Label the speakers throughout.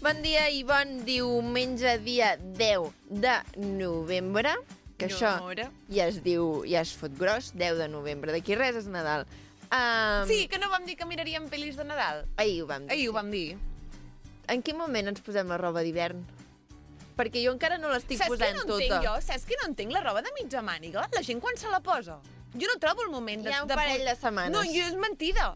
Speaker 1: Bon dia i bon diumenge, dia 10 de novembre, que això ja es fot gros, 10 de novembre. D'aquí res és Nadal.
Speaker 2: Sí, que no vam dir que miraríem pel·lis de Nadal?
Speaker 1: Ahir ho vam dir.
Speaker 2: Ahir ho vam dir.
Speaker 1: En quin moment ens posem la roba d'hivern? Perquè jo encara no l'estic posant tota.
Speaker 2: Saps que no entenc la roba de mitja màniga? La gent quan se la posa. Jo no trobo el moment de...
Speaker 1: Hi ha un parell de setmanes.
Speaker 2: No, és mentida.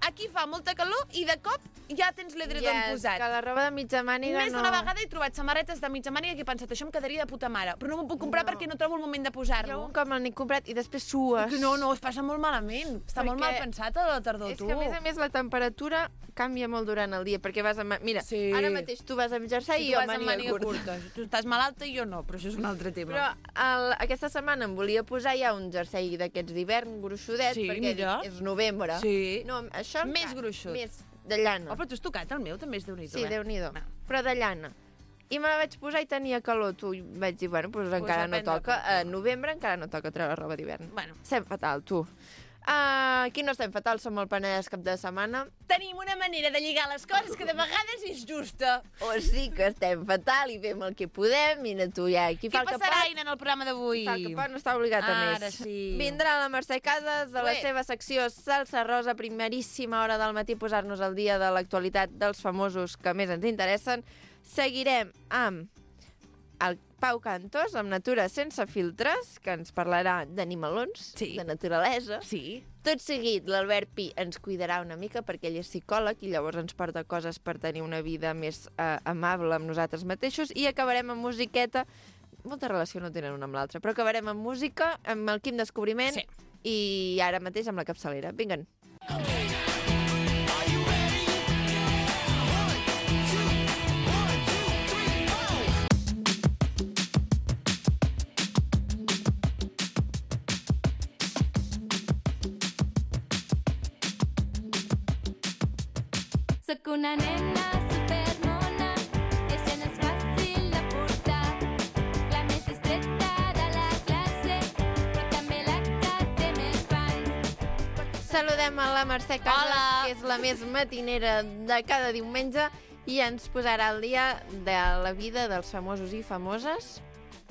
Speaker 2: Aquí fa molta calor i de cop ja tens l'edredon posat.
Speaker 1: Que la roba de mitja màniga
Speaker 2: Més d'una vegada he trobat samarretes de mitja màniga que he pensat, això em quedaria de puta mare, però no m'ho puc comprar perquè no trobo el moment de posar-lo.
Speaker 1: Jo un cop me l'he comprat i després sues.
Speaker 2: No, es passa molt malament. Està molt mal pensat a la tardor, tu.
Speaker 1: És que a més la temperatura canvia molt durant el dia, perquè vas amb... Mira, ara mateix tu vas amb jersei i jo amb màniga curta.
Speaker 2: Tu estàs malalta i jo no, però això és un altre tema.
Speaker 1: Però aquesta setmana em volia posar ja un jersei d'aquests d'hivern gruixudet, perquè és novembre.
Speaker 2: Sí.
Speaker 1: No, això
Speaker 2: més gruixut.
Speaker 1: Més de llana.
Speaker 2: Oh, però tu has tocat el meu, també és Déu-n'hi-do.
Speaker 1: Sí, Déu-n'hi-do. Però de llana. I me la vaig posar i tenia calor. Tu vaig dir, bueno, doncs encara no toca. A novembre encara no toca treure roba d'hivern.
Speaker 2: Bueno.
Speaker 1: Estem fatal, tu. Aquí no estem fatal, som el Penedès cap de setmana.
Speaker 2: Tenim una manera de lligar les coses que de vegades és justa.
Speaker 1: O sí que estem fatal i fem el que podem. Mira tu, ja.
Speaker 2: Què passarà, Aina, en el programa d'avui?
Speaker 1: Fa el que pot, no està obligat a més.
Speaker 2: Ara sí.
Speaker 1: Vindrà la Mercè Casas de la seva secció Salsa Rosa, primeríssima hora del matí, posar-nos al dia de l'actualitat dels famosos que més ens interessen. Seguirem amb el Pau Cantos, amb Natura sense filtres, que ens parlarà d'animalons, de naturalesa.
Speaker 2: Sí.
Speaker 1: Tot seguit, l'Albert Pi ens cuidarà una mica perquè ell és psicòleg i llavors ens porta coses per tenir una vida més amable amb nosaltres mateixos, i acabarem amb musiqueta. Molta relació no tenen una amb l'altra, però acabarem amb música, amb el Quim Descobriment i ara mateix amb la capçalera. Vinguen.
Speaker 3: Soc una nena supermona, ella no és fàcil de portar. La més discreta de la classe, però també la que té més fans.
Speaker 1: Saludem a la Mercè Casas, que és la més matinera de cada diumenge, i ens posarà al dia de la vida dels famosos i famoses,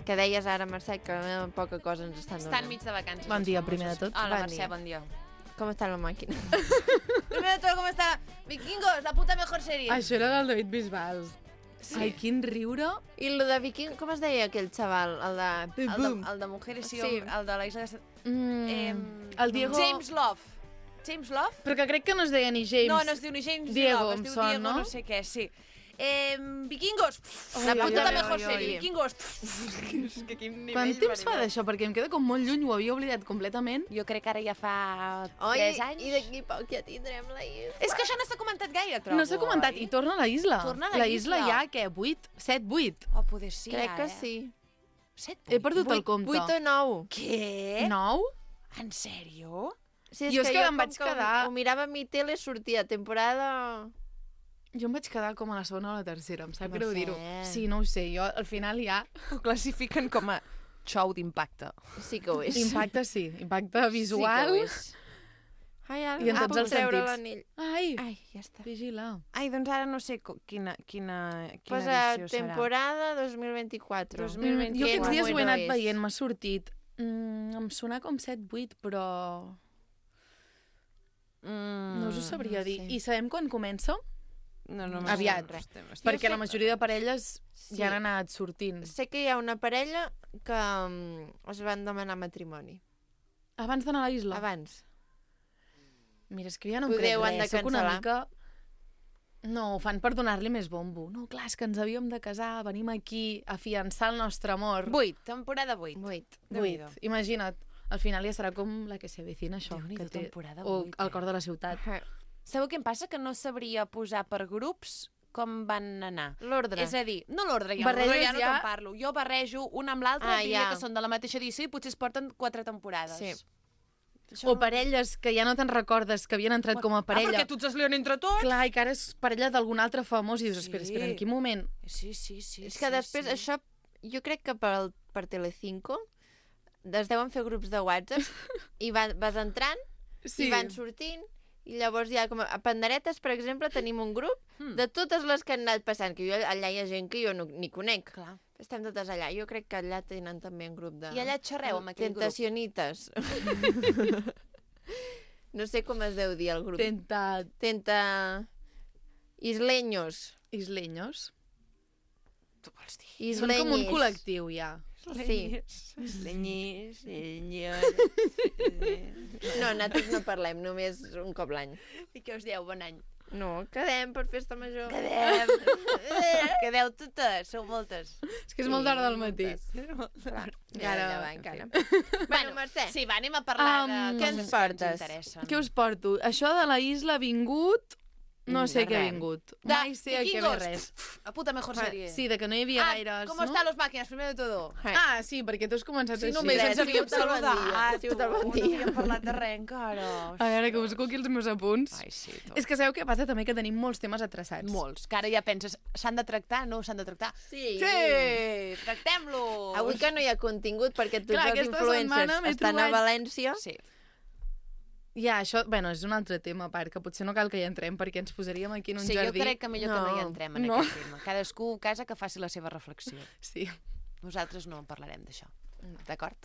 Speaker 1: que deies ara, Mercè, que poca cosa ens estan donant.
Speaker 2: Estan mig de vacances.
Speaker 4: Bon dia, primer de tot.
Speaker 2: Hola, Mercè, bon dia.
Speaker 1: Com està la màquina?
Speaker 2: Primer de tot, com està? Vikingos, la puta mejor sèrie.
Speaker 4: Això era del David Bisbal. Sí. Ai, quin riure.
Speaker 1: I el de Viking, com es deia aquell xaval?
Speaker 2: El de Mujeres i Hombres, el de la Isla de...
Speaker 4: El Diego...
Speaker 2: James Love. James Love?
Speaker 4: Però que crec que no es deia ni James.
Speaker 2: No, no es diu ni James
Speaker 4: Diego,
Speaker 2: Love, es diu Diego, no sé què, sí. Vikingos, la puta mejor sèrie. Vikingos.
Speaker 4: Quant temps fa d'això? Perquè em queda com molt lluny, ho havia oblidat completament.
Speaker 2: Jo crec que ara ja fa 3 anys.
Speaker 1: I d'aquí poc ja tindrem la isla.
Speaker 2: És que això no s'ha comentat gaire, trobo.
Speaker 4: No s'ha comentat, i torna a la isla.
Speaker 2: Torna a la
Speaker 4: isla ja, què, 8? 7, 8?
Speaker 2: Oh, poder sí,
Speaker 1: crec que sí.
Speaker 2: 7, 8?
Speaker 4: He perdut el compte.
Speaker 1: 8 o 9.
Speaker 2: Què?
Speaker 4: 9?
Speaker 2: En sèrio?
Speaker 1: Sí,
Speaker 4: jo és que em vaig quedar...
Speaker 1: Ho mirava a mi tele, sortia temporada...
Speaker 4: Jo em vaig quedar com a la segona o la tercera, em sap greu dir-ho. Sí, no ho sé, jo al final ja...
Speaker 2: Ho classifiquen com a show d'impacte.
Speaker 1: Sí que ho és.
Speaker 4: Impacte sí, impacte visual.
Speaker 1: Sí que ho és. Ai, ara
Speaker 4: i en tots els sentits.
Speaker 1: l'anell.
Speaker 4: Ai,
Speaker 1: ja està.
Speaker 4: Vigila.
Speaker 2: Ai, doncs ara no sé quina
Speaker 1: Posa
Speaker 2: edició serà.
Speaker 1: Temporada 2024.
Speaker 4: Jo aquests dies ho he anat veient, m'ha sortit. Em sona com 7-8, però... No us ho sabria dir. I sabem quan comença?
Speaker 2: No,
Speaker 4: aviat, perquè la majoria de parelles ja han anat sortint.
Speaker 1: Sé que hi ha una parella que es van demanar matrimoni.
Speaker 4: Abans d'anar a la isla?
Speaker 1: Abans.
Speaker 4: Mira, és que ja no em crec res. Soc una mica... No, ho fan per donar-li més bombo. No, clar, és que ens havíem de casar, venim aquí a fiançar el nostre amor.
Speaker 2: 8, temporada 8.
Speaker 4: 8. Imagina't, al final ja serà com la que se avecina, això.
Speaker 2: Que té... temporada 8.
Speaker 4: O el cor de la ciutat.
Speaker 2: Sabeu què em passa? Que no sabria posar per grups com van anar.
Speaker 1: L'ordre.
Speaker 2: És a dir, no l'ordre, ja no te'n parlo. Jo barrejo una amb l'altra, diria que són de la mateixa edició i potser es porten 4 temporades. Sí.
Speaker 4: O parelles que ja no te'n recordes que havien entrat com a parella.
Speaker 2: Perquè tots es lien entre tots.
Speaker 4: Clar, i que ara és parella d'algun altre famós i dius, espera, en quin moment?
Speaker 2: Sí.
Speaker 1: És que després això, jo crec que per Telecinco es deuen fer grups de WhatsApp i vas entrant i van sortint I llavors ja, com a Panderetes, per exemple, tenim un grup de totes les que han anat passant, que allà hi ha gent que jo ni conec.
Speaker 2: Clar.
Speaker 1: Estem totes allà. Jo crec que allà tenen també un grup de...
Speaker 2: I allà xerreu amb aquell grup?
Speaker 1: Tentacionites. No sé com es deu dir el grup. Isleños.
Speaker 4: Isleños?
Speaker 2: Tu vols dir?
Speaker 1: Isleñis.
Speaker 4: Són com un col·lectiu, ja.
Speaker 1: Sí.
Speaker 2: Isleñis,
Speaker 1: No, nosaltres no parlem, només un cop l'any.
Speaker 2: I què us dieu? Bon any.
Speaker 1: No, quedem per festa major.
Speaker 2: Quedeu totes, sou moltes.
Speaker 4: És que és molt d'hora del matí.
Speaker 1: Clar, encara.
Speaker 2: Bueno,
Speaker 1: Mercè.
Speaker 2: Sí, va, anem a parlar de
Speaker 1: què
Speaker 2: coses
Speaker 1: ens
Speaker 2: que
Speaker 1: portes?
Speaker 2: ens interessen.
Speaker 4: Què us porto? Això de la isla ha vingut... No sé què ha vingut. Mai sé a què ve res.
Speaker 2: La puta mejor sèrie.
Speaker 4: Sí, de que no hi havia gaires,
Speaker 2: ¿cómo están los máquinas? Primero de todo.
Speaker 4: Ah, sí, perquè tu has començat
Speaker 2: Sí,
Speaker 4: així.
Speaker 2: només ens havíem saludat.
Speaker 1: Sí, bon dia.
Speaker 2: No havíem parlat de res encara.
Speaker 4: A veure, que busco aquí els meus apunts.
Speaker 2: Ai, sí, tu.
Speaker 4: És que sabeu què passa també? Que tenim molts temes atreçats.
Speaker 2: Molts. Que ara ja penses, s'han de tractar? No s'han de tractar?
Speaker 1: Sí.
Speaker 2: Sí, tractem-los.
Speaker 1: Avui que no hi ha contingut perquè tots
Speaker 4: Clar,
Speaker 1: els
Speaker 4: aquesta
Speaker 1: influencers
Speaker 4: setmana m'he
Speaker 1: estan a
Speaker 4: trobat-
Speaker 1: València.
Speaker 2: Sí.
Speaker 4: Ja, això, bueno, és un altre tema a part, que potser no cal que hi entrem perquè ens posaríem aquí en un
Speaker 2: Sí, jo
Speaker 4: jardí.
Speaker 2: crec que millor que no hi entrem en
Speaker 4: No.
Speaker 2: aquest tema. Cadascú a casa que faci la seva reflexió.
Speaker 4: Sí.
Speaker 2: Nosaltres no parlarem d'això. D'acord?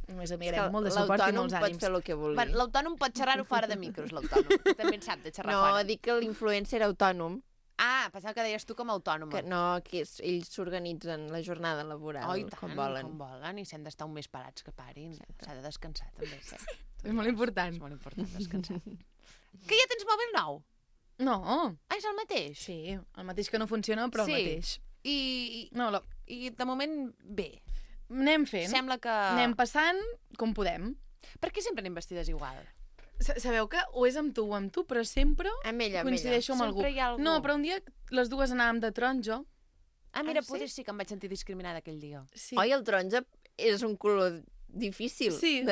Speaker 4: Només mirem molt de suport i molts
Speaker 1: L'autònom pot
Speaker 4: ànims.
Speaker 1: fer el que vulgui.
Speaker 2: Bueno, l'autònom pot xerrar-ho fora de micros, l'autònom. També en sap de xerrar
Speaker 1: No,
Speaker 2: fora.
Speaker 1: dic que l'influencer autònom,
Speaker 2: Ah, pensava que deies tu com a autònoma.
Speaker 1: que no, que ells s'organitzen la jornada laboral
Speaker 2: Oh, i tant,
Speaker 1: com volen.
Speaker 2: com volen, i s'han d'estar un mes parats que parin. S'ha de descansar, també. Sí.
Speaker 4: És molt important.
Speaker 2: És molt important descansar. Que ja tens mòbil nou?
Speaker 4: No.
Speaker 2: Ah, és el mateix?
Speaker 4: Sí, el mateix que no funciona, però
Speaker 2: Sí.
Speaker 4: el mateix.
Speaker 2: I
Speaker 4: No,
Speaker 2: I de moment, bé.
Speaker 4: anem fent.
Speaker 2: Sembla que...
Speaker 4: Anem passant com podem.
Speaker 2: Per què sempre anem vestides igual?
Speaker 4: Sabeu que o és amb tu o amb tu, però sempre
Speaker 1: Amb ella.
Speaker 4: coincideixo amb algú.
Speaker 2: Sempre hi ha algú.
Speaker 4: No, però un dia les dues anàvem de taronja.
Speaker 2: Ah, mira,
Speaker 1: Ah, sí?
Speaker 2: potser sí que em vaig sentir discriminada aquell dia.
Speaker 4: Sí.
Speaker 1: Oi, el taronja és un color difícil.
Speaker 4: Sí.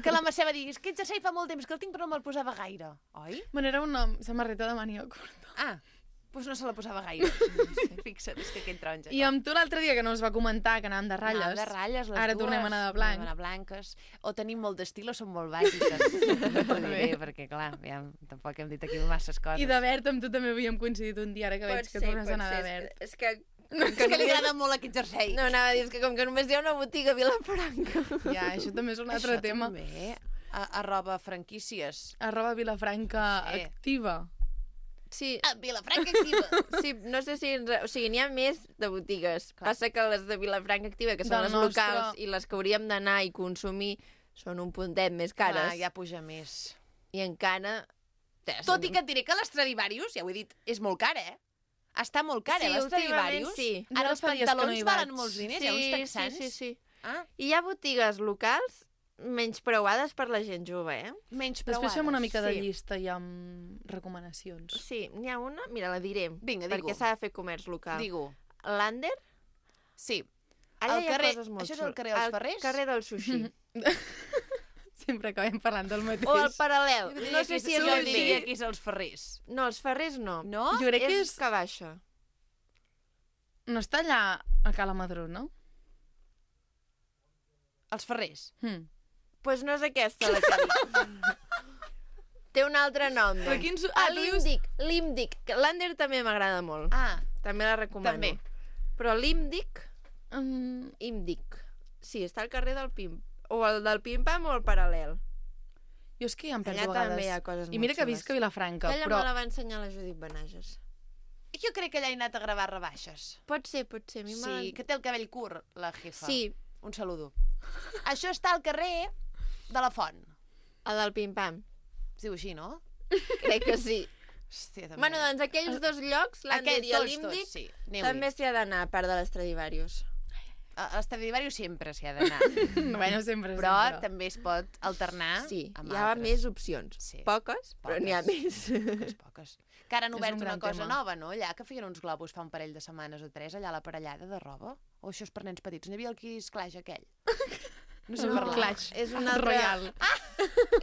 Speaker 2: Que la Mercè va dir, és que aquest jersei fa molt temps que el tinc però no me'l posava gaire, oi?
Speaker 4: Bueno, era una samarreta de màniga curta.
Speaker 2: Ah, doncs no se la posava gaire. Fixa't, és que aquell taronja.
Speaker 4: I amb tu l'altre dia que no es va comentar que anàvem de ratlles.
Speaker 2: Anàvem de ratlles, les
Speaker 4: Ara
Speaker 2: dues.
Speaker 4: tornem a anar de blanc.
Speaker 2: Tornem a anar blanques. O tenim molt d'estil o som molt bàsiques. No t'ho diré, perquè clar, ja, tampoc hem dit aquí masses coses.
Speaker 4: I de verd amb tu també havíem coincidit un dia, ara que veig que tornes a anar de
Speaker 1: pot
Speaker 4: verd.
Speaker 1: ser. És que...
Speaker 2: És que li agrada molt aquest jersei.
Speaker 1: No, anava a dir, és que com que només hi ha una botiga a Vilafranca.
Speaker 4: Ja, això també és un altre
Speaker 2: Això
Speaker 4: tema.
Speaker 2: també. Arroba franquícies.
Speaker 4: @Vilafranca
Speaker 2: Sí.
Speaker 4: activa.
Speaker 1: Sí,
Speaker 2: A Vilafranca Activa.
Speaker 1: sí, no sé si... O sigui, n'hi ha més de botigues.
Speaker 2: Clar.
Speaker 1: Passa que les de Vilafranca Activa, que són
Speaker 4: Del
Speaker 1: les
Speaker 4: nostre-
Speaker 1: locals i les que hauríem d'anar i consumir, són un puntet més cares.
Speaker 2: Clar, ja puja més.
Speaker 1: I encara...
Speaker 2: Tot i que et diré que l'Stradivarius, ja ho he dit, és molt cara, eh? Està molt cara,
Speaker 1: Sí,
Speaker 2: l'Stradivarius.
Speaker 1: últimament sí.
Speaker 2: Ara
Speaker 4: Jo
Speaker 2: els
Speaker 4: fa dies que no
Speaker 2: pantalons
Speaker 4: hi
Speaker 2: valen
Speaker 4: vaig.
Speaker 2: molts diners, hi ha uns texans.
Speaker 1: Sí.
Speaker 2: Ah,
Speaker 1: I hi ha botigues locals menyspreuades per la gent jove, eh?
Speaker 2: menys
Speaker 4: Després fem una mica de
Speaker 1: Sí.
Speaker 4: llista i amb recomanacions.
Speaker 1: Sí, n'hi ha una, mira, la diré.
Speaker 2: Vinga, digue-ho.
Speaker 1: Perquè s'ha de fer comerç local.
Speaker 2: Digue-ho.
Speaker 1: L'Ander,
Speaker 2: Sí.
Speaker 1: allà
Speaker 2: Al
Speaker 1: hi ha
Speaker 2: carrer-
Speaker 1: coses molt
Speaker 2: això és al
Speaker 1: xules.
Speaker 2: carrer dels
Speaker 1: Al
Speaker 2: Ferrers?
Speaker 1: carrer del sushi.
Speaker 4: Sempre acabem parlant del mateix.
Speaker 1: O al paral·lel. No sé si és
Speaker 2: jo
Speaker 1: el
Speaker 2: diria
Speaker 1: bé.
Speaker 2: que és els Ferrers.
Speaker 1: No, els Ferrers no.
Speaker 2: No?
Speaker 4: Jo crec que
Speaker 1: és que baixa.
Speaker 4: No està allà a Cala Madrona?
Speaker 2: Els Ferrers.
Speaker 4: Hm.
Speaker 1: Pues no és aquesta la que dic. Té un altre nom.
Speaker 4: Però
Speaker 1: Doncs.
Speaker 4: quins...
Speaker 1: Ah,
Speaker 4: tu dius...
Speaker 1: l'Imdic. L'Ander també m'agrada molt.
Speaker 2: Ah,
Speaker 1: També la recomano.
Speaker 2: També.
Speaker 1: Però l'Imdic,
Speaker 4: Mm,
Speaker 1: sí, està al carrer del Pim. O el del Pim-Pam o el paral·lel.
Speaker 4: jo és que ja em penso
Speaker 1: Allà
Speaker 4: a vegades.
Speaker 1: també hi ha coses
Speaker 4: I mira
Speaker 1: molt
Speaker 4: que
Speaker 1: xules.
Speaker 4: visc a Vilafranca,
Speaker 1: Aquella
Speaker 4: però...
Speaker 1: me la va ensenyar la Judit Benages.
Speaker 2: jo crec que allà he anat a gravar rebaixes.
Speaker 1: Pot ser. A mi
Speaker 2: Sí, que té el cabell curt, la jefa.
Speaker 1: Sí,
Speaker 2: Un saludo. Això està al carrer de la Font.
Speaker 1: el del Pim-Pam.
Speaker 2: Es diu així, no?
Speaker 1: Crec que sí.
Speaker 2: Hòstia, també.
Speaker 1: Bueno, doncs aquells dos llocs, l'Ander
Speaker 2: Aquests
Speaker 1: i
Speaker 2: tots,
Speaker 1: l'Imdic,
Speaker 2: sí. Aneu-hi.
Speaker 1: també s'hi ha d'anar, a part de l'Estradivarius.
Speaker 2: A l'Estradivarius sempre s'hi ha d'anar.
Speaker 4: Bueno, sempre,
Speaker 2: Però
Speaker 4: sempre.
Speaker 2: també es pot alternar
Speaker 1: Sí,
Speaker 2: amb
Speaker 1: hi ha
Speaker 2: altres.
Speaker 1: més opcions.
Speaker 2: Sí.
Speaker 1: Poques, però n'hi ha més.
Speaker 2: Poques. Que ara han
Speaker 4: És
Speaker 2: obert
Speaker 4: un
Speaker 2: una
Speaker 4: gran
Speaker 2: cosa
Speaker 4: tema.
Speaker 2: nova, no? Allà que feien uns globus fa un parell de setmanes o 3, allà a la parellada de roba. O això és per nens petits. N'hi havia el Kiss Clash aquell. No sé
Speaker 4: El
Speaker 2: parlar.
Speaker 4: Clash.
Speaker 1: És una altra,
Speaker 4: Royal.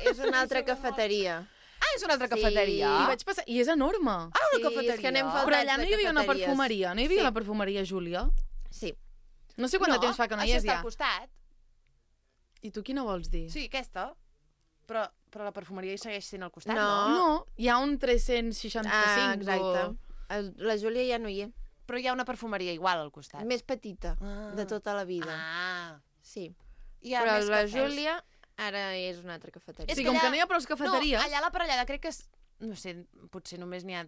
Speaker 1: és una altra cafeteria.
Speaker 2: Ah, és una altra
Speaker 1: Sí.
Speaker 2: cafeteria.
Speaker 4: I vaig passar... I és enorme.
Speaker 2: una
Speaker 1: Sí,
Speaker 2: cafeteria.
Speaker 1: és que anem faltats
Speaker 4: Però allà no
Speaker 1: de
Speaker 4: hi havia una
Speaker 1: cafeteries.
Speaker 4: perfumeria. No hi havia
Speaker 1: Sí.
Speaker 4: la perfumeria Júlia?
Speaker 1: Sí.
Speaker 4: No sé quant de temps fa que no hi
Speaker 2: això
Speaker 4: és
Speaker 2: està
Speaker 4: ja.
Speaker 2: al costat.
Speaker 4: I tu quina vols dir?
Speaker 2: Sí, aquesta. Però Però la perfumeria hi segueix sent al costat,
Speaker 1: No.
Speaker 2: no?
Speaker 4: No, hi ha un 365.
Speaker 1: Exacte. La Júlia ja no hi és.
Speaker 2: Però hi ha una perfumeria igual al costat.
Speaker 1: Més petita, de tota la vida. Sí.
Speaker 2: Hi ha
Speaker 1: Però
Speaker 2: més
Speaker 1: la
Speaker 2: cafès.
Speaker 1: Júlia ara és una altra cafeteria.
Speaker 4: O sigui,
Speaker 2: que
Speaker 4: com
Speaker 2: allà-
Speaker 4: que no hi ha prou cafeteries...
Speaker 2: No, allà a la parellada crec que... No sé, potser només n'hi ha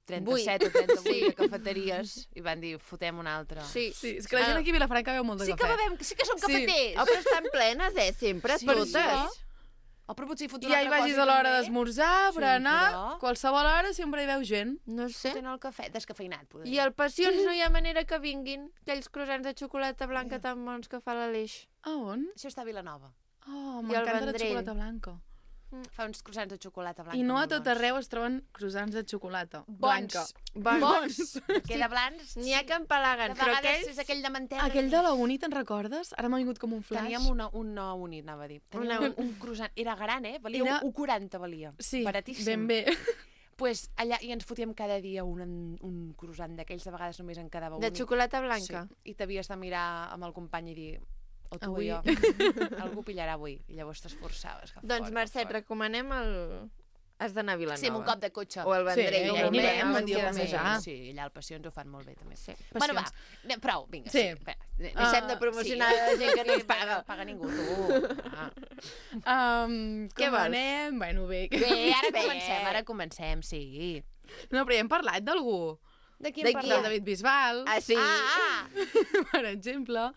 Speaker 2: 37
Speaker 1: Vuit.
Speaker 2: o 38 de cafeteries i van dir, fotem una altra.
Speaker 1: Sí.
Speaker 4: Sí, és que la gent aquí a Vilafranca beu molt de
Speaker 2: Sí que
Speaker 4: cafè.
Speaker 2: bevem, sí que som
Speaker 4: Sí.
Speaker 2: cafeters.
Speaker 1: Oh, però estan plenes, sempre,
Speaker 2: Sí,
Speaker 1: totes.
Speaker 2: sí. Oh, però potser hi fot una
Speaker 4: Ja hi
Speaker 2: altra
Speaker 4: vagis
Speaker 2: cosa
Speaker 4: a l'hora
Speaker 2: també.
Speaker 4: d'esmorzar,
Speaker 2: Sí,
Speaker 4: berenar,
Speaker 2: però-
Speaker 4: qualsevol hora sempre hi veu gent.
Speaker 1: No sé.
Speaker 2: Tenen el cafè descafeinat, poder.
Speaker 1: I al Passions no hi ha manera que vinguin aquells croissants de xocolata blanca tan bons que fa l'Aleix.
Speaker 4: A on?
Speaker 2: Això està a Vilanova.
Speaker 4: Oh,
Speaker 1: I el
Speaker 4: m'encanta la
Speaker 1: Vendrell.
Speaker 4: xocolata blanca.
Speaker 2: Fa uns croissants de xocolata blanca.
Speaker 4: I no a
Speaker 2: molt
Speaker 4: tot
Speaker 2: bons.
Speaker 4: arreu es troben croissants de xocolata
Speaker 2: Bons.
Speaker 4: blanca.
Speaker 2: Bons. Queda blancs.
Speaker 1: N'hi ha que empalaguen,
Speaker 2: De
Speaker 1: però
Speaker 2: vegades
Speaker 1: aquells...
Speaker 2: és aquell de mantega.
Speaker 4: Aquell de la Uni, te'n recordes? Ara m'ha vingut com un flash.
Speaker 2: Teníem una unit, anava a dir. Teníem un croissant. Era gran, valia
Speaker 4: Era-
Speaker 2: 1,40 valia.
Speaker 4: Sí,
Speaker 2: Baratíssim.
Speaker 4: ben bé.
Speaker 2: Pues allà i ens fotíem cada dia un croissant d'aquells, de vegades només en quedava un.
Speaker 1: De xocolata blanca.
Speaker 2: Sí. I t'havies de mirar amb el company i dir o tu
Speaker 4: Avui.
Speaker 2: o jo. Algú pillarà avui. I llavors t'esforçaves. Que
Speaker 1: Doncs,
Speaker 2: fort,
Speaker 1: Mercè, et
Speaker 2: que fort.
Speaker 1: recomanem el... Has d'anar a Vilanova.
Speaker 2: Sí, amb un cop de cotxe.
Speaker 1: O el Vendrell.
Speaker 4: Sí,
Speaker 1: ja
Speaker 4: ho
Speaker 1: anirem,
Speaker 4: mirem, un
Speaker 1: en
Speaker 4: dia
Speaker 1: queda
Speaker 4: de
Speaker 1: més.
Speaker 4: passejar.
Speaker 2: Sí, allà al Passions ho fan molt bé, també.
Speaker 1: Sí.
Speaker 2: Bueno, va,
Speaker 4: Passions.
Speaker 2: prou, vinga.
Speaker 4: Sí.
Speaker 2: Espera.
Speaker 1: Deixem de promocionar la gent que no ens paga.
Speaker 2: No paga ningú, tu.
Speaker 1: Què
Speaker 4: Com
Speaker 1: vols?
Speaker 4: anem? Bueno, bé.
Speaker 2: Bé,
Speaker 1: Bé.
Speaker 2: ara comencem, sí.
Speaker 4: No, però ja hem parlat d'algú.
Speaker 2: De qui
Speaker 1: De
Speaker 2: hem
Speaker 1: qui?
Speaker 4: Del
Speaker 2: parlat?
Speaker 4: David Bisbal,
Speaker 1: Ah, sí?
Speaker 4: per exemple.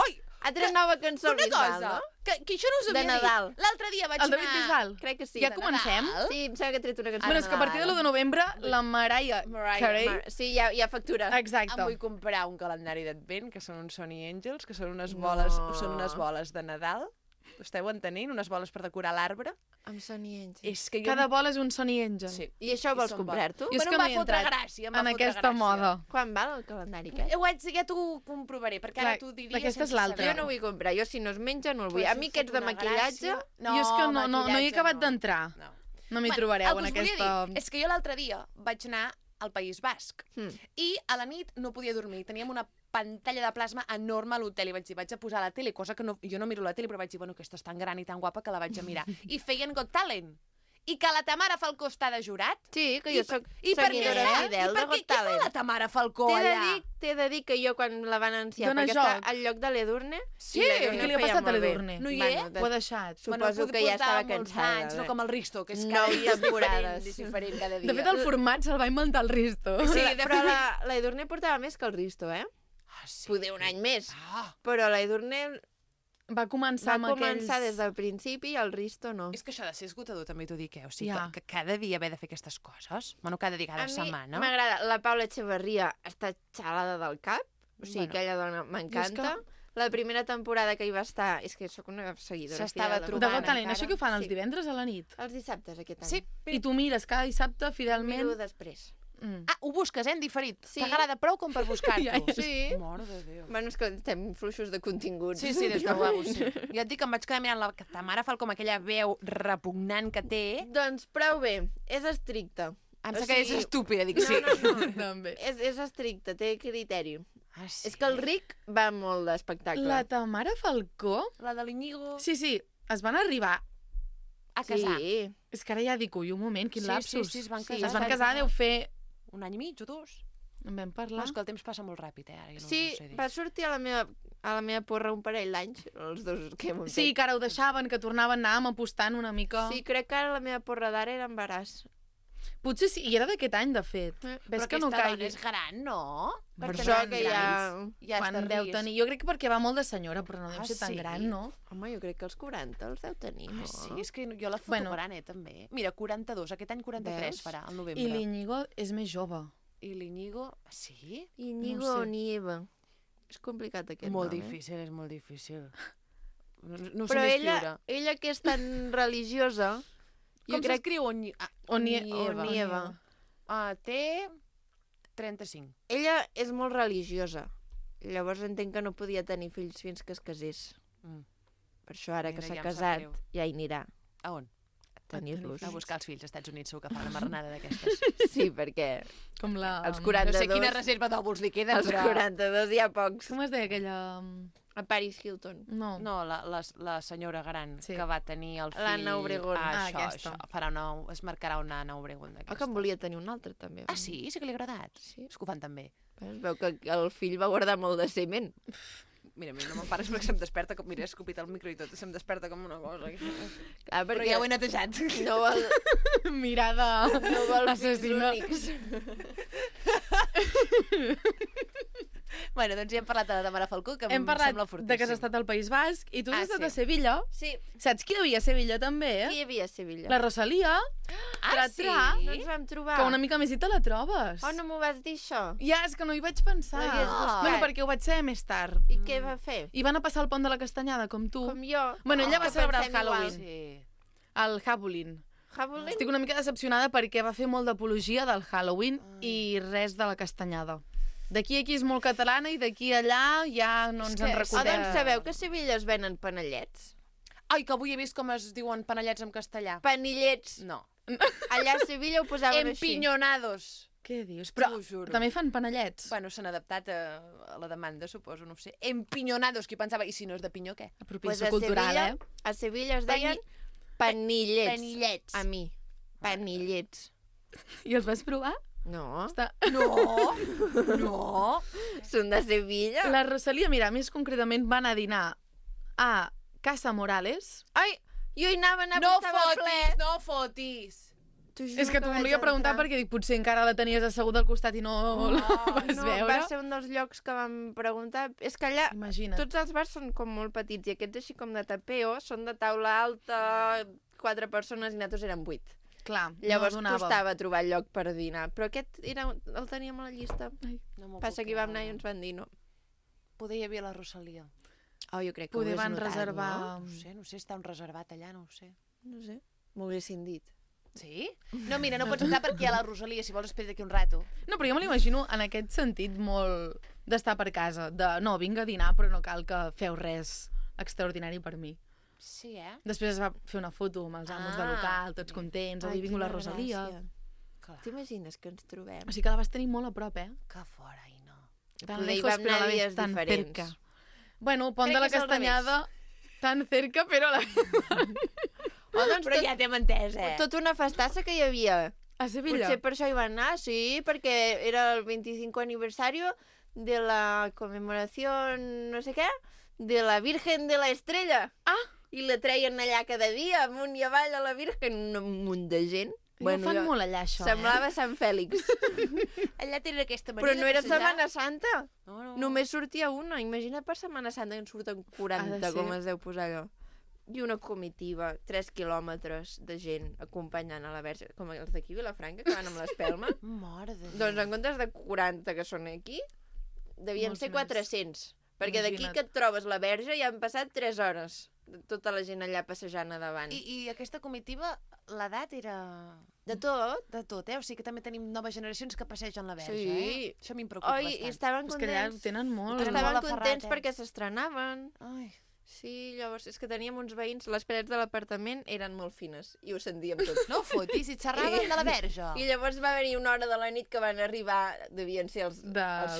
Speaker 2: Oi,
Speaker 1: Ha tret nova cançó al
Speaker 2: una
Speaker 1: Bisbal,
Speaker 2: cosa,
Speaker 1: no?
Speaker 2: que això no us
Speaker 1: De
Speaker 2: havia
Speaker 1: Nadal.
Speaker 2: dit. L'altre dia vaig
Speaker 4: El David
Speaker 2: anar...
Speaker 4: Bisbal.
Speaker 1: Crec que sí.
Speaker 4: Ja
Speaker 1: de
Speaker 4: comencem?
Speaker 2: Nadal.
Speaker 1: Sí, em sembla que ha tret una cançó
Speaker 4: Bueno,
Speaker 1: de
Speaker 4: és que a partir de l'1 de novembre, la Mariah Carey...
Speaker 1: Sí, hi ha factura.
Speaker 4: Exacte.
Speaker 2: Em vull comprar un calendari d'advent, que són uns Sony Angels, que són unes
Speaker 1: No.
Speaker 2: boles, són unes boles de Nadal. Ho esteu entenent? Unes boles per decorar l'arbre.
Speaker 1: Amb Sony Angel.
Speaker 2: És que jo...
Speaker 4: Cada vol és un Sony Angel.
Speaker 2: Sí.
Speaker 1: I això ho vols
Speaker 2: són
Speaker 1: comprar-tu?
Speaker 4: Jo és
Speaker 2: Bueno,
Speaker 4: que
Speaker 2: em
Speaker 4: no
Speaker 2: va
Speaker 4: hi he
Speaker 2: fotre
Speaker 4: entrat
Speaker 2: gràcia, em va
Speaker 4: en
Speaker 2: fotre
Speaker 4: aquesta
Speaker 2: gràcia.
Speaker 4: moda.
Speaker 1: Quan val el calendari aquest?
Speaker 2: Ja t'ho comprovaré, perquè ara
Speaker 4: Clar,
Speaker 2: t'ho diria
Speaker 4: aquesta és
Speaker 2: sense
Speaker 4: l'altra.
Speaker 1: Jo
Speaker 2: saber-ho.
Speaker 1: no vull comprar. Jo, si no es menja, no el vull.
Speaker 2: Pues
Speaker 1: A mi aquests de
Speaker 2: em fot una
Speaker 1: maquillatge...
Speaker 2: gràcia.
Speaker 4: Jo és que no hi he acabat
Speaker 2: no.
Speaker 4: d'entrar.
Speaker 2: No.
Speaker 4: No m'hi
Speaker 2: Bueno,
Speaker 4: trobareu
Speaker 2: el
Speaker 4: en
Speaker 2: que us volia
Speaker 4: aquesta...
Speaker 2: dir és que jo l'altre dia vaig anar al País Basc i a la nit no podia dormir. Teníem una pantalla de plasma enorme a l'hotel i vaig dir, vaig a posar la tele, cosa que jo no miro la tele, però vaig dir, bueno, aquesta és tan gran i tan guapa que la vaig a mirar. I feien Got Talent. I que la Tamara Falcó està de jurat.
Speaker 1: Sí, que jo soc
Speaker 2: I per què
Speaker 1: seguidora
Speaker 2: està?
Speaker 1: fidel
Speaker 2: I
Speaker 1: de
Speaker 2: per què?
Speaker 1: Got
Speaker 2: Què fa la
Speaker 1: Talent.
Speaker 2: Tamara Falcó allà?
Speaker 1: T'he de dir que jo quan la van anunciar,
Speaker 4: Dona
Speaker 1: perquè està
Speaker 4: joc.
Speaker 1: al lloc de l'Edurne...
Speaker 2: Sí,
Speaker 1: i l'Edurne
Speaker 4: què li ha
Speaker 1: feia
Speaker 4: passat a
Speaker 1: molt bé.
Speaker 4: l'Edurne?
Speaker 2: No hi
Speaker 1: Bueno,
Speaker 2: és?
Speaker 4: Ho ha deixat.
Speaker 1: Suposo que ja estava
Speaker 2: molts
Speaker 1: cansada.
Speaker 2: anys, no com el Risto, que és
Speaker 1: Nou
Speaker 2: cada dia és
Speaker 1: temporades.
Speaker 2: diferent cada dia.
Speaker 4: De fet, el format se'l va inventar el Risto.
Speaker 2: Sí,
Speaker 1: Però la Edurne portava més que el Risto, eh?
Speaker 2: Ah, sí.
Speaker 1: Poder un any més.
Speaker 2: Ah,
Speaker 1: Però la Edurne
Speaker 4: Va començar
Speaker 1: va
Speaker 4: amb
Speaker 1: començar
Speaker 4: aquells...
Speaker 1: des del principi i el Risto no.
Speaker 2: és que això ha de ser esgotador, també t'ho dic, O sigui,
Speaker 4: Ja.
Speaker 2: que cada dia haver de fer aquestes coses, bueno, cada dia, cada
Speaker 1: A mi
Speaker 2: setmana.
Speaker 1: m'agrada. La Paula Echeverría està xalada del cap. O sigui,
Speaker 2: Bueno.
Speaker 1: aquella dona m'encanta. La primera temporada que hi va estar... És que sóc una seguidora
Speaker 2: S'estava
Speaker 1: fidel
Speaker 4: De
Speaker 2: trobant
Speaker 4: Got Talent,
Speaker 2: encara.
Speaker 4: això que ho fan els
Speaker 1: Sí.
Speaker 4: divendres a la nit?
Speaker 1: Els dissabtes, aquest any.
Speaker 2: Sí,
Speaker 4: I tu mires cada dissabte
Speaker 1: Miro
Speaker 4: fidelment...
Speaker 1: després.
Speaker 2: Ah, ho busques, en diferit.
Speaker 1: Sí.
Speaker 2: T'agrada prou com per buscar-t'ho.
Speaker 4: Ja, ja.
Speaker 1: Sí.
Speaker 2: Mare de Déu.
Speaker 1: Bueno, és que estem fluixos de continguts.
Speaker 2: Sí, sí, des de guapo, sí. Ja et dic que em vaig quedar mirant la Tamara Falcó amb aquella veu repugnant que té.
Speaker 1: Doncs prou bé. És estricta.
Speaker 2: Em
Speaker 1: O
Speaker 2: sembla que és
Speaker 1: sigui,
Speaker 2: estúpida, dic,
Speaker 1: No,
Speaker 2: sí.
Speaker 1: no.
Speaker 4: També.
Speaker 1: És estricta, té criteri.
Speaker 2: Ah, sí.
Speaker 1: És que el Ric va molt d'espectacle.
Speaker 4: La Tamara Falcó...
Speaker 2: La de l'Iñigo
Speaker 4: Sí, sí, es van arribar...
Speaker 2: a casar.
Speaker 1: Sí.
Speaker 4: És que ara ja dic, ui, un moment, quin
Speaker 2: Sí,
Speaker 4: lapsus.
Speaker 2: sí, es van
Speaker 1: Sí,
Speaker 2: casar.
Speaker 4: Es van casar, deu fer...
Speaker 2: Un any i mig o dos.
Speaker 4: En vam
Speaker 2: No,
Speaker 4: parlar.
Speaker 2: és que el temps passa molt ràpid, ara. Jo no
Speaker 1: Sí,
Speaker 2: us ho sé dir.
Speaker 1: va sortir a la meva porra un parell d'anys, els dos que hem
Speaker 4: Sí, que ara ho deixaven, que tornaven, anàvem apostant una mica...
Speaker 1: Sí, crec que ara la meva porra d'ara era embaràs.
Speaker 4: Potser sí, i era d'aquest any, de fet.
Speaker 1: Eh,
Speaker 4: Ves
Speaker 2: Però
Speaker 4: que no
Speaker 2: aquesta dona
Speaker 4: caigui.
Speaker 2: és gran, no?
Speaker 4: Per
Speaker 1: Per
Speaker 2: Perquè
Speaker 1: això
Speaker 2: no
Speaker 1: que
Speaker 2: grans. Ja
Speaker 4: Quan
Speaker 2: està
Speaker 4: deu
Speaker 2: ris.
Speaker 4: tenir... Jo crec que perquè va molt de senyora, però no deu
Speaker 2: Ah,
Speaker 4: ser tan
Speaker 2: sí?
Speaker 4: gran, no?
Speaker 1: Home, jo crec que els 40 els deu tenir, no?
Speaker 2: Ah, sí? És que jo la foto
Speaker 4: Bueno.
Speaker 2: gran, també. Mira, 42, aquest any 43
Speaker 1: Veus?
Speaker 2: farà, al novembre.
Speaker 4: I l'Iñigo és més jove.
Speaker 2: I l'Iñigo, sí?
Speaker 1: Íñigo
Speaker 4: No sé.
Speaker 1: o Nieva. És complicat aquest
Speaker 2: Molt
Speaker 1: nom,
Speaker 2: difícil, és molt difícil. No ho
Speaker 1: Però
Speaker 2: sé
Speaker 1: ella que és tan religiosa, jo
Speaker 2: Com
Speaker 1: crec
Speaker 2: s'escriu
Speaker 1: Onieva.
Speaker 2: Té 35.
Speaker 1: Ella és molt religiosa. Llavors entenc que no podia tenir fills fins que es casés.
Speaker 2: Mm.
Speaker 1: Per això ara que
Speaker 2: Mira,
Speaker 1: s'ha
Speaker 2: ja em sap
Speaker 1: casat
Speaker 2: greu.
Speaker 1: ja hi anirà
Speaker 2: A on?
Speaker 1: a tenir-los.
Speaker 2: A buscar els fills als Estats Units, segur que fa una marranada d'aquestes.
Speaker 1: Sí, perquè
Speaker 4: Com la...
Speaker 1: els
Speaker 2: No
Speaker 1: 42...
Speaker 2: sé quina reserva d'òvuls li queda,
Speaker 1: Els
Speaker 2: però...
Speaker 1: 42 hi ha pocs.
Speaker 4: Com es deia aquella...
Speaker 1: A Paris Hilton.
Speaker 4: No.
Speaker 2: No, la senyora gran
Speaker 4: Sí.
Speaker 2: que va tenir el fill...
Speaker 1: L'Anna Obregón.
Speaker 2: Això. Es marcarà una Anna Obregón d'aquesta.
Speaker 1: Que en volia tenir un altre, també.
Speaker 2: Ah, sí? Sí que li ha agradat?
Speaker 1: Sí.
Speaker 2: És que ho fan també.
Speaker 1: Es veu que el fill va guardar molt de semen.
Speaker 2: Mira, no me'n pares perquè se'm desperta com... Mira, he escopit el micro i tot, se'm desperta com una cosa.
Speaker 1: Clar,
Speaker 2: Però ja ho he netejat.
Speaker 1: No vol,
Speaker 4: Mirada
Speaker 1: no vol fills
Speaker 4: assassina.
Speaker 1: únics.
Speaker 2: Bueno, doncs ja hem parlat de la Tamara Falcó, que
Speaker 4: Hem
Speaker 2: em
Speaker 4: parlat
Speaker 2: sembla fortíssim.
Speaker 4: de que has estat al País Basc i tu has estat
Speaker 2: sí.
Speaker 4: a Sevilla.
Speaker 1: Sí.
Speaker 4: Saps qui hi havia a Sevilla també,
Speaker 1: Qui hi havia a Sevilla?
Speaker 4: La Rosalia,
Speaker 2: Sí?
Speaker 1: No ens vam trobar.
Speaker 4: que una mica més i te la trobes.
Speaker 1: Oh, no m'ho vas dir, això?
Speaker 4: Ja, és que no hi vaig pensar.
Speaker 1: L'havies buscat.
Speaker 4: Bueno, perquè ho vaig saber més tard.
Speaker 1: I què va fer?
Speaker 4: I van a passar el pont de la Castanyada, com tu.
Speaker 1: Com jo.
Speaker 4: Bueno, ella va
Speaker 1: que
Speaker 4: celebrar el
Speaker 1: pensem igual.
Speaker 4: Halloween.
Speaker 2: Sí.
Speaker 4: El Halloween.
Speaker 1: Halloween?
Speaker 4: Estic una mica decepcionada perquè va fer molt d'apologia del Halloween i res de la Castanyada. D'aquí a aquí és molt catalana i d'aquí a allà ja no ens en
Speaker 1: Oh,
Speaker 4: recordem.
Speaker 1: doncs sabeu que a Sevilla es venen panellets?
Speaker 2: Ai, que avui he vist com es diuen panellets en castellà.
Speaker 1: Panellets.
Speaker 2: No.
Speaker 1: Allà a Sevilla ho posaven així.
Speaker 2: Empinyonados.
Speaker 4: Què dius? Però
Speaker 2: T'ho juro.
Speaker 4: també fan panellets.
Speaker 2: Bueno, s'han adaptat a la demanda, suposo, no ho sé. Empinyonados, qui pensava, i si no és de pinyó, què?
Speaker 4: Apropiació
Speaker 1: a
Speaker 4: cultural,
Speaker 1: Sevilla, a Sevilla es deien panillets.
Speaker 2: Panillets.
Speaker 1: A mi. Panillets.
Speaker 4: I els vas provar?
Speaker 1: No.
Speaker 4: Està...
Speaker 2: No, no.
Speaker 1: Són de Sevilla.
Speaker 4: La Rosalia, mira, més concretament van a dinar a Casa Morales.
Speaker 1: Ai, jo hi anava,
Speaker 2: No
Speaker 1: estava ple.
Speaker 2: fotis, no fotis.
Speaker 1: T'ho juro
Speaker 4: És que t'ho
Speaker 1: vaig
Speaker 4: volia preguntar
Speaker 1: entrar.
Speaker 4: perquè dic, potser encara la tenies asseguda al costat i no la vas
Speaker 1: No,
Speaker 4: veure.
Speaker 1: va ser un dels llocs que vam preguntar. És que allà
Speaker 4: Imagina't.
Speaker 1: tots els bars són com molt petits i aquests així com de tapeo són de taula alta, 4 persones i nosaltres érem 8.
Speaker 4: Clar,
Speaker 1: Llavors
Speaker 4: no donava.
Speaker 1: costava trobar lloc per dinar. Però aquest el teníem a la llista.
Speaker 2: No m'ho
Speaker 1: Passa
Speaker 2: puc
Speaker 1: que hi vam anar
Speaker 2: creure.
Speaker 1: i ens van dir no.
Speaker 2: Poder hi havia la Rosalia.
Speaker 1: Oh, jo crec que
Speaker 4: Poder
Speaker 1: ho
Speaker 4: van
Speaker 1: hagués notat,
Speaker 4: reservar...
Speaker 2: No sé, està un reservat allà, no ho sé.
Speaker 1: No sé, m'ho haguessin dit.
Speaker 2: Sí? No, mira, no pots entrar perquè hi ha la Rosalia, si vols espera d'aquí un rato.
Speaker 4: No, però jo me l'imagino en aquest sentit molt d'estar per casa. De, no, vinc a dinar, però no cal que feu res extraordinari per mi.
Speaker 2: Sí, eh?
Speaker 4: Després es va fer una foto amb els amos de local, tots contents,
Speaker 1: Ai,
Speaker 4: avui vingut la
Speaker 1: quina
Speaker 4: Rosalia.
Speaker 1: gràcia.
Speaker 2: Clar.
Speaker 1: T'imagines que ens trobem?
Speaker 4: O sigui que la vas tenir molt a prop, eh?
Speaker 2: Que fora, i no.
Speaker 4: Tan
Speaker 1: Poder hi
Speaker 4: lejos,
Speaker 1: vam
Speaker 4: però a la
Speaker 1: anar
Speaker 4: vez
Speaker 1: dies
Speaker 4: tan
Speaker 1: diferents.
Speaker 4: cerca. Bueno, Pont
Speaker 1: Crec
Speaker 4: de la
Speaker 1: que és al
Speaker 4: Castanyada, tan cerca, però a la...
Speaker 1: Oh, doncs
Speaker 2: Però ja t'hem entès,
Speaker 1: Tota una festassa que hi havia.
Speaker 4: A Sevilla.
Speaker 1: Potser per això hi van anar, sí, perquè era el 25 aniversario de la conmemoración, no sé què, de la Virgen de la Estrella.
Speaker 4: Ah!
Speaker 1: I la treien allà cada dia, amunt i avall a la Virgen, un munt de gent.
Speaker 4: Ho fan molt allà, això,
Speaker 1: Semblava Sant Fèlix.
Speaker 2: Allà tenen aquesta
Speaker 1: Però
Speaker 2: manera
Speaker 1: no era
Speaker 2: de passejar.
Speaker 1: Setmana Santa.
Speaker 2: No.
Speaker 1: Només sortia una. Imagina't per Setmana Santa que en surten
Speaker 4: Ha
Speaker 1: 40,
Speaker 4: de ser.
Speaker 1: com es deu posar allò. I una comitiva, 3 quilòmetres de gent acompanyant a la Verge, com els d'aquí, Vilafranca, que van amb l'espelma.
Speaker 2: Mare de Déu.
Speaker 1: Doncs en comptes de 40 que són aquí, devien
Speaker 4: Molts
Speaker 1: ser
Speaker 4: més.
Speaker 1: 400. Perquè d'aquí
Speaker 4: Imagina't.
Speaker 1: que et trobes la Verge ja han passat 3 hores. Tota la gent allà passejant a davant.
Speaker 2: I aquesta comitiva, l'edat era...
Speaker 1: De tot.
Speaker 2: De tot, eh? O sigui que també tenim noves generacions que passegen la Verge,
Speaker 1: Sí.
Speaker 2: eh? Això a mi em preocupa
Speaker 1: Oi, i
Speaker 2: bastant.
Speaker 1: estaven
Speaker 4: És que allà ho
Speaker 1: contents.
Speaker 4: tenen molt.
Speaker 2: Estaven
Speaker 1: Estaven
Speaker 2: molt
Speaker 1: contents
Speaker 2: aferrat,
Speaker 1: perquè s'estrenaven.
Speaker 2: Ai.
Speaker 1: Sí, llavors és que teníem uns veïns, les parets de l'apartament eren molt fines i ho sentíem tot.
Speaker 2: No fotis, si et xerraven de la Verge.
Speaker 1: I llavors va haver-hi una hora de la nit que van arribar, devien ser els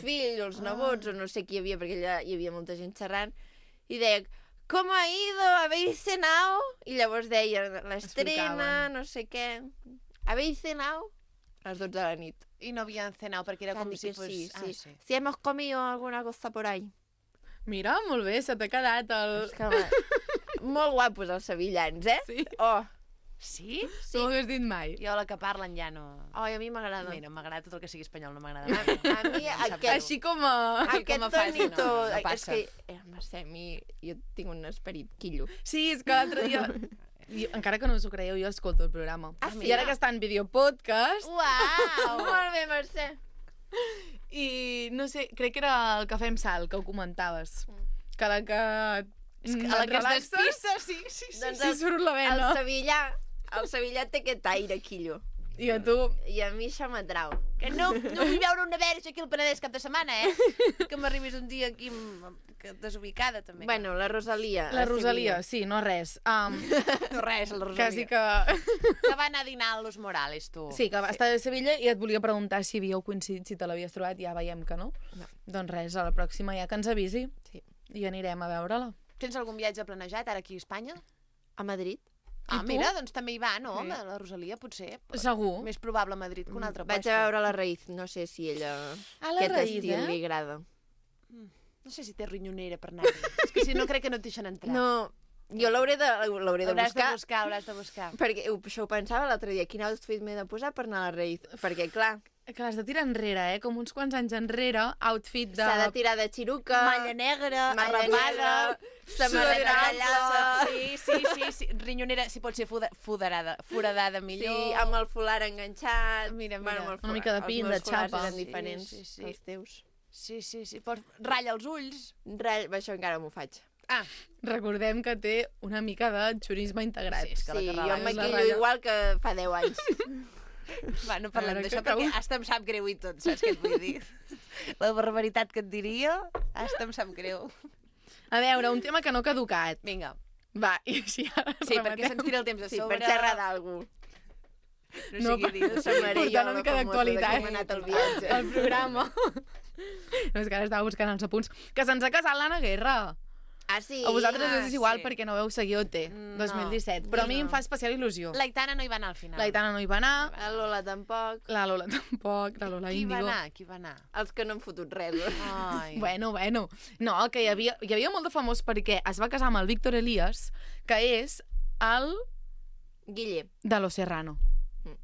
Speaker 1: fills o els nebots o no sé qui hi havia, perquè allà hi havia molta gent xerrant, i deia, ¿cómo ha ido? ¿Habéis cenado? I llavors deia, l'estrena,
Speaker 4: Explicaven.
Speaker 1: no sé què. ¿Habéis cenado? A les 12 de la nit.
Speaker 2: I no havien cenat perquè era
Speaker 1: Van
Speaker 2: com
Speaker 1: dir
Speaker 2: si
Speaker 1: que
Speaker 2: fos...
Speaker 1: sí,
Speaker 2: Ah,
Speaker 1: sí.
Speaker 2: sí.
Speaker 1: Si hemos comido alguna cosa por ahí.
Speaker 4: Mira, molt bé, se t'ha quedat el...
Speaker 1: És que, molt guapos els sevillans, eh?
Speaker 4: Sí.
Speaker 1: Oh,
Speaker 2: Sí?
Speaker 4: Sí. No ho hagués dit mai.
Speaker 2: Jo la que parlen ja no...
Speaker 1: ai, a mi m'agrada.
Speaker 2: Mira, m'agrada tot el que sigui espanyol, no m'agrada.
Speaker 1: A mi aquest,
Speaker 4: Així com a...
Speaker 1: aquest
Speaker 2: com a fase,
Speaker 1: tonito...
Speaker 2: no
Speaker 1: és
Speaker 2: passa.
Speaker 1: que, Mercè, a mi, jo tinc un esperit quillo.
Speaker 4: Sí, és que l'altre dia... Jo, encara que no us ho creieu, jo escolto el programa.
Speaker 1: Ah, sí?
Speaker 4: I ara que està en videopodcast,
Speaker 1: Uau! Molt bé, Mercè.
Speaker 4: i no sé, crec que era el Cafè amb Sal, que ho comentaves. Que a la que...
Speaker 2: És que a la que es despista, sí.
Speaker 1: Doncs
Speaker 4: Sí, surt la
Speaker 1: el
Speaker 4: vena.
Speaker 1: Sevillà té aquest aire quillo.
Speaker 4: I a tu...
Speaker 1: I a mi això m'atrau.
Speaker 2: Que no vull veure una verge aquí al Penedès cap de setmana, eh? Que m'arribis un dia aquí desubicada, també.
Speaker 1: Bueno, la Rosalia.
Speaker 4: La
Speaker 1: a
Speaker 4: Rosalia, sí, no res.
Speaker 2: No res, la Rosalia.
Speaker 4: Quasi que...
Speaker 2: Que va anar a dinar a Los Morales, tu.
Speaker 4: Sí, que va estar a Sevilla i et volia preguntar si havíeu coincidit, si te l'havies trobat, ja veiem que no.
Speaker 1: No.
Speaker 4: Doncs res, a la pròxima ja que ens avisi.
Speaker 1: Sí.
Speaker 4: i anirem a veure-la.
Speaker 2: Tens algun viatge planejat ara aquí a Espanya?
Speaker 1: A Madrid.
Speaker 2: Ah,
Speaker 4: tu?
Speaker 2: mira, doncs també hi va, no?
Speaker 1: Sí.
Speaker 2: La Rosalia, potser.
Speaker 4: Segur.
Speaker 2: Més probable a Madrid que un altre
Speaker 1: Vaig a veure la Raïz, no sé si ella...
Speaker 4: A la
Speaker 1: aquest
Speaker 4: Raïz,
Speaker 1: estil li agrada.
Speaker 2: No sé si té rinyonera per anar-hi. És que si no crec que no et deixen entrar.
Speaker 1: No, jo l'hauré de buscar.
Speaker 2: Hauràs de buscar.
Speaker 1: Perquè això ho pensava l'altre dia, quin outfit m'he de posar per anar a la Raïz. Perquè, clar,
Speaker 4: Que l'has de tirar enrere, com uns quants anys enrere, outfit de...
Speaker 1: s'ha de tirar de xiruca,
Speaker 2: Malla negra,
Speaker 1: malla
Speaker 2: arrapada,
Speaker 1: samarreta tallada...
Speaker 2: Sí. Rinyonera, si pot ser foradada millor.
Speaker 1: Sí, amb el folar enganxat...
Speaker 2: Mira.
Speaker 1: Amb el
Speaker 4: Una mica de pin, de xapa.
Speaker 1: Els meus folars eren diferents,
Speaker 2: Sí.
Speaker 1: els teus.
Speaker 2: Sí. Ratlla els ulls.
Speaker 1: Això encara m'ho faig.
Speaker 2: Ah,
Speaker 4: Recordem que té una mica de xurisme integrat.
Speaker 2: Sí, és que la
Speaker 1: Sí,
Speaker 2: Carla
Speaker 1: jo
Speaker 2: és
Speaker 1: em
Speaker 2: la
Speaker 1: maquillo
Speaker 4: ratlla.
Speaker 1: igual que fa 10 anys.
Speaker 2: va, no parlem
Speaker 4: A veure,
Speaker 2: d'això
Speaker 4: que
Speaker 2: perquè hasta em sap greu i tot, saps què et vull dir? La barbaritat que et diria, hasta em sap greu.
Speaker 4: A veure, un tema que no ha caducat.
Speaker 2: Vinga.
Speaker 4: Va, i així ara
Speaker 2: Sí, perquè se'ns tira el temps a
Speaker 1: Sí,
Speaker 2: sobre.
Speaker 1: per xerrar d'algú.
Speaker 2: No sé què dir.
Speaker 1: Samaré
Speaker 4: Portar una mica d'actualitat.
Speaker 1: Com ha anat el viatge.
Speaker 4: El programa. No, és que ara estava buscant els apunts. Que se'ns ha casat l'Anna Guerra.
Speaker 1: Ah, sí?
Speaker 4: A vosaltres us és igual
Speaker 2: sí.
Speaker 4: perquè no veu seguir OT 2017. Però a mi em fa especial il·lusió.
Speaker 2: L'Aitana no hi va anar al final.
Speaker 4: L'Aitana no hi va anar,
Speaker 1: La Lola tampoc.
Speaker 4: la Lola tampoc, la Lola
Speaker 2: Qui va
Speaker 4: Índigo.
Speaker 2: anar? Qui va anar?
Speaker 1: Els que no han fotut res.
Speaker 2: Ai.
Speaker 4: Bueno. No, que hi havia molt de famós perquè es va casar amb el Víctor Elías, que és el
Speaker 1: Guille.
Speaker 4: de Los Serrano.
Speaker 1: Mm.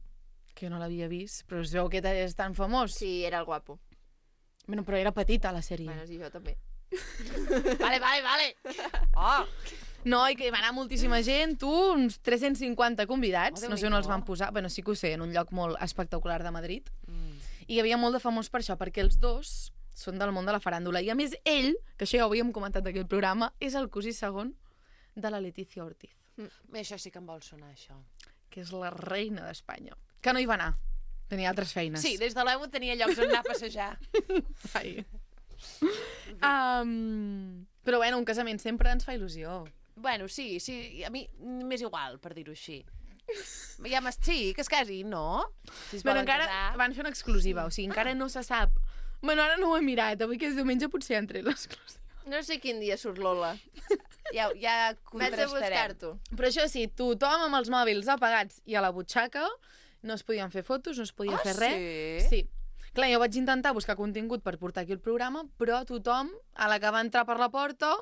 Speaker 4: Que jo no l'havia vist, però es veu que és tan famós.
Speaker 1: Sí, era el guapo.
Speaker 4: Bueno, però era petita, la sèrie.
Speaker 1: Bueno, sí, jo també.
Speaker 2: Vale. Oh,
Speaker 4: No, i que hi va anar moltíssima gent, uns 350 convidats,
Speaker 2: Oh,
Speaker 4: no sé on els van posar, bueno, sí que ho sé, en un lloc molt espectacular de Madrid. I hi havia molt de famós per això, perquè els dos són del món de la faràndula. I a més, ell, que això ja ho havíem comentat aquí al programa, és el cosí segon de la Letícia Ortiz,
Speaker 2: Això sí que em vol sonar, això.
Speaker 4: que és la reina d'Espanya. Que no hi va anar, tenia altres feines.
Speaker 2: Sí, des de l'EMU tenia llocs on anar a passejar.
Speaker 4: Ai. Però bueno, un casament sempre ens fa il·lusió.
Speaker 2: Bueno, sí, a mi m'és igual, per dir-ho així. Ja sí, que es casi, no? Si es
Speaker 4: Però
Speaker 2: volen
Speaker 4: encara
Speaker 2: casar.
Speaker 4: van fer una exclusiva, o sigui, encara no se sap. Bueno, ara no ho he mirat, avui que és diumenge potser han tret l'exclusiva.
Speaker 1: No sé quin dia surt Lola.
Speaker 2: Ja
Speaker 1: Vaig a
Speaker 2: contrastarem.
Speaker 1: buscar-t'ho.
Speaker 4: Però això sí, tothom amb els mòbils apagats i a la butxaca, no es podien fer fotos, no es podia fer res.
Speaker 2: Sí?
Speaker 4: Sí. Clar, jo vaig intentar buscar contingut per portar aquí el programa, però tothom, a la que va entrar per la porta,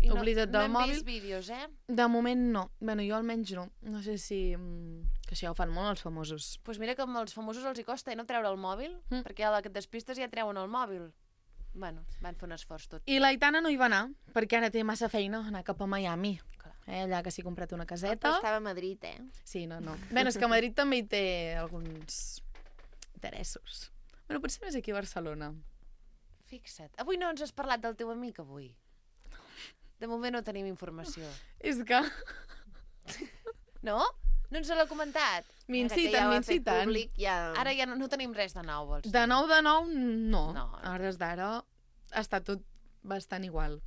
Speaker 2: I
Speaker 4: oblida't del
Speaker 2: no hem
Speaker 4: mòbil.
Speaker 2: vist vídeos, eh?
Speaker 4: De moment no. Bueno, jo almenys no. No sé si... que això ja ho fan molt els famosos.
Speaker 2: Doncs pues mira que als famosos els hi costa no treure el mòbil, perquè a la que et despistes ja treuen el mòbil. Bueno, van fer un esforç tot.
Speaker 4: I l'Aitana no hi va anar, perquè ara té massa feina anar cap a Miami.
Speaker 2: Clar.
Speaker 4: Allà que s'hi ha comprat una
Speaker 1: Però
Speaker 4: caseta.
Speaker 1: estava a Madrid, eh?
Speaker 4: Sí, no. Bueno, és que Madrid també hi té alguns interessos. Bueno, potser més aquí a Barcelona.
Speaker 2: Fixa't. Avui no ens has parlat del teu amic, avui. De moment no tenim informació.
Speaker 4: És que
Speaker 2: No? No ens l'ha comentat?
Speaker 4: m'inciten.
Speaker 1: Públic, ja...
Speaker 2: Ara ja no tenim res de nou, vols dir?
Speaker 4: De nou, no.
Speaker 2: No.
Speaker 4: A hores d'ara està tot bastant igual.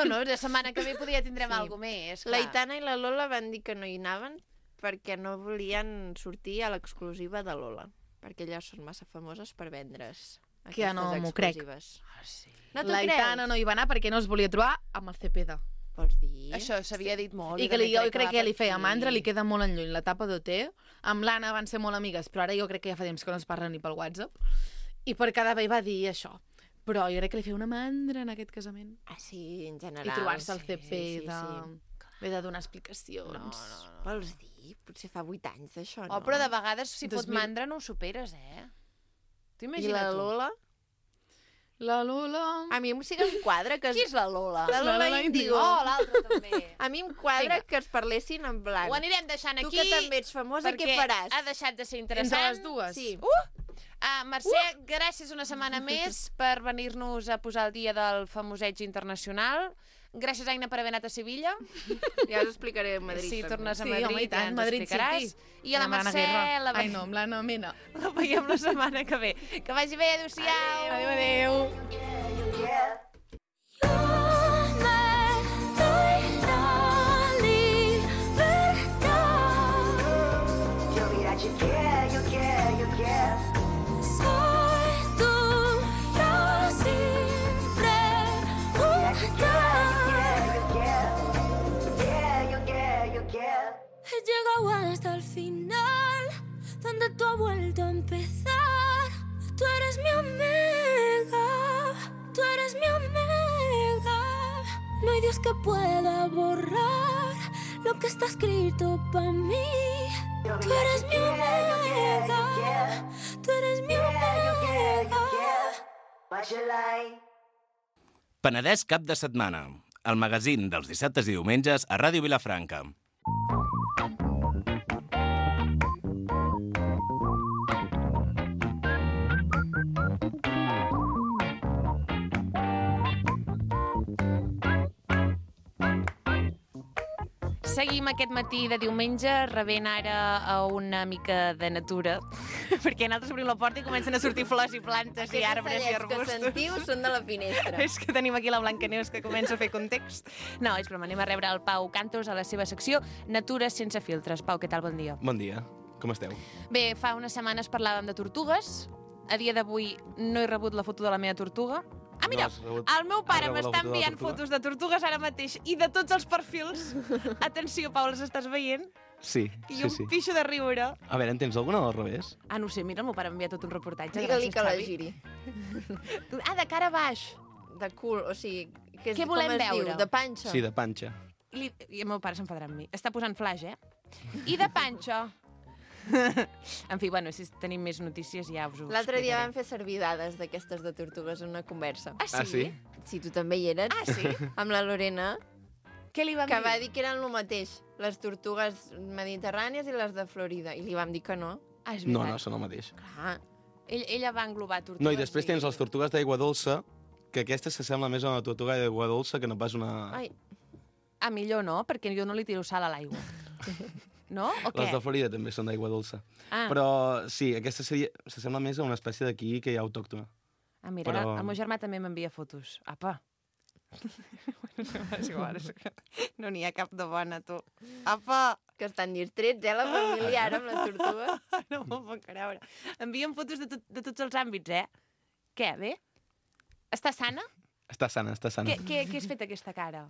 Speaker 2: No, la setmana que ve podria tindrem
Speaker 1: Sí.
Speaker 2: alguna més, clar.
Speaker 1: L'Aitana i la Lola van dir que no hi anaven perquè no volien sortir a l'exclusiva de Lola. Perquè elles són massa famoses per vendre's
Speaker 4: Que ja no m'ho crec.
Speaker 1: exclusives.
Speaker 2: Ah, sí.
Speaker 1: No t'ho
Speaker 4: L'Aitana
Speaker 1: creus?
Speaker 4: no hi va anar perquè no es volia trobar amb el Cepeda.
Speaker 1: Vols dir?
Speaker 2: Això s'havia dit molt.
Speaker 4: I que jo crec que li feia mandra, li queda molt enlluny la tapa d'OT. Amb l'Anna van ser molt amigues, però ara jo crec que ja fa temps que no es parlen ni pel WhatsApp. I per cada vegada va dir això. Però jo crec que li feia una mandra en aquest casament.
Speaker 1: Ah, sí, en general.
Speaker 4: I trobar-se el
Speaker 1: sí,
Speaker 4: Cepeda.
Speaker 1: sí.
Speaker 4: Haver de donar explicacions.
Speaker 2: No.
Speaker 1: Vols dir? Potser fa 8 anys d'això, no?
Speaker 2: Oh, però de vegades, si fot
Speaker 4: 2000.
Speaker 2: mandra, no ho superes, eh? T'ho
Speaker 1: I
Speaker 2: imagina't
Speaker 1: la
Speaker 2: tu?
Speaker 1: Lola?
Speaker 4: La Lola...
Speaker 1: A mi sí que em quadra que...
Speaker 2: Qui és la Lola?
Speaker 1: La Lola
Speaker 4: Lola
Speaker 1: Índigo.
Speaker 2: Oh, l'altra també.
Speaker 1: A mi em quadra
Speaker 2: Vinga.
Speaker 1: que es parlessin en blanc.
Speaker 2: Ho anirem deixant
Speaker 1: Tu
Speaker 2: aquí.
Speaker 1: que també ets famosa, què
Speaker 2: perquè
Speaker 1: faràs?
Speaker 2: ha deixat de ser
Speaker 4: Entre
Speaker 2: interessant.
Speaker 4: les dues.
Speaker 1: Sí.
Speaker 2: Mercè, gràcies una setmana més per venir-nos a posar el dia del famoseig internacional. Gràcies, Aina, per haver anat a Sevilla.
Speaker 1: Ja us explicaré a Madrid.
Speaker 2: Si
Speaker 1: també.
Speaker 2: tornes a
Speaker 4: Sí,
Speaker 2: Madrid,
Speaker 4: home, i tant,
Speaker 2: ja ens
Speaker 4: Madrid
Speaker 2: explicaràs.
Speaker 4: City.
Speaker 2: I a la
Speaker 4: Amb l'Anna
Speaker 2: Mercè
Speaker 4: Guerra.
Speaker 2: la
Speaker 4: Ai, no, amb l'Anna Mena.
Speaker 2: veiem la setmana que ve. Que vagi bé, adéu-siau.
Speaker 4: Adéu.
Speaker 3: Yo me doy la libertad.
Speaker 5: Yo mira, yo quiero.
Speaker 3: Soy tu Brasil. aguanta hasta el final, donde tú has vuelto a empezar. Tú eres mi omega, tú eres mi omega. No hay Dios que pueda borrar lo que está escrito para mí. Tú eres mi omega, tú eres mi omega.
Speaker 6: Penedès cap de setmana, el magazín dels dissabtes i diumenges a Ràdio Vilafranca.
Speaker 2: Seguim aquest matí de diumenge rebent ara a una mica de natura, perquè nosaltres obrim la porta i comencen a sortir flors i plantes i arbres i arbustos.
Speaker 1: que sentiu són de la finestra.
Speaker 2: És que tenim aquí la Blancaneus que comença a fer context. No, és broma, anem a rebre el Pau Cantos a la seva secció Natura sense filtres. Pau, què tal? Bon dia.
Speaker 7: Bon dia, com esteu?
Speaker 2: Bé, fa unes setmanes parlàvem de tortugues. A dia d'avui no he rebut la foto de la meva tortuga. Ah, mira,
Speaker 7: No has rebut-
Speaker 2: el meu pare
Speaker 7: has rebut la
Speaker 2: m'està
Speaker 7: foto de la
Speaker 2: enviant
Speaker 7: tortuga?
Speaker 2: fotos de tortugues ara mateix i de tots els perfils. Atenció, Pau, les estàs veient?
Speaker 7: Sí,
Speaker 2: I
Speaker 7: sí,
Speaker 2: un
Speaker 7: sí.
Speaker 2: pixo de riure.
Speaker 7: A veure, en tens alguna al revés?
Speaker 2: Ah, no ho sé, mira, el meu pare m'envia tot un reportatge.
Speaker 1: Digue-li
Speaker 2: Gràcies,
Speaker 1: que la
Speaker 2: Xavi.
Speaker 1: giri.
Speaker 2: Ah, de cara a baix.
Speaker 1: De cul, o sigui... Que és,
Speaker 2: Què volem
Speaker 1: com es
Speaker 2: veure?
Speaker 1: Diu? De panxa?
Speaker 7: Sí, de panxa.
Speaker 2: I el meu pare s'enfadarà amb mi. Està posant flash, eh? I de panxa. En fi, bueno, si tenim més notícies ja us ho
Speaker 1: L'altre dia
Speaker 2: explicaré.
Speaker 1: vam fer servir dades d'aquestes de tortugues en una conversa.
Speaker 2: Ah, sí?
Speaker 7: Ah, sí?
Speaker 1: Si tu també hi eres.
Speaker 2: Ah, sí?
Speaker 1: Amb la Lorena,
Speaker 2: Què li vam
Speaker 1: que
Speaker 2: dir?
Speaker 1: va dir que eren el mateix, les tortugues mediterrànies i les de Florida. I li vam dir que no.
Speaker 2: Ah, és
Speaker 7: No,
Speaker 2: veritat.
Speaker 7: no, són el mateix.
Speaker 1: Clar,
Speaker 2: Ella va englobar tortugues.
Speaker 7: No, i després tens les tortugues d'aigua dolça, que aquesta s'assembla més a una tortuga d'aigua dolça que no pas una...
Speaker 1: ai,
Speaker 2: Ah, millor no, perquè jo no li tiro sal a l'aigua. No? O què?
Speaker 7: Les de Florida també són d'aigua dolça.
Speaker 2: Ah.
Speaker 7: Però sí, aquesta s'assembla més a una espècie d'aquí que hi ha autòctona.
Speaker 2: Ah, mira,
Speaker 7: però-
Speaker 2: el meu germà també m'envia fotos. Apa. és igual, és que no n'hi ha cap de bona, tu. Apa!
Speaker 1: que estan distrets, la família ara amb les tortugues.
Speaker 2: No m'ho puc creure. Envien fotos de tots els àmbits, eh? Què, bé? Està sana?
Speaker 7: Està sana, està sana.
Speaker 2: Què has fet aquesta cara?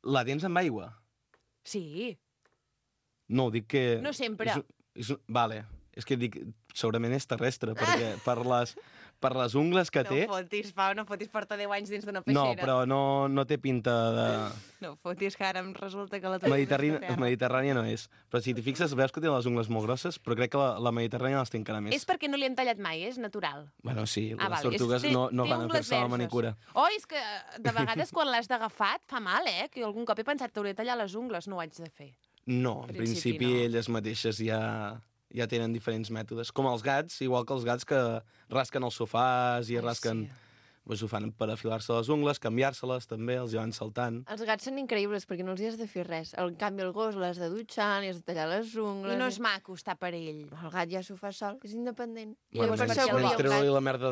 Speaker 7: La tens amb aigua?
Speaker 2: Sí.
Speaker 7: No, dic que...
Speaker 2: No sempre.
Speaker 7: Vale, és que dic, segurament és terrestre, perquè per les ungles que té...
Speaker 2: No fotis, Pau, no fotis, porta 10 anys dins d'una
Speaker 7: No,
Speaker 2: peixera.
Speaker 7: però no té pinta de...
Speaker 2: No fotis, que ara em resulta que la
Speaker 7: Mediterrània no és. Però si t'hi fixes, veus que té les ungles molt grosses, però crec que la Mediterrània les té encara més.
Speaker 2: És perquè no li han tallat mai, és natural.
Speaker 7: Bueno, sí, les
Speaker 2: vale.
Speaker 7: tortugues
Speaker 2: Té-
Speaker 7: no
Speaker 2: té
Speaker 7: van a
Speaker 2: ungles
Speaker 7: fer-se la
Speaker 2: verges.
Speaker 7: manicura.
Speaker 2: Oh, és que de vegades quan l'has d'agafat fa mal, que algun cop he pensat que hauria de tallar les ungles, no ho haig de fer.
Speaker 7: No, en
Speaker 2: principi
Speaker 7: principi
Speaker 2: no.
Speaker 7: elles mateixes ja tenen diferents mètodes. Com els gats, igual que els gats que rasquen els sofàs i
Speaker 2: Ai,
Speaker 7: rasquen...
Speaker 2: sí.
Speaker 7: Pues ho fan per afilar-se les ungles, canviar-se-les també, els hi van saltant.
Speaker 1: Els gats són increïbles perquè no els hi has de fer res. En canvi, el gos l'has de dutxar, li has de tallar les ungles...
Speaker 2: I no és maco estar per ell.
Speaker 1: El gat ja s'ho fa sol, és independent. I
Speaker 7: Bueno,
Speaker 1: per
Speaker 2: menys-
Speaker 1: això
Speaker 2: menys
Speaker 1: volia un
Speaker 7: treure-li
Speaker 1: gat.
Speaker 7: la merda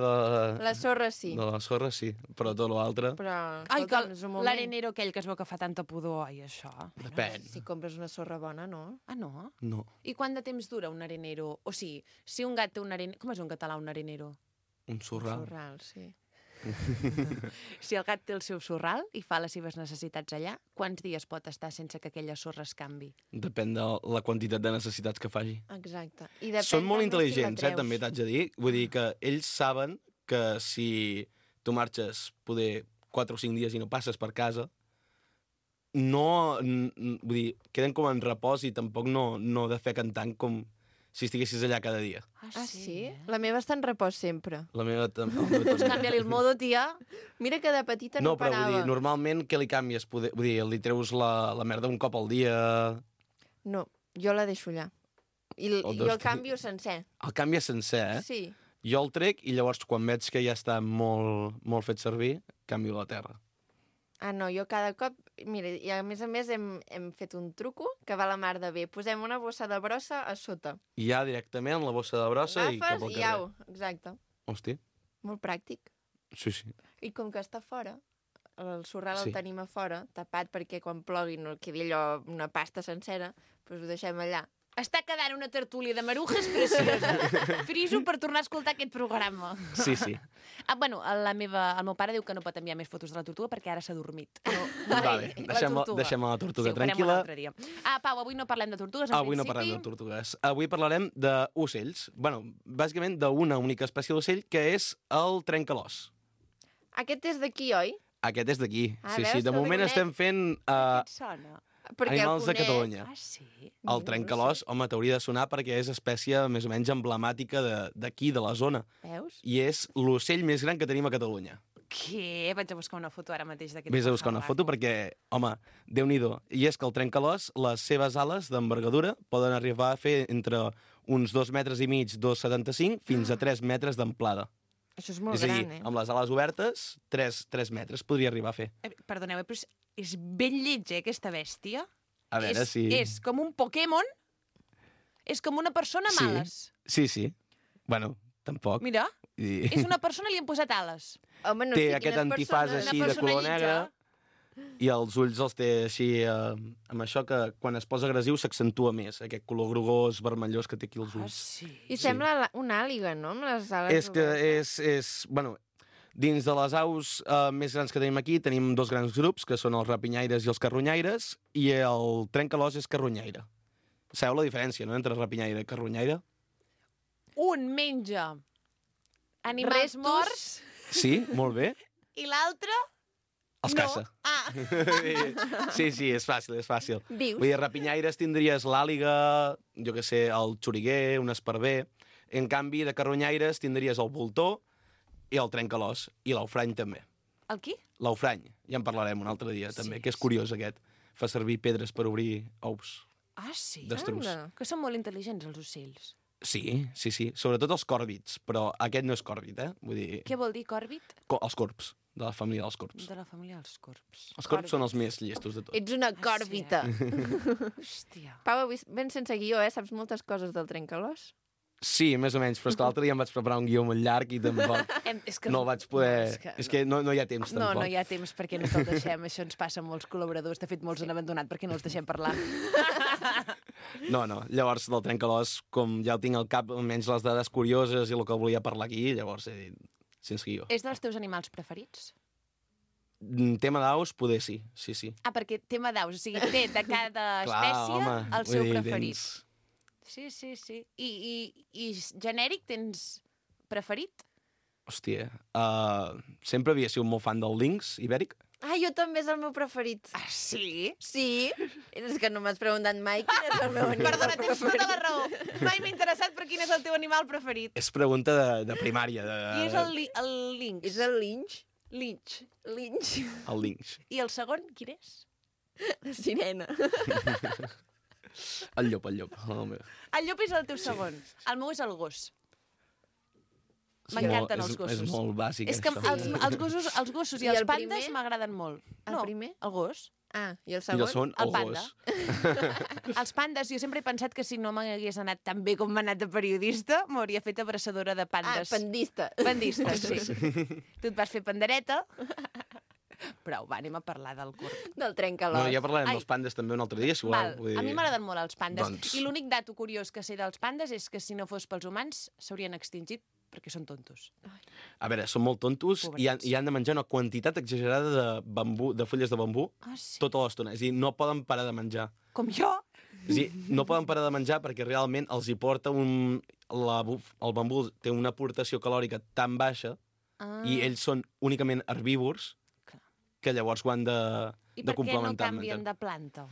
Speaker 1: La sorra sí,
Speaker 7: de la sorra, sí, però tot l'altre...
Speaker 1: però...
Speaker 2: Ai, que
Speaker 1: escolta'm, és un moment.
Speaker 2: l'arenero aquell que es veu que fa tanta pudor, ai, això.
Speaker 7: Depèn.
Speaker 1: Si compres una sorra bona, no?
Speaker 2: Ah, no?
Speaker 7: No,
Speaker 2: I quant de temps dura un arenero? O sigui, si un gat té un arenero... Com és un català, un arenero?
Speaker 7: un sorral.
Speaker 1: Sorral, sí.
Speaker 2: Si el gat té el seu sorral i fa les seves necessitats allà, quants dies pot estar sense que aquella sorra es canvi?
Speaker 7: Depèn de la quantitat de necessitats que faci.
Speaker 1: Exacte. I depèn
Speaker 7: Són molt
Speaker 1: també si la
Speaker 7: intel·ligents,
Speaker 1: treus.
Speaker 7: també t'haig de dir. Vull dir que ells saben que si tu marxes poder 4 o 5 dies i no passes per casa, vull dir, queden com en repòs i tampoc no defequen tant com si estiguessis allà cada dia.
Speaker 1: Ah, sí? La meva està en repòs sempre.
Speaker 7: La meva també.
Speaker 2: Pues canvia-li el modo, tia.
Speaker 1: Mira que de petita no,
Speaker 7: No, però
Speaker 1: parava.
Speaker 7: vull dir, normalment què li canvies? Vull dir, li treus la merda un cop al dia...
Speaker 1: No, jo la deixo allà. I
Speaker 7: O
Speaker 1: jo
Speaker 7: dos
Speaker 1: el canvio sencer.
Speaker 7: El canvies sencer, eh?
Speaker 1: Sí.
Speaker 7: Jo el trec i llavors quan veig que ja està molt fet servir, canvio la terra.
Speaker 1: Ah, no, jo cada cop... Mira, i a més hem fet un truco que va la mar de bé. Posem una bossa de brossa a sota.
Speaker 7: I ja directament la bossa de brossa i cap
Speaker 1: Agafes
Speaker 7: al
Speaker 1: i
Speaker 7: carrer.
Speaker 1: au. Exacte.
Speaker 7: Hosti,
Speaker 1: Molt pràctic.
Speaker 7: sí, sí.
Speaker 1: I com que està fora, el sorral
Speaker 7: Sí.
Speaker 1: el tenim a fora, tapat perquè quan plogui no quedi allò una pasta sencera, doncs ho deixem allà.
Speaker 2: Està quedant una tertúlia de marujes preciosa. Friso per tornar a escoltar aquest programa.
Speaker 7: Sí, sí.
Speaker 2: Bueno, el meu pare diu que no pot enviar més fotos de la tortuga perquè ara s'ha dormit.
Speaker 7: Vale, deixem la tortuga tranquil·la.
Speaker 2: Pau, avui no parlem de tortugues, en
Speaker 7: Avui no
Speaker 2: principi.
Speaker 7: parlem de tortugues. Avui parlarem d'ocells. Bueno, bàsicament d'una única espècie d'ocell, que és el trencalòs.
Speaker 1: Aquest és d'aquí, oi?
Speaker 7: Aquest és d'aquí.
Speaker 1: Ah,
Speaker 7: Sí,
Speaker 1: veus,
Speaker 7: sí. De
Speaker 1: no
Speaker 7: moment
Speaker 1: el
Speaker 7: estem fent
Speaker 2: Què et sona?
Speaker 1: Perquè el
Speaker 7: animals de
Speaker 1: conec.
Speaker 7: Catalunya.
Speaker 2: Ah, sí?
Speaker 7: El trencalòs, home, t'hauria de sonar perquè és espècie més o menys emblemàtica d'aquí, de la zona.
Speaker 2: Veus?
Speaker 7: I és l'ocell més gran que tenim a Catalunya.
Speaker 2: Què? Vaig a buscar una foto ara mateix d'aquest.
Speaker 7: Vés a buscar una foto perquè, home, Déu-n'hi-do. I és que el trencalòs, les seves ales d'envergadura poden arribar a fer entre uns 2,5 metres, 2,75, fins a 3 metres d'amplada.
Speaker 1: Això és molt
Speaker 7: És a dir,
Speaker 1: gran,
Speaker 7: amb les ales obertes, 3 metres podria arribar a fer.
Speaker 2: Perdoneu, però és ben lleig, aquesta bèstia.
Speaker 7: A veure si...
Speaker 2: És com un Pokémon. És com una persona amb ales.
Speaker 7: Sí. Bueno, tampoc.
Speaker 2: Mira,
Speaker 7: I...
Speaker 2: és una persona i li han posat ales.
Speaker 1: Home, no
Speaker 7: Té
Speaker 1: sé
Speaker 7: aquest
Speaker 1: quines
Speaker 7: antifàs
Speaker 1: persones...
Speaker 7: així
Speaker 2: Una
Speaker 7: de color
Speaker 2: persona
Speaker 7: negre i els ulls els té així amb això que quan es posa agressiu s'accentua més, aquest color grogós, vermellós que té aquí els
Speaker 2: Ah,
Speaker 7: ulls.
Speaker 2: sí?
Speaker 1: I sembla una àliga, no? Amb les ales
Speaker 7: És que
Speaker 1: obertes.
Speaker 7: bueno, dins de les aus més grans que tenim aquí tenim dos grans grups, que són els rapinyaires i els carronyaires, i el trencalòs és carronyaire. Sabeu la diferència, no?, entre rapinyaire i carronyaire?
Speaker 2: Un menja animals
Speaker 1: Restos.
Speaker 2: morts
Speaker 7: Sí, molt bé.
Speaker 2: i l'altre
Speaker 7: Els
Speaker 2: no.
Speaker 7: caça.
Speaker 2: Ah,
Speaker 7: Sí, és fàcil, és fàcil.
Speaker 1: Dius?
Speaker 7: Vull dir, rapinyaires tindries l'àliga, jo què sé, el xoriguer, un esparver. En canvi, de carronyaires tindries el voltor i el trencalòs, i l'aufrany també.
Speaker 2: el qui?
Speaker 7: L'aufrany, ja en parlarem un altre dia, també, que és curiós aquest. Fa servir pedres per obrir ous
Speaker 2: Ah, sí?
Speaker 7: d'estruç.
Speaker 1: Anda.
Speaker 2: Que són molt intel·ligents, els ocells.
Speaker 7: Sí, sobretot els còrvids, però aquest no és còrvid, eh? Vull dir,
Speaker 2: Què vol dir còrbit?
Speaker 7: els corps, de la família dels corps.
Speaker 2: De la família dels corps.
Speaker 7: Els corps són els més llestos de tot.
Speaker 1: Ets una còrbita.
Speaker 2: Hòstia.
Speaker 1: Pau, avui ben sense guió, Saps moltes coses del trencalòs?
Speaker 7: Sí, més o menys, però és que l'altre dia em vaig preparar un guió molt llarg i tampoc
Speaker 2: És que
Speaker 7: no el vaig poder...
Speaker 2: no,
Speaker 7: és que no hi ha temps, tampoc.
Speaker 2: No hi ha temps perquè no te'l deixem. Això ens passa a molts col·laboradors. De fet, molts han abandonat perquè no els deixem parlar.
Speaker 7: No. Llavors, del trencalòs, com ja el tinc al cap, almenys les dades curioses i el que volia parlar aquí, llavors he dit, sense guió.
Speaker 2: És dels teus animals preferits?
Speaker 7: Tema d'aus, poder sí.
Speaker 2: Ah, perquè tema d'aus. O sigui, té de cada espècie el seu preferit. Sí. I genèric tens preferit?
Speaker 7: Hòstia, sempre havia sigut molt fan del linx ibèric.
Speaker 1: Ah, jo també és el meu preferit.
Speaker 2: Ah, sí?
Speaker 1: Sí? És que no m'has preguntat mai quin és el meu animal
Speaker 2: Perdona, tens
Speaker 1: preferit.
Speaker 2: tota la raó. Mai m'he interessat per quin és el teu animal preferit.
Speaker 7: És pregunta de primària.
Speaker 2: I és el lynx.
Speaker 1: És el linx?
Speaker 2: Lynx.
Speaker 1: Linx.
Speaker 7: El linx.
Speaker 2: I el segon, quin és?
Speaker 1: La sirena.
Speaker 7: El llop. El meu.
Speaker 2: El llop és el teu segon. El meu és el gos.
Speaker 7: És
Speaker 2: M'encanten
Speaker 7: molt-
Speaker 2: els gossos.
Speaker 7: És molt bàsic,
Speaker 2: És que
Speaker 7: això.
Speaker 2: els gossos i
Speaker 1: I
Speaker 2: els
Speaker 1: el
Speaker 2: pandes
Speaker 1: primer?
Speaker 2: m'agraden molt.
Speaker 1: El primer?
Speaker 2: El gos.
Speaker 1: Ah, i el
Speaker 7: I
Speaker 1: segon?
Speaker 7: el segon,
Speaker 2: El
Speaker 7: el
Speaker 2: panda.
Speaker 7: gos.
Speaker 2: Els pandes, jo sempre he pensat que si no m'hagués anat tan bé com m'ha anat de periodista, m'hauria fet abraçadora de
Speaker 1: Ah,
Speaker 2: pandes.
Speaker 1: pandista.
Speaker 2: Pandista, sí. Tu et vas fer pandereta. Prou, va, anem a parlar del corp.
Speaker 1: Del trencalòs.
Speaker 7: No, ja parlarem
Speaker 2: Ai.
Speaker 7: dels pandes també un altre dia, si voleu.
Speaker 2: Val,
Speaker 7: Vull dir-
Speaker 2: a mi m'agraden molt els pandes.
Speaker 7: Doncs-
Speaker 2: I l'únic dato curiós que sé dels pandes és que si no fos pels humans s'haurien extingit perquè són tontos.
Speaker 7: A veure, són molt tontos i han de menjar una quantitat exagerada de fulles de bambú
Speaker 2: Ah, sí?
Speaker 7: tota l'estona. És a dir, no poden parar de menjar.
Speaker 2: Com jo?
Speaker 7: És a dir, no poden parar de menjar perquè realment els hi porta el bambú té una aportació calòrica tan baixa i ells són únicament herbívors
Speaker 2: Clar.
Speaker 7: que llavors ho han de
Speaker 2: I per què no
Speaker 7: complementar. amb
Speaker 2: canvien
Speaker 7: menjar.
Speaker 2: de planta?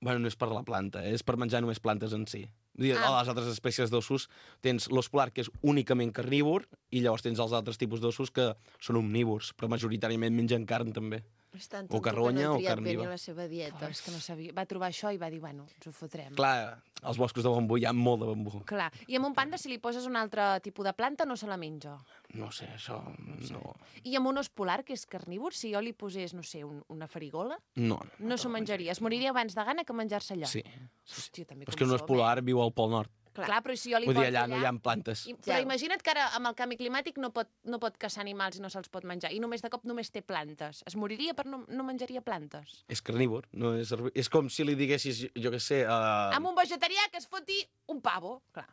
Speaker 7: Bueno, no és per la planta, és per menjar només plantes en si. Vull dir, a les altres espècies d'ossos tens l'os polar, que és únicament carnívor, i llavors tens els altres tipus d'ossos que són omnívors, però majoritàriament mengen carn també.
Speaker 1: És tan
Speaker 7: O
Speaker 1: tonto
Speaker 7: carronya
Speaker 1: que no
Speaker 7: o
Speaker 1: ha triat
Speaker 7: carn
Speaker 1: bé
Speaker 7: viva.
Speaker 1: ni la seva dieta.
Speaker 2: És que no sabia. Va trobar això i va dir, bueno, ens ho fotrem.
Speaker 7: Clar, als boscos de bambú hi ha molt de bambú.
Speaker 2: Clar. I amb un panda, si li poses un altre tipus de planta, no se la menja.
Speaker 7: No sé, això... No.
Speaker 2: I amb un os polar, que és carnívor, si jo li posés, no sé, una farigola,
Speaker 7: No.
Speaker 2: no s'ho menjaria. Es moriria abans de gana que menjar-se allò.
Speaker 7: Sí.
Speaker 2: Hòstia, també
Speaker 7: Però és
Speaker 2: com
Speaker 7: que un os
Speaker 2: som,
Speaker 7: polar viu al Pol Nord.
Speaker 2: Clar, però si jo li
Speaker 7: Vull dir,
Speaker 2: porto
Speaker 7: allà no hi ha plantes.
Speaker 2: Però imagina't que ara amb el canvi climàtic no pot caçar animals i no se'ls pot menjar. I només de cop només té plantes. Es moriria per no menjaria plantes.
Speaker 7: És carnívor, no és és com si li diguessis, jo què sé...
Speaker 2: Amb un vegetarià que es foti un pavo. Clar.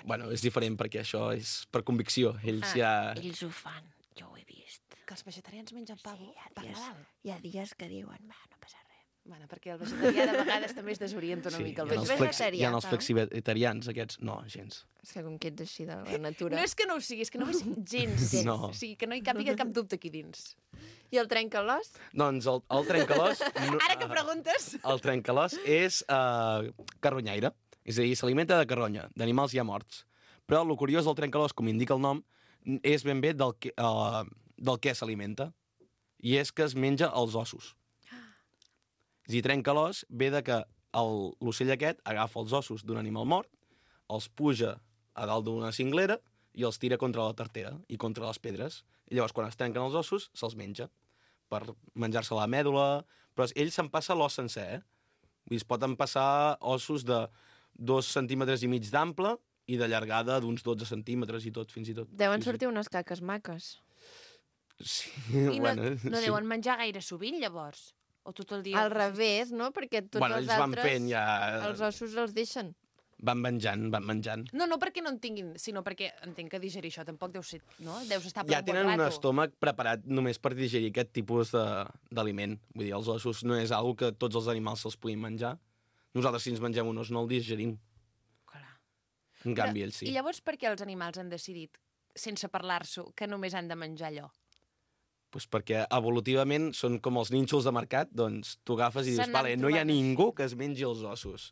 Speaker 7: Bueno, és diferent perquè això és per convicció. Ells
Speaker 1: Ells ho fan, jo ho he vist.
Speaker 2: Que els vegetarians mengen pavo per Nadal.
Speaker 1: Hi ha dies que diuen, va, no passa res.
Speaker 2: Bueno, perquè el vegetarià de vegades també es desorienta una mica.
Speaker 1: hi ha els
Speaker 7: flexitarians, aquests. No, gens.
Speaker 1: És que com que ets així de la natura.
Speaker 2: No és que no ho sigui, és que no ho és gens.
Speaker 7: No.
Speaker 2: O sigui, que no hi càpiga cap dubte aquí dins.
Speaker 1: I el trencalòs?
Speaker 7: Doncs el trencalòs...
Speaker 2: Ara que preguntes...
Speaker 7: El trencalòs és carronyaire. És a dir, s'alimenta de carronya, d'animals ja morts. Però el curiós del trencalòs, com indica el nom, és ben bé del que s'alimenta. I és que es menja els ossos. És a dir, trencalòs ve de que l'ocell aquest agafa els ossos d'un animal mort, els puja a dalt d'una cinglera i els tira contra la tartera i contra les pedres. I llavors, quan es trenquen els ossos, se'ls menja per menjar-se la mèdula. Però ell se'n passa l'os sencer, Vull dir, es pot empassar ossos de 2,5 centímetres d'ample i de llargada d'uns 12 centímetres i tot, fins i tot.
Speaker 1: Deuen sortir unes caques maques.
Speaker 7: Sí,
Speaker 2: I no deuen menjar gaire sovint, llavors? O tot el dia?
Speaker 1: Al revés, no? Perquè tots els
Speaker 7: ells van
Speaker 1: altres,
Speaker 7: fent ja...
Speaker 1: els ossos els deixen.
Speaker 7: Van menjant.
Speaker 2: No perquè no en tinguin, sinó perquè entenc que digerir això tampoc deu ser, no? Deus estar per
Speaker 7: Ja
Speaker 2: un bon
Speaker 7: tenen un
Speaker 2: rato.
Speaker 7: estómac preparat només per digerir aquest tipus d'aliment. Vull dir, els ossos no és algo que tots els animals se'ls puguin menjar. Nosaltres, si ens mengem un os, no el digerim.
Speaker 2: Clar.
Speaker 7: En canvi, ells sí.
Speaker 2: I llavors per què els animals han decidit, sense parlar-s'ho, que només han de menjar allò?
Speaker 7: Pues perquè evolutivament són com els nínxols de mercat, doncs tu agafes i dius,
Speaker 2: S'han
Speaker 7: vale,
Speaker 2: anat
Speaker 7: no hi ha
Speaker 2: trobant
Speaker 7: ningú que es mengi els ossos.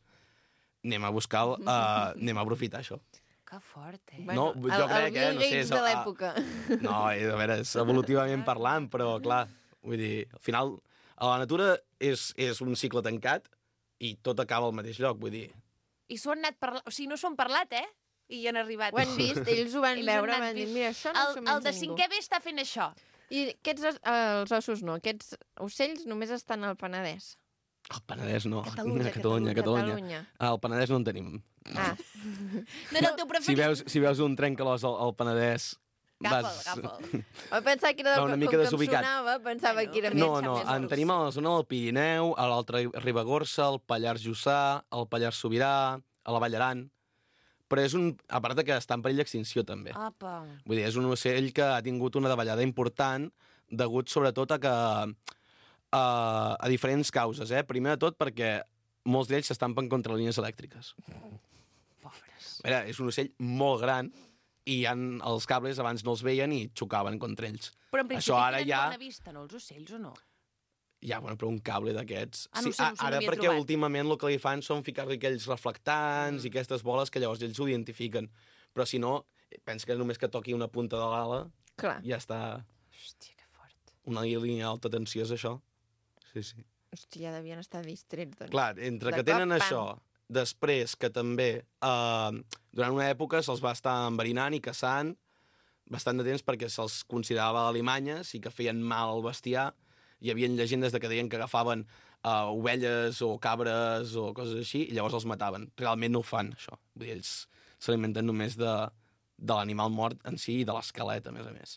Speaker 7: Anem a buscar, anem a aprofitar això.
Speaker 2: Que fort, eh?
Speaker 7: No, jo crec,
Speaker 1: el Bill
Speaker 7: no sé,
Speaker 1: Gates de l'època.
Speaker 7: No, a veure, és evolutivament parlant, però clar, vull dir, al final, a la natura és un cicle tancat i tot acaba al mateix lloc, vull dir.
Speaker 2: I s'ho han anat parlant, o sigui, no s'ho han parlat, eh? I hi han arribat.
Speaker 1: Ho han vist, ells ho van
Speaker 2: Ells han
Speaker 1: veure,
Speaker 2: anat
Speaker 1: van dir,
Speaker 2: vist.
Speaker 1: mira, això no s'ho menja
Speaker 2: El de
Speaker 1: ningú.
Speaker 2: 5è B està fent això.
Speaker 1: I els ossos no, aquests ocells només estan al Penedès.
Speaker 7: Al Penedès no.
Speaker 2: Catalunya.
Speaker 1: Catalunya.
Speaker 7: Al Penedès no en tenim.
Speaker 1: Ah,
Speaker 2: No era el teu preferit.
Speaker 7: Si veus un trencalòs al Penedès...
Speaker 2: Agafa'l.
Speaker 1: vaig pensar que era
Speaker 7: Va una mica
Speaker 1: com que
Speaker 7: desubicat.
Speaker 1: em sonava, pensava que era
Speaker 7: No,
Speaker 1: més...
Speaker 7: no, en tenim a la zona del Pirineu, a l'altra Ribagorça, al Pallars Jussà, al Pallars Sobirà, a la Vall Aran... Però és a part que està en perill d'extinció, també.
Speaker 2: Apa.
Speaker 7: Vull dir, és un ocell que ha tingut una davallada important degut sobretot a que a diferents causes, eh? Primer de tot perquè molts d'ells s'estampen contra línies elèctriques.
Speaker 2: Pobres.
Speaker 7: A veure, és un ocell molt gran i els cables abans no els veien i xocaven contra ells.
Speaker 2: Però en principi
Speaker 7: Això ara
Speaker 2: tenen
Speaker 7: ja...
Speaker 2: bona vista, no, els ocells, o no?
Speaker 7: Ja, bueno, però un cable d'aquests...
Speaker 2: Ah, no sé, no
Speaker 7: ara
Speaker 2: havia
Speaker 7: perquè
Speaker 2: trobat.
Speaker 7: últimament el que li fan són ficar-li aquells reflectants i aquestes boles que llavors ells ho identifiquen. Però si no, pensa que només que toqui una punta de l'ala
Speaker 1: Clar.
Speaker 7: ja està
Speaker 2: Hòstia, que fort.
Speaker 7: una línia d'alta tensió, és això. Sí, sí.
Speaker 1: Hòstia, ja devien estar distrets, doncs.
Speaker 7: Clar, entre
Speaker 1: De
Speaker 7: que tenen
Speaker 1: cop,
Speaker 7: això, després que també durant una època se'ls va estar enverinant i caçant bastant de temps perquè se'ls considerava alimanyes i que feien mal al bestiar. Hi havia llegendes de que deien que agafaven ovelles o cabres o coses així i llavors els mataven. Realment no ho fan, això. Vull dir, ells s'alimenten només de l'animal mort en si i de l'esquelet, a més.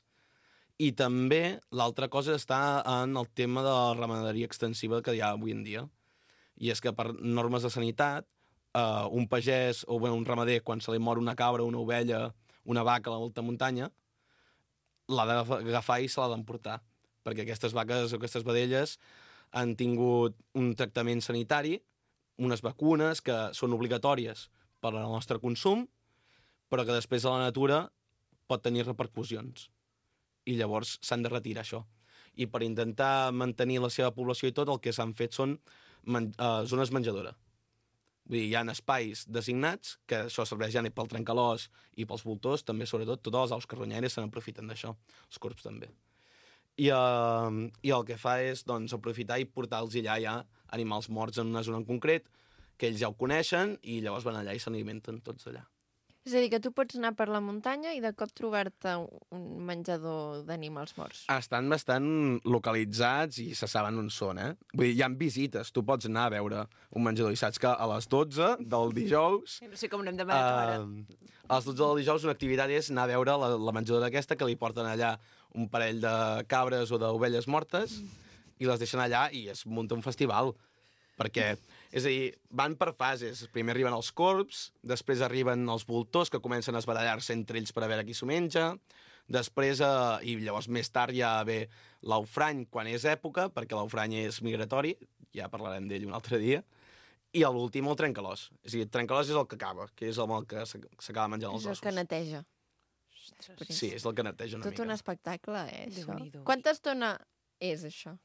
Speaker 7: I també l'altra cosa està en el tema de la ramaderia extensiva que hi ha avui en dia. I és que per normes de sanitat, un pagès o un ramader, quan se li mor una cabra, una ovella, una vaca a l'alta muntanya, l'ha d'agafar i se l'ha d'emportar. Perquè aquestes vaques o aquestes vedelles han tingut un tractament sanitari, unes vacunes que són obligatòries per al nostre consum, però que després a la natura pot tenir repercussions. I llavors s'han de retirar això. I per intentar mantenir la seva població i tot, el que s'han fet són zones menjadora. Vull dir, hi ha espais designats, que això serveix ja pel trencalòs i pels voltors, també, sobretot, totes les aus carronyaires se n'aprofiten d'això, els corbs també. I el que fa és doncs, aprofitar i portar-los allà ja animals morts en una zona en concret, que ells ja ho coneixen, i llavors van allà i s'alimenten tots allà.
Speaker 1: És a dir, que tu pots anar per la muntanya i de cop trobar-te un menjador d'animals morts.
Speaker 7: Estan bastant localitzats i se saben on són, eh? Vull dir, hi ha visites, tu pots anar a veure un menjador i saps que a les 12 del dijous...
Speaker 2: No sé com n'hem demanat ara.
Speaker 7: A les 12 del dijous una activitat és anar a veure la menjadora aquesta, que li porten allà un parell de cabres o d'ovelles mortes i les deixen allà i es munta un festival. Perquè, és a dir, van per fases. Primer arriben els corbs, després arriben els voltors, que comencen a esbarallar-se entre ells per a veure qui s'ho menja, després, i llavors més tard ja ve l'aufrany, quan és època, perquè l'aufrany és migratori, ja parlarem d'ell un altre dia, i a l'últim el trencalòs. És a dir, el trencalòs és el que acaba, que és el que s'acaba menjant els
Speaker 1: És el
Speaker 7: ossos.
Speaker 1: que neteja.
Speaker 7: Sí, és el que neteja una
Speaker 1: Tot
Speaker 7: mica.
Speaker 1: un espectacle, això.
Speaker 2: Déu-n'hi-do.
Speaker 1: Quanta estona és això?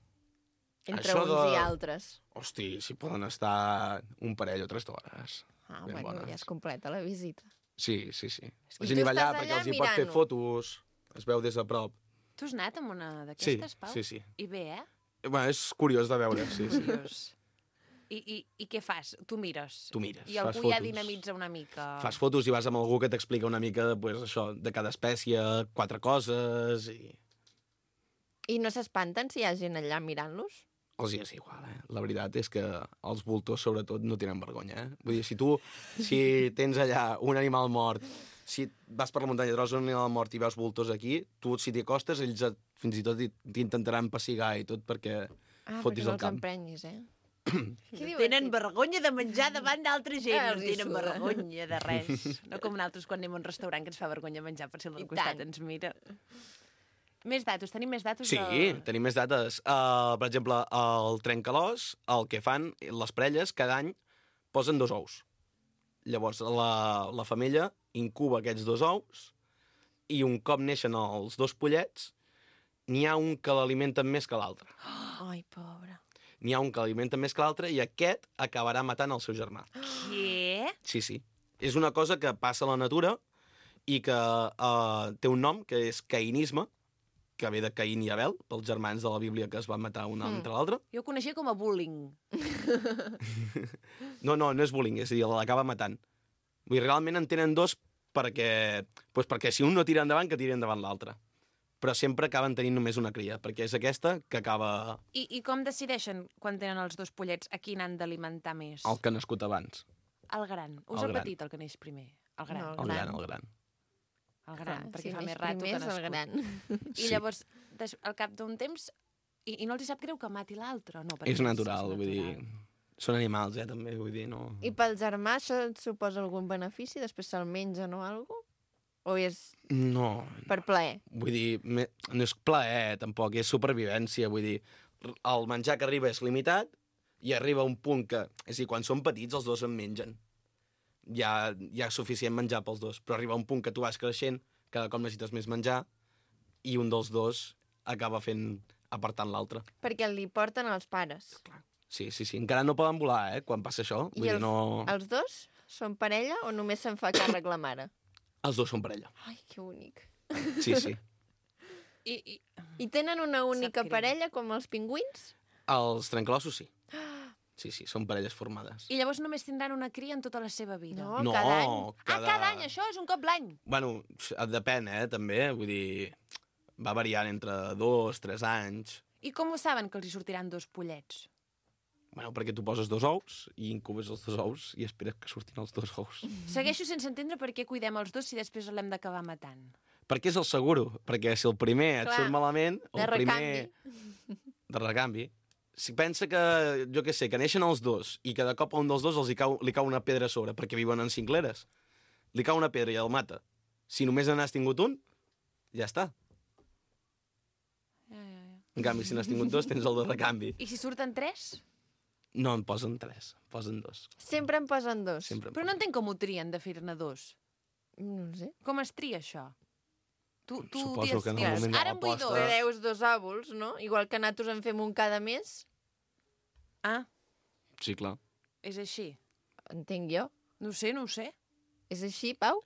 Speaker 1: Entre
Speaker 7: Això
Speaker 1: uns i altres.
Speaker 7: Hosti, si poden estar un parell o 3 d'hores.
Speaker 1: Ah,
Speaker 7: Ben
Speaker 1: bueno,
Speaker 7: bones.
Speaker 1: ja és completa la visita.
Speaker 7: Sí, sí, sí.
Speaker 1: I
Speaker 7: La
Speaker 1: tu
Speaker 7: gent hi va allà
Speaker 1: estàs
Speaker 7: perquè
Speaker 1: allà
Speaker 7: els hi pot fer
Speaker 1: mirant-ho.
Speaker 7: fotos, es veu des de prop.
Speaker 2: Tu has anat amb una
Speaker 7: Sí,
Speaker 2: d'aquestes, Pau?
Speaker 7: sí, sí.
Speaker 2: I bé, eh?
Speaker 7: Bueno, és curiós de veure, sí, sí.
Speaker 2: Curiós. I què fas? Tu mires?
Speaker 7: Tu mires,
Speaker 2: I
Speaker 7: fas
Speaker 2: algú ja
Speaker 7: fotos.
Speaker 2: dinamitza una mica?
Speaker 7: Fas fotos i vas amb algú que t'explica una mica pues, això, de cada espècie, 4 coses, i
Speaker 1: I no s'espanten si hi ha gent allà mirant-los?
Speaker 7: els hi és igual, eh? La veritat és que els voltors, sobretot, no tenen vergonya, eh? Vull dir, si tens allà un animal mort, si vas per la muntanya i trobes un animal mort i veus voltors aquí, tu, si t'hi acostes, ells fins i tot t'intentaran pessigar i tot perquè fotis
Speaker 1: perquè no
Speaker 7: el
Speaker 1: els
Speaker 7: camp.
Speaker 1: emprenyis, eh?
Speaker 2: Tenen vergonya de menjar davant d'altra gent,
Speaker 1: Ah,
Speaker 2: no
Speaker 1: els hi
Speaker 2: tenen
Speaker 1: suda.
Speaker 2: vergonya de res. No com nosaltres quan anem a un restaurant que ens fa vergonya menjar per si el del
Speaker 1: I
Speaker 2: costat
Speaker 1: tant.
Speaker 2: ens mira. Més datos, tenim més datos?
Speaker 7: Sí, tenim més dates. Per exemple, el trencalòs, el que fan, les parelles, cada any posen 2 ous. Llavors, la femella incuba aquests 2 ous i un cop neixen els 2 pollets, n'hi ha un que l'alimenten més que l'altre.
Speaker 1: Ai, pobre.
Speaker 7: N'hi ha un que l'alimenten més que l'altre i aquest acabarà matant el seu germà.
Speaker 2: Què?
Speaker 7: Sí, sí. És una cosa que passa a la natura i que té un nom, que és caïnisme, que ve de Caín i Abel, pels germans de la Bíblia que es van matar un entre l'altre.
Speaker 2: Jo ho coneixia com a bullying.
Speaker 7: No és bullying, és a dir, l'acaba matant. Vull dir, realment en tenen 2 perquè si un no tira endavant, que tiri endavant l'altre. Però sempre acaben tenint només una cria, perquè és aquesta que acaba
Speaker 2: I com decideixen, quan tenen els 2 pollets, a quin han d'alimentar més?
Speaker 7: el que ha nascut abans.
Speaker 2: El gran. Us
Speaker 7: El
Speaker 2: el
Speaker 7: gran.
Speaker 2: petit, el que neix primer? El gran.
Speaker 1: No,
Speaker 7: El gran, el gran.
Speaker 2: El gran,
Speaker 1: Clar,
Speaker 2: perquè
Speaker 1: si
Speaker 2: fa
Speaker 1: neix
Speaker 2: més rato
Speaker 1: primer
Speaker 2: que ha
Speaker 1: és el
Speaker 2: nascut.
Speaker 1: gran.
Speaker 2: I llavors, al cap d'un temps, i no els hi sap greu que mati l'altre? No, perquè
Speaker 7: És natural,
Speaker 2: és
Speaker 7: vull dir... Són animals, també, vull dir, no...
Speaker 1: I pel germà això et suposa algun benefici? Després se'l mengen o alguna cosa? O és
Speaker 7: No,
Speaker 1: per plaer?
Speaker 7: vull dir, no és plaer, tampoc, és supervivència, vull dir, el menjar que arriba és limitat i arriba un punt que, és a dir, quan són petits els 2 en mengen. Hi ha suficient menjar pels 2, però arriba un punt que tu vas creixent, cada cop necessites més menjar, i un dels 2 acaba apartant l'altre.
Speaker 1: Perquè li porten els pares.
Speaker 7: Sí, encara no poden volar, quan passa això. Vull dir, no...
Speaker 1: Els 2 són parella o només se'n fa càrrec la mare?
Speaker 7: Els 2 són parella.
Speaker 1: Ai, que bonic.
Speaker 7: Sí.
Speaker 1: I tenen una única
Speaker 2: greu.
Speaker 1: parella, com els pingüins?
Speaker 7: Els trencalossos sí. Sí, són parelles formades.
Speaker 2: I llavors només tindran una cria en tota la seva vida?
Speaker 1: No,
Speaker 7: No,
Speaker 1: cada any.
Speaker 2: Cada any, això és un cop l'any.
Speaker 7: Bueno, depèn, també. Vull dir, va variant entre 2, 3 anys.
Speaker 2: I com ho saben que els hi sortiran 2 pollets?
Speaker 7: Bueno, perquè tu poses 2 ous i incubes els 2 ous i esperes que surtin els 2 ous.
Speaker 2: Segueixo sense entendre per què cuidem els 2 si després l'hem d'acabar matant.
Speaker 7: Perquè és el seguro. Perquè si el primer et
Speaker 1: Clar,
Speaker 7: surt malament,
Speaker 1: de
Speaker 7: el primer... De recanvi. Si pensa que, jo què sé, que neixen els 2 i que de cop a un dels 2 li cau una pedra a sobre perquè viuen en cingleres. Li cau una pedra i el mata. Si només n'has tingut un, ja està. En canvi, si n'has tingut 2, tens el de recanvi.
Speaker 2: I si surten 3?
Speaker 7: No en posen 3, posen 2.
Speaker 1: Sempre en posen 2.
Speaker 7: Sempre en
Speaker 2: Però no entenc com ho trien de fer-ne 2.
Speaker 1: No ho sé.
Speaker 2: Com es tria això? Tu
Speaker 7: Suposo que en el
Speaker 2: dius,
Speaker 7: moment de
Speaker 2: ara en vull
Speaker 7: l'aposta-
Speaker 2: 2.
Speaker 1: Treus 2 òvuls, no? Igual que nosaltres en fem un cada mes,
Speaker 2: Ah,
Speaker 7: Sí, clar.
Speaker 2: és així.
Speaker 1: entenc jo.
Speaker 2: No ho sé.
Speaker 1: És així, Pau?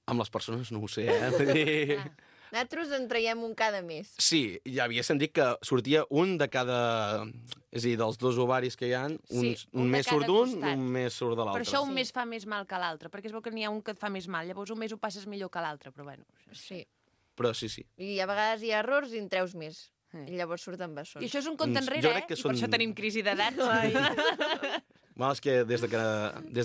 Speaker 7: Amb les persones no ho sé, Vull dir...
Speaker 1: Nosaltres en traiem un cada mes.
Speaker 7: Sí, ja havia sentit que sortia un de cada... És a dir, dels 2 ovaris que hi ha,
Speaker 2: Sí, un
Speaker 7: un
Speaker 2: de
Speaker 7: mes
Speaker 2: cada
Speaker 7: surt d'un,
Speaker 2: costat.
Speaker 7: un mes surt de
Speaker 2: Per
Speaker 7: l'altre.
Speaker 2: això un mes fa més mal que l'altre, perquè es veu que n'hi ha un que et fa més mal, llavors un mes ho passes millor que l'altre, però bueno.
Speaker 1: Sí.
Speaker 7: Però sí.
Speaker 1: I a vegades hi ha errors i en treus més. I llavors surten
Speaker 2: I
Speaker 1: bessons.
Speaker 2: això és un compte
Speaker 7: Jo
Speaker 2: enrere,
Speaker 7: crec que
Speaker 2: I per això tenim crisi d'edat.
Speaker 7: Bueno, és que des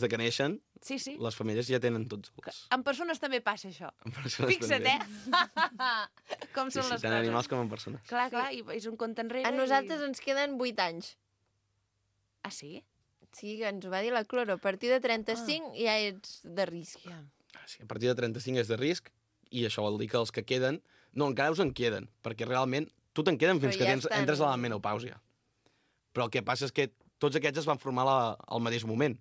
Speaker 7: de que neixen,
Speaker 2: Sí, sí.
Speaker 7: les femelles ja tenen tots els...
Speaker 2: En persones també passa això.
Speaker 7: en persones
Speaker 2: Fixa't,
Speaker 7: també.
Speaker 2: Com
Speaker 7: Sí,
Speaker 2: són
Speaker 7: sí,
Speaker 2: les
Speaker 7: tant
Speaker 2: coses.
Speaker 7: animals com en persones.
Speaker 2: Clar, clar, i és un compte enrere.
Speaker 1: A nosaltres ens queden 8 anys.
Speaker 2: Ah, sí?
Speaker 1: Sí, que ens ho va dir la Cloro. A partir de 35 ja ets de risc.
Speaker 2: Ja.
Speaker 7: Sí, a partir de 35 és de risc, i això vol dir que els que queden... No, encara us en queden, perquè realment tu te'n queden fins
Speaker 1: Però
Speaker 7: que
Speaker 1: ja estan-
Speaker 7: entres a la menopàusia. Però el que passa és que tots aquests es van formar al mateix moment.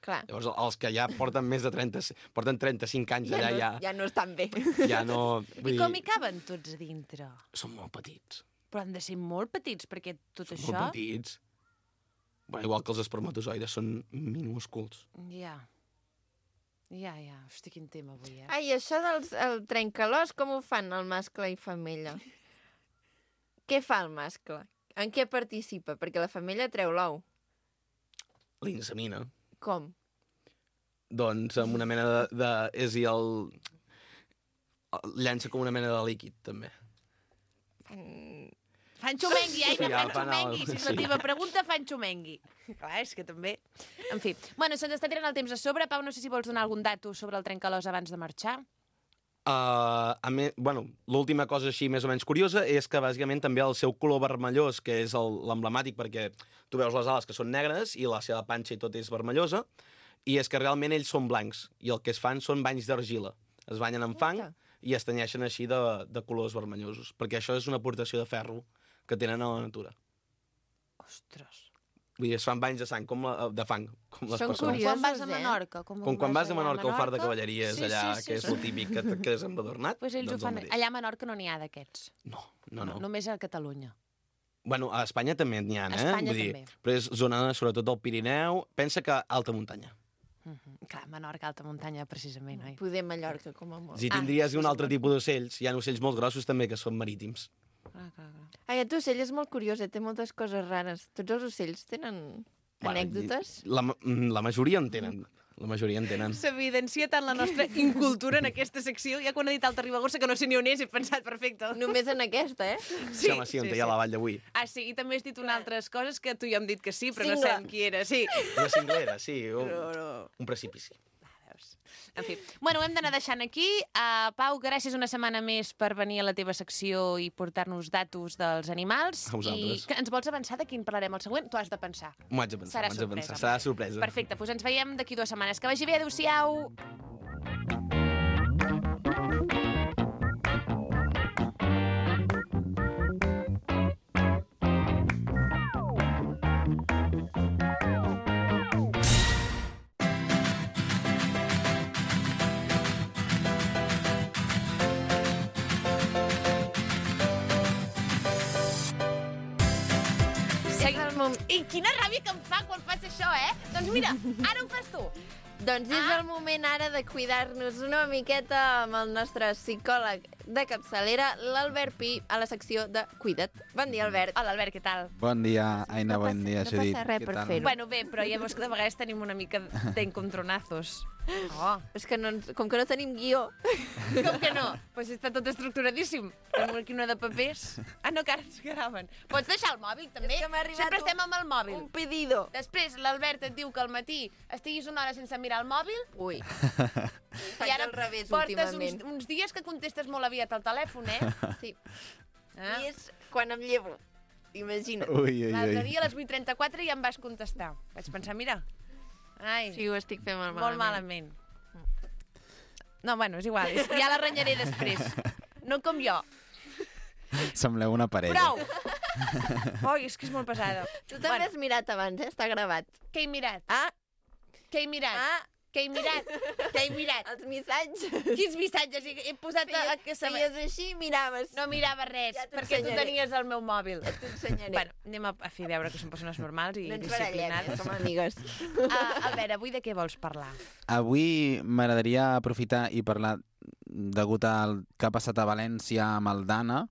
Speaker 1: Clar.
Speaker 7: Llavors, els que ja porten més de 35 anys allà,
Speaker 1: Ja no estan bé.
Speaker 7: ja no...
Speaker 2: I com hi caben tots a dintre?
Speaker 7: Són molt petits.
Speaker 2: Però han de ser molt petits, perquè tot
Speaker 7: Són
Speaker 2: això...
Speaker 7: molt petits. Bueno, igual que els espermatozoides, són minúsculs.
Speaker 2: Ja. Ja. Hosti, quin tema avui, eh?
Speaker 1: Ai, això del trencalòs, com ho fan el mascle i femella? Què fa el mascle? En què participa? Perquè la femella treu l'ou.
Speaker 7: L'insemina.
Speaker 1: Com?
Speaker 7: Doncs amb una mena és a dir, llança com una mena de líquid, també.
Speaker 2: Fan xumengui,
Speaker 7: Sí, ja
Speaker 2: fan
Speaker 7: fan
Speaker 2: xumengui. Si és la
Speaker 7: sí.
Speaker 2: teva pregunta, fan xumengui. Clar, és que també... En fi. Bueno, se'ns està tirant el temps a sobre. Pau, no sé si vols donar algun dato sobre el trencalòs abans de marxar.
Speaker 7: Bueno, l'última cosa així més o menys curiosa és que bàsicament també el seu color vermellós, que és l'emblemàtic perquè tu veus les ales que són negres i la seva panxa i tot és vermellosa, i és que realment ells són blancs i el que es fan són banys d'argila. Es banyen amb fang i es tenyeixen així de colors vermellosos, perquè això és una aportació de ferro que tenen a la natura.
Speaker 2: Ostres.
Speaker 7: Vull dir, es fan banys de sang, de fang, com les
Speaker 1: Són
Speaker 7: persones.
Speaker 2: Com
Speaker 1: curiosos,
Speaker 2: quan vas a
Speaker 1: eh?
Speaker 2: Menorca.
Speaker 7: Com quan vas a Menorca al far de cavalleries,
Speaker 2: Sí,
Speaker 7: allà,
Speaker 2: sí,
Speaker 7: que és el típic que et quedes embadornat.
Speaker 2: Pues ells
Speaker 7: doncs
Speaker 2: ho fan...
Speaker 7: el mateix.
Speaker 2: Allà a Menorca no n'hi ha d'aquests.
Speaker 7: No.
Speaker 2: Només a Catalunya.
Speaker 7: Bueno, a Espanya també n'hi ha,
Speaker 2: A Espanya
Speaker 7: Vull dir,
Speaker 2: també.
Speaker 7: però és zona, sobretot, del Pirineu. Pensa que alta muntanya.
Speaker 2: Clar, Menorca, alta muntanya, precisament, oi?
Speaker 1: Poder Mallorca, com a molt.
Speaker 7: Si tindries un altre tipus d'ocells, hi ha ocells molt grossos també que són marítims.
Speaker 2: Clar.
Speaker 1: Ai, aquest ocell és molt curiós, té moltes coses rares. Tots els ocells tenen anècdotes?
Speaker 7: La majoria en tenen. La majoria en tenen.
Speaker 2: S'evidencia tant la nostra incultura en aquesta secció. Ja quan he dit Alta Ribagorça, que no sé ni on és, he pensat, perfecte.
Speaker 1: Només en aquesta, eh?
Speaker 7: Sí, home, sí, on hi ha la vall d'avui.
Speaker 2: Ah, sí, i també has dit unes altres coses que tu ja hem dit que sí, però no
Speaker 1: Cingle.
Speaker 2: sabem qui era. Sí.
Speaker 7: Una cinglera, sí, un precipici.
Speaker 2: En fi. Bueno, ho hem d'anar deixant aquí. Pau, gràcies una setmana més per venir a la teva secció i portar-nos datos dels animals.
Speaker 7: A vosaltres.
Speaker 2: I que ens vols avançar de quin parlarem el següent? Tu has de pensar.
Speaker 7: M'ho haig de pensar,
Speaker 2: Serà sorpresa.
Speaker 7: Serà sorpresa.
Speaker 2: Perfecte, doncs ens veiem d'aquí 2 setmanes. Que vagi bé, adéu-siau! I quina ràbia que em fa quan fas això, eh? Doncs mira, ara ho fas tu.
Speaker 1: Doncs és el moment ara de cuidar-nos una miqueta amb el nostre psicòleg de capçalera, l'Albert Pi, a la secció de Cuida't. Bon dia, Albert.
Speaker 2: Hola, Albert, què tal?
Speaker 8: Bon dia, Aina, bon dia,
Speaker 1: no
Speaker 8: Judit.
Speaker 1: passa res
Speaker 8: Què
Speaker 1: per
Speaker 8: tal?
Speaker 1: fer-ho.
Speaker 2: Bueno, bé, però ja veus que de vegades tenim una mica d'encontronazos. Oh,
Speaker 1: És que com que no tenim guió...
Speaker 2: com que no? Pues està tot estructuradíssim. Tenim aquí una de papers. Ah, no, que ara ens graven. Pots deixar el mòbil, també?
Speaker 1: És que m'ha arribat
Speaker 2: Sempre estem amb el mòbil.
Speaker 1: Un pedido.
Speaker 2: Després l'Albert et diu que al matí estiguis una hora sense mirar el mòbil
Speaker 1: Ui,
Speaker 2: i
Speaker 1: faig
Speaker 2: ara
Speaker 1: al revés
Speaker 2: portes
Speaker 1: últimament.
Speaker 2: uns dies que contestes molt aviat al telèfon, eh?
Speaker 1: Sí.
Speaker 2: Ah.
Speaker 1: I és quan em llevo. Imagina't.
Speaker 8: Ui, ui,
Speaker 2: L'altre
Speaker 8: ui.
Speaker 2: dia a les 8:34 ja em vas contestar. Vaig pensar, mira, ai,
Speaker 1: Sí, ho estic fent molt
Speaker 2: molt malament. No, bueno, és igual, ja la renyaré després. No com jo.
Speaker 8: Sembleu una parella.
Speaker 2: Prou! Oi, és que és molt pesada.
Speaker 1: Tu també has mirat abans, eh? Està gravat.
Speaker 2: Què he mirat?
Speaker 1: Ah,
Speaker 2: Què he mirat? Què he mirat? Què he mirat?
Speaker 1: els missatges.
Speaker 2: Quins missatges? He posat a que se
Speaker 1: Feies així i miraves.
Speaker 2: No mirava res,
Speaker 1: Ja t'ho
Speaker 2: perquè tu
Speaker 1: ensenyaré.
Speaker 2: tenies el meu mòbil.
Speaker 1: T'ho ensenyaré.
Speaker 2: Bueno, anem a fer veure que som persones normals i
Speaker 1: no ens barallem,
Speaker 2: disciplinades.
Speaker 1: som amigues.
Speaker 2: Albert, avui de què vols parlar?
Speaker 8: Avui m'agradaria aprofitar i parlar degut al que ha passat a València amb el Dana,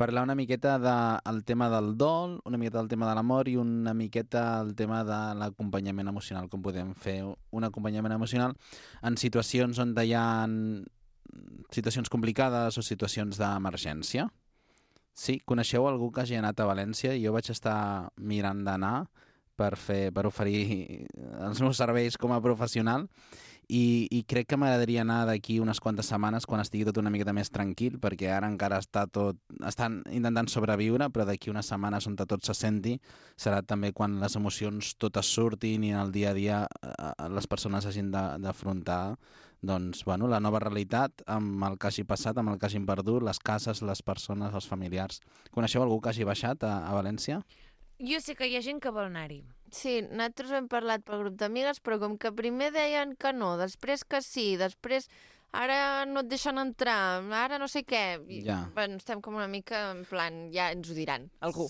Speaker 8: parlar una miqueta del tema del dol, una miqueta del tema de l'amor i una miqueta el tema de l'acompanyament emocional, com podem fer un acompanyament emocional en situacions on hi ha situacions complicades o situacions d'emergència. Sí, coneixeu algú que hagi anat a València? Jo vaig estar mirant d'anar per oferir els meus serveis com a professional i crec que m'agradaria anar d'aquí unes quantes setmanes quan estigui tot una miqueta més tranquil, perquè ara encara estan intentant sobreviure, però d'aquí unes setmanes on tot se senti serà també quan les emocions totes surtin i en el dia a dia les persones hagin d'afrontar doncs, bueno, la nova realitat amb el que hagi passat, amb el que hagin perdut, les cases, les persones, els familiars. Coneixeu algú que hagi baixat a València?
Speaker 2: Jo sé que hi ha gent que vol anar-hi.
Speaker 1: Sí, nosaltres hem parlat pel grup d'amigues, però com que primer deien que no, després que sí, després ara no et deixen entrar, ara no sé què.
Speaker 8: Ja.
Speaker 1: Bueno, estem com una mica en plan, ja ens ho diran, algú.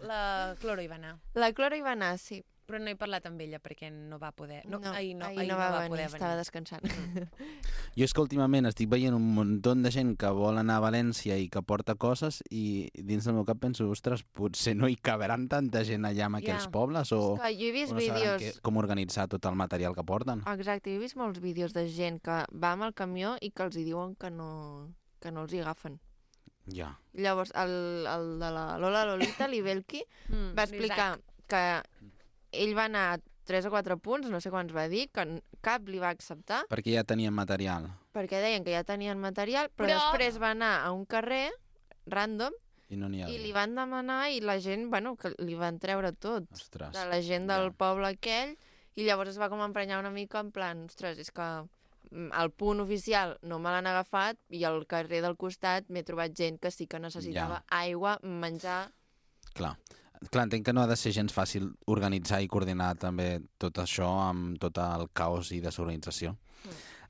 Speaker 2: La Cloro hi va anar.
Speaker 1: La Clora hi va anar, sí.
Speaker 2: Però no he parlat amb ella perquè no va poder.
Speaker 1: Ahir
Speaker 2: no
Speaker 1: va
Speaker 2: va
Speaker 1: venir,
Speaker 2: poder
Speaker 1: estava
Speaker 2: venir.
Speaker 1: descansant.
Speaker 8: Jo és que últimament estic veient un muntó de gent que vol anar a València i que porta coses i dins del meu cap penso, ostres, potser no hi caberan tanta gent allà en aquells pobles o,
Speaker 1: És que jo he vist
Speaker 8: o no sabran
Speaker 1: vídeos...
Speaker 8: com organitzar tot el material que porten.
Speaker 1: Exacte, jo he vist molts vídeos de gent que va amb el camió i que els hi diuen que no els hi agafen.
Speaker 8: Ja.
Speaker 1: Llavors, el de la Lola Lolita, l'Ibelki, va explicar que ell va anar a 3 o 4 punts, no sé quants va dir, que cap li va acceptar,
Speaker 8: Perquè ja tenien material.
Speaker 1: perquè deien que ja tenien material, però després va anar a un carrer random
Speaker 8: I no n'hi ha.
Speaker 1: i li van demanar i la gent, bueno, que li van treure tot.
Speaker 8: Ostres.
Speaker 1: De la gent del poble aquell, i llavors es va com emprenyar una mica en plan, ostres, és que el punt oficial no me l'han agafat i al carrer del costat m'he trobat gent que sí que necessitava aigua, menjar...
Speaker 8: Clar, entenc que no ha de ser gens fàcil organitzar i coordinar també tot això amb tot el caos i desorganització.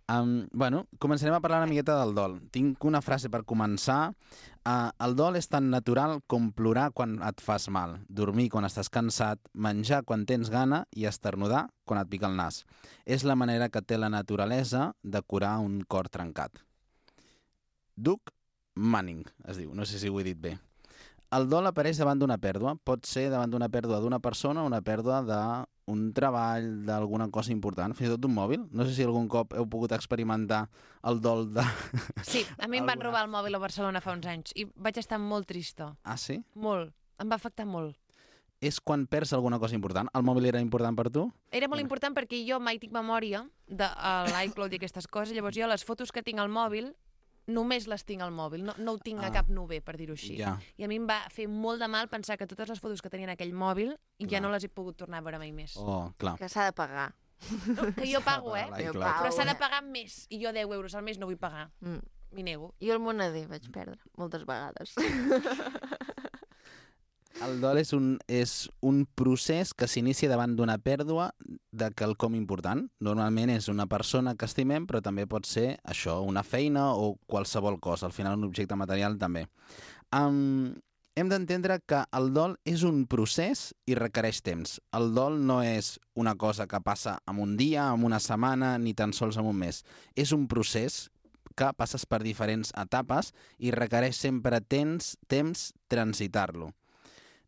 Speaker 8: Bueno, començarem a parlar una miqueta del dol. Tinc una frase per començar. El dol és tan natural com plorar quan et fas mal, dormir quan estàs cansat, menjar quan tens gana i esternudar quan et pica el nas. És la manera que té la naturalesa de curar un cor trencat. Doug Manning, es diu, no sé si ho he dit bé. El dol apareix davant d'una pèrdua. Pot ser davant d'una pèrdua d'una persona o una pèrdua d'un treball, d'alguna cosa important, fins i tot d'un mòbil. No sé si algun cop heu pogut experimentar el dol de...
Speaker 2: Sí, a mi em van robar el mòbil a Barcelona fa uns anys i vaig estar molt trista.
Speaker 8: Ah, sí?
Speaker 2: Molt. Em va afectar molt.
Speaker 8: És quan perds alguna cosa important. El mòbil era important per tu?
Speaker 2: Era molt important perquè jo mai tinc memòria de l'iCloud i aquestes coses. Llavors jo les fotos que tinc al mòbil només les tinc al mòbil, no ho tinc a cap nube, per dir-ho així.
Speaker 8: Ja.
Speaker 2: I a mi em va fer molt de mal pensar que totes les fotos que tenia en aquell mòbil ja no les he pogut tornar a veure mai més.
Speaker 8: Oh, clar.
Speaker 1: Que s'ha de pagar.
Speaker 2: No, que jo pago,
Speaker 8: l'iCloud.
Speaker 2: però s'ha de pagar més. I jo 10 euros al mes no vull pagar. M'hi nego.
Speaker 1: Jo el moneder vaig perdre moltes vegades.
Speaker 8: El dol és un procés que s'inicia davant d'una pèrdua de quelcom important. Normalment és una persona que estimem, però també pot ser això, una feina o qualsevol cosa. Al final un objecte material també. Hem d'entendre que el dol és un procés i requereix temps. El dol no és una cosa que passa en un dia, en una setmana, ni tan sols en un mes. És un procés que passes per diferents etapes i requereix sempre temps transitar-lo.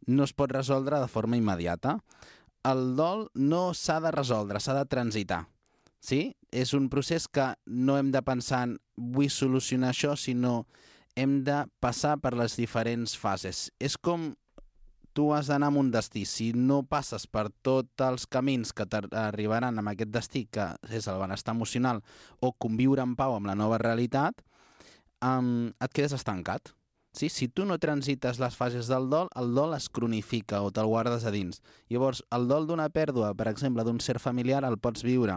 Speaker 8: No es pot resoldre de forma immediata. El dol no s'ha de resoldre, s'ha de transitar. Sí? És un procés que no hem de pensar en vull solucionar això, sinó hem de passar per les diferents fases. És com tu has d'anar a un destí. Si no passes per tots els camins que t'arribaran amb aquest destí, que és el benestar emocional, o conviure en pau amb la nova realitat, et quedes estancat. Sí? Si tu no transites les fases del dol, el dol es cronifica o te'l guardes a dins. Llavors, el dol d'una pèrdua, per exemple, d'un ser familiar, el pots viure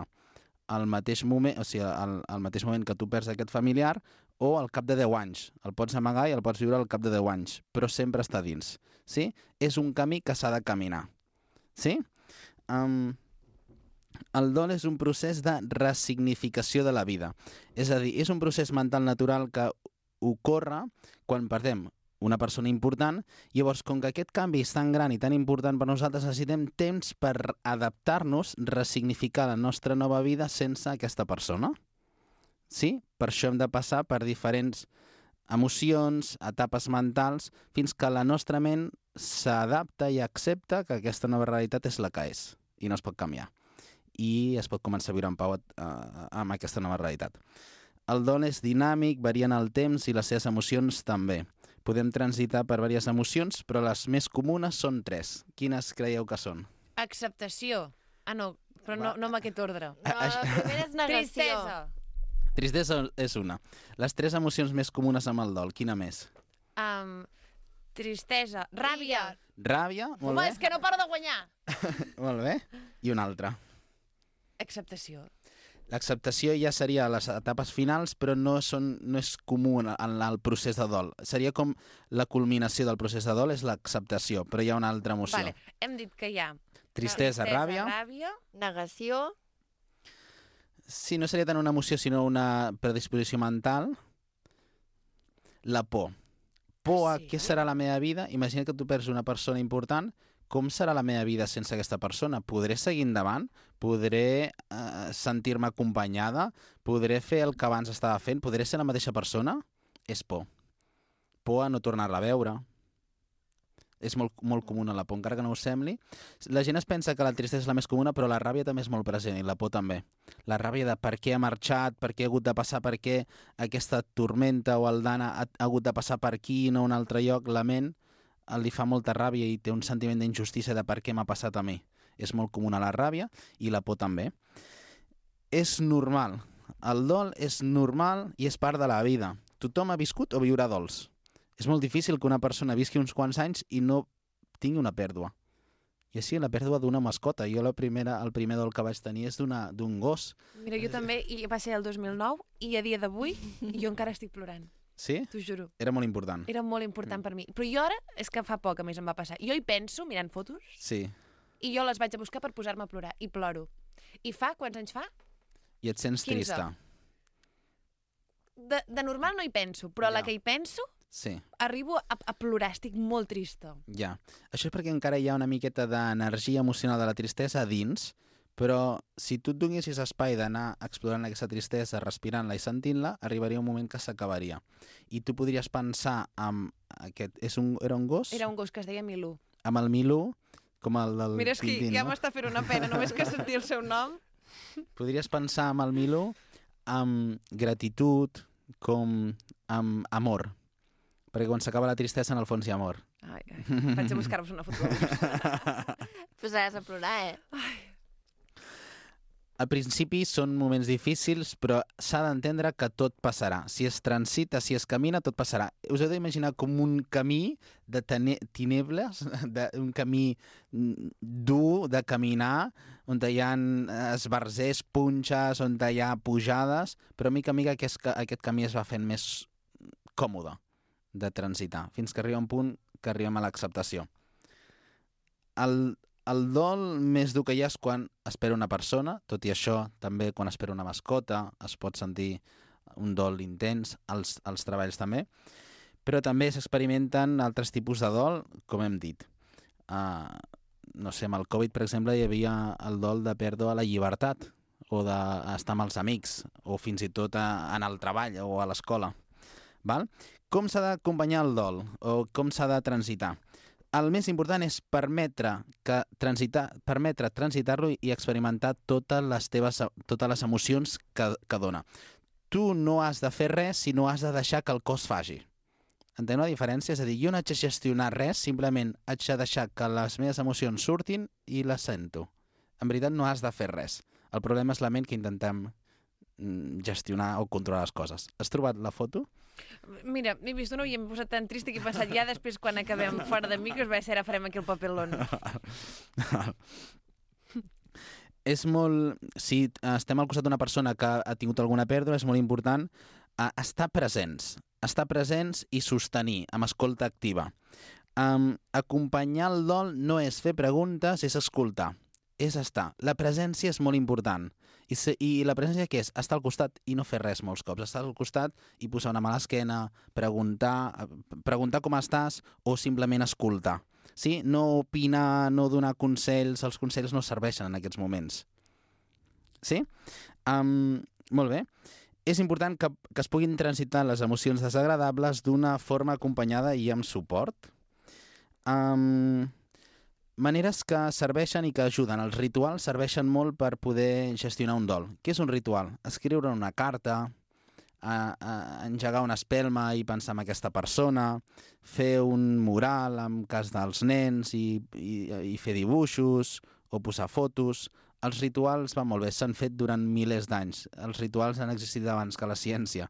Speaker 8: al mateix moment, o sigui, al mateix moment que tu perds aquest familiar, o al cap de 10 anys. El pots amagar i el pots viure al cap de 10 anys, però sempre està dins. Sí? És un camí que s'ha de caminar. Sí? El dol és un procés de ressignificació de la vida. És a dir, és un procés mental natural que ocorre quan perdem una persona important. Llavors, com que aquest canvi és tan gran i tan important per nosaltres, necessitem temps per adaptar-nos, ressignificar la nostra nova vida sense aquesta persona. sí? Per això hem de passar per diferents emocions, etapes mentals, fins que la nostra ment s'adapta i accepta que aquesta nova realitat és la que és i no es pot canviar. I es pot començar a viure en pau amb aquesta nova realitat. El dol és dinàmic, varia en el temps i les seves emocions també. Podem transitar per diverses emocions, però les més comunes són 3. Quines creieu que són?
Speaker 2: Acceptació. Ah, no, però no amb aquest ordre.
Speaker 1: No, la primera és negació.
Speaker 2: Tristesa.
Speaker 8: Tristesa és una. Les 3 emocions més comunes amb el dol, quina més?
Speaker 2: Tristesa. Ràbia.
Speaker 8: Ràbia, molt
Speaker 2: Home,
Speaker 8: bé.
Speaker 2: és que no paro de guanyar.
Speaker 8: Molt bé. I una altra.
Speaker 2: Acceptació.
Speaker 8: L'acceptació ja seria a les etapes finals, però no és comú en el procés de dol. Seria com la culminació del procés de dol és l'acceptació, però hi ha una altra emoció.
Speaker 2: Vale. Hem dit que hi ha
Speaker 8: Tristesa, ràbia.
Speaker 1: Negació.
Speaker 8: Sí, no seria tant una emoció, sinó una predisposició mental. La por. Por a què serà la meva vida? Imagina que tu perds una persona important. Com serà la meva vida sense aquesta persona? Podré seguir endavant? Podré sentir-me acompanyada? Podré fer el que abans estava fent? Podré ser la mateixa persona? És por. Por a no tornar-la a veure. És molt comuna la por, encara que no us sembli. La gent es pensa que la tristesa és la més comuna, però la ràbia també és molt present, i la por també. La ràbia de per què ha marxat, per què ha hagut de passar, per què aquesta tormenta o el Dana ha hagut de passar per aquí i no a un altre lloc, la ment li fa molta ràbia i té un sentiment d'injustícia de per què m'ha passat a mi. És molt comuna la ràbia i la por també. És normal. El dol és normal i és part de la vida. Tothom ha viscut o viurà dols. És molt difícil que una persona visqui uns quants anys i no tingui una pèrdua. I així la pèrdua d'una mascota. Jo el primer dol que vaig tenir és d'un gos.
Speaker 2: Mira, jo també, i va ser el 2009, i a dia d'avui jo encara estic plorant.
Speaker 8: Sí?
Speaker 2: T'ho juro.
Speaker 8: Era molt important.
Speaker 2: Era molt important per mi. Però jo ara, és que fa poc a més em va passar. Jo hi penso, mirant fotos,
Speaker 8: Sí.
Speaker 2: i jo les vaig a buscar per posar-me a plorar. I ploro. I quants anys fa?
Speaker 8: I et sents
Speaker 2: 15.
Speaker 8: trista.
Speaker 2: De normal no hi penso, però a la que hi penso,
Speaker 8: Sí.
Speaker 2: arribo a plorar. Estic molt trista.
Speaker 8: Ja. Això és perquè encara hi ha una miqueta d'energia emocional de la tristesa a dins, però si tu et donessis espai d'anar explorant aquesta tristesa, respirant-la i sentint-la, arribaria un moment que s'acabaria. I tu podries pensar amb aquest... Era un gos?
Speaker 2: Era un gos que es deia Milú.
Speaker 8: Amb el Milú, com el del
Speaker 2: Mira, és que
Speaker 8: Tintín,
Speaker 2: ja
Speaker 8: no?
Speaker 2: m'està fent una pena, només que sentir el seu nom.
Speaker 8: Podries pensar amb el Milú amb gratitud, com amb amor. Perquè quan s'acaba la tristesa, en el fons hi ha amor.
Speaker 2: Ai, vaig a buscar-vos una foto.
Speaker 1: Posaràs a plorar, eh?
Speaker 8: Al principi són moments difícils, però s'ha d'entendre que tot passarà. Si es transita, si es camina, tot passarà. Us heu d'imaginar com un camí de tinebles, un camí dur de caminar, on hi ha esbarzers, punxes, on hi ha pujades, però a mica a mica aquest camí es va fent més còmode de transitar, fins que arriba un punt que arribem a l'acceptació. El dol més dur que hi ha és quan espera una persona, tot i això, també quan espera una mascota es pot sentir un dol intens, als treballs també, però també s'experimenten altres tipus de dol, com hem dit. No sé, amb el Covid, per exemple, hi havia el dol de perdre la llibertat, o d'estar amb els amics, o fins i tot en el treball o a l'escola. Com s'ha d'acompanyar el dol, o com s'ha de transitar? El més important és permetre transitar-lo i experimentar totes les emocions que dona. Tu no has de fer res si no has de deixar que el cos faci. Entenc la diferència? És a dir, jo no haig de gestionar res, simplement haig de deixar que les meves emocions surtin i les sento. En veritat no has de fer res. El problema és la ment que intentem gestionar o controlar les coses. Has trobat la foto?
Speaker 2: Mira, m'he vist una i m'he posat tan trista que he pensat ja després quan acabem fora de micros va ser ara farem aquí el papelón.
Speaker 8: És molt... Si estem al costat d'una persona que ha tingut alguna pèrdua, és molt important estar presents i sostenir amb escolta activa. Acompanyar el dol no és fer preguntes, és escoltar, és estar. La presència és molt important. I la presència què és? Estar al costat i no fer res molts cops. Estar al costat i posar una mà a l'esquena, preguntar com estàs o simplement escoltar. Sí? No opinar, no donar consells, els consells no serveixen en aquests moments. Sí? Molt bé. És important que es puguin transitar les emocions desagradables d'una forma acompanyada i amb suport. Maneres que serveixen i que ajuden. Els rituals serveixen molt per poder gestionar un dol. Què és un ritual? Escriure una carta, engegar una espelma i pensar en aquesta persona, fer un mural en cas dels nens i fer dibuixos o posar fotos. Els rituals van molt bé, s'han fet durant milers d'anys. Els rituals han existit abans que la ciència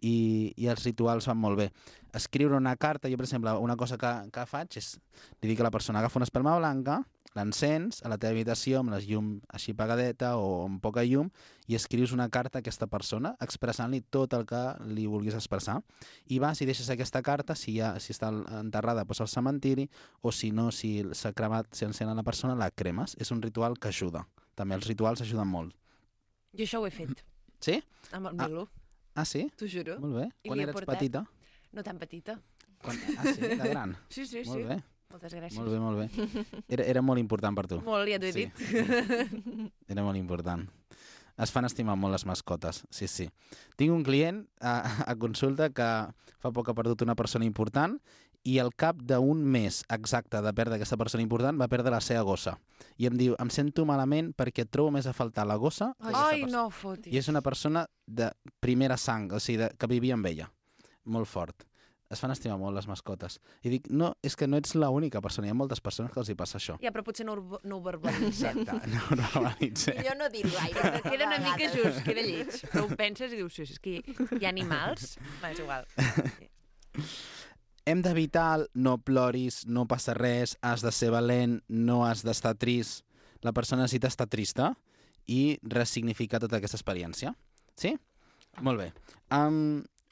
Speaker 8: i els rituals van molt bé. Escriure una carta, jo per exemple, una cosa que faig és, li dic a la persona, agafa una espelma blanca, l'encens a la teva habitació amb la llum així apagadeta o amb poca llum i escrius una carta a aquesta persona expressant-li tot el que li vulguis expressar. I vas i deixes aquesta carta, si està enterrada, doncs al cementiri, o si no, si s'ha cremat, si encén a la persona, la cremes. És un ritual que ajuda. També els rituals ajuden molt.
Speaker 2: Jo això ho he fet.
Speaker 8: Sí?
Speaker 2: Amb el Milo.
Speaker 8: Ah, sí?
Speaker 2: T'ho juro.
Speaker 8: Molt bé.
Speaker 2: I
Speaker 8: Quan
Speaker 2: li he
Speaker 8: eres
Speaker 2: portat.
Speaker 8: petita?
Speaker 2: No tan petita.
Speaker 8: Ah, sí? De gran?
Speaker 2: Sí.
Speaker 8: Molt bé.
Speaker 2: Moltes gràcies.
Speaker 8: Molt bé. Era molt important per tu.
Speaker 2: Molt, ja t'ho he dit.
Speaker 8: Era molt important. Es fan estimar molt les mascotes, sí. Tinc un client a consulta que fa poc ha perdut una persona important i al cap d'un mes exacte de perdre aquesta persona important va perdre la seva gossa. I em diu, em sento malament perquè trobo més a faltar la gossa.
Speaker 2: Ai, no fotis.
Speaker 8: I és una persona de primera sang, o sigui, que vivia amb ella. Molt fort. Es fan estimar molt les mascotes. I dic, no, és que no ets l'única persona, hi ha moltes persones que els hi passa això.
Speaker 2: Ja, però potser no ho verbalitzem.
Speaker 8: Exacte, no ho verbalitzem.
Speaker 1: Millor no dir-ho gaire.
Speaker 2: Queda una mica just, queda lleig. Però ho penses i dius, sí, és que hi ha animals. Va, és igual.
Speaker 8: Hem d'evitar no ploris, no passa res, has de ser valent, no has d'estar trist. La persona necessita estar trista i ressignificar tota aquesta experiència. Sí? Molt bé.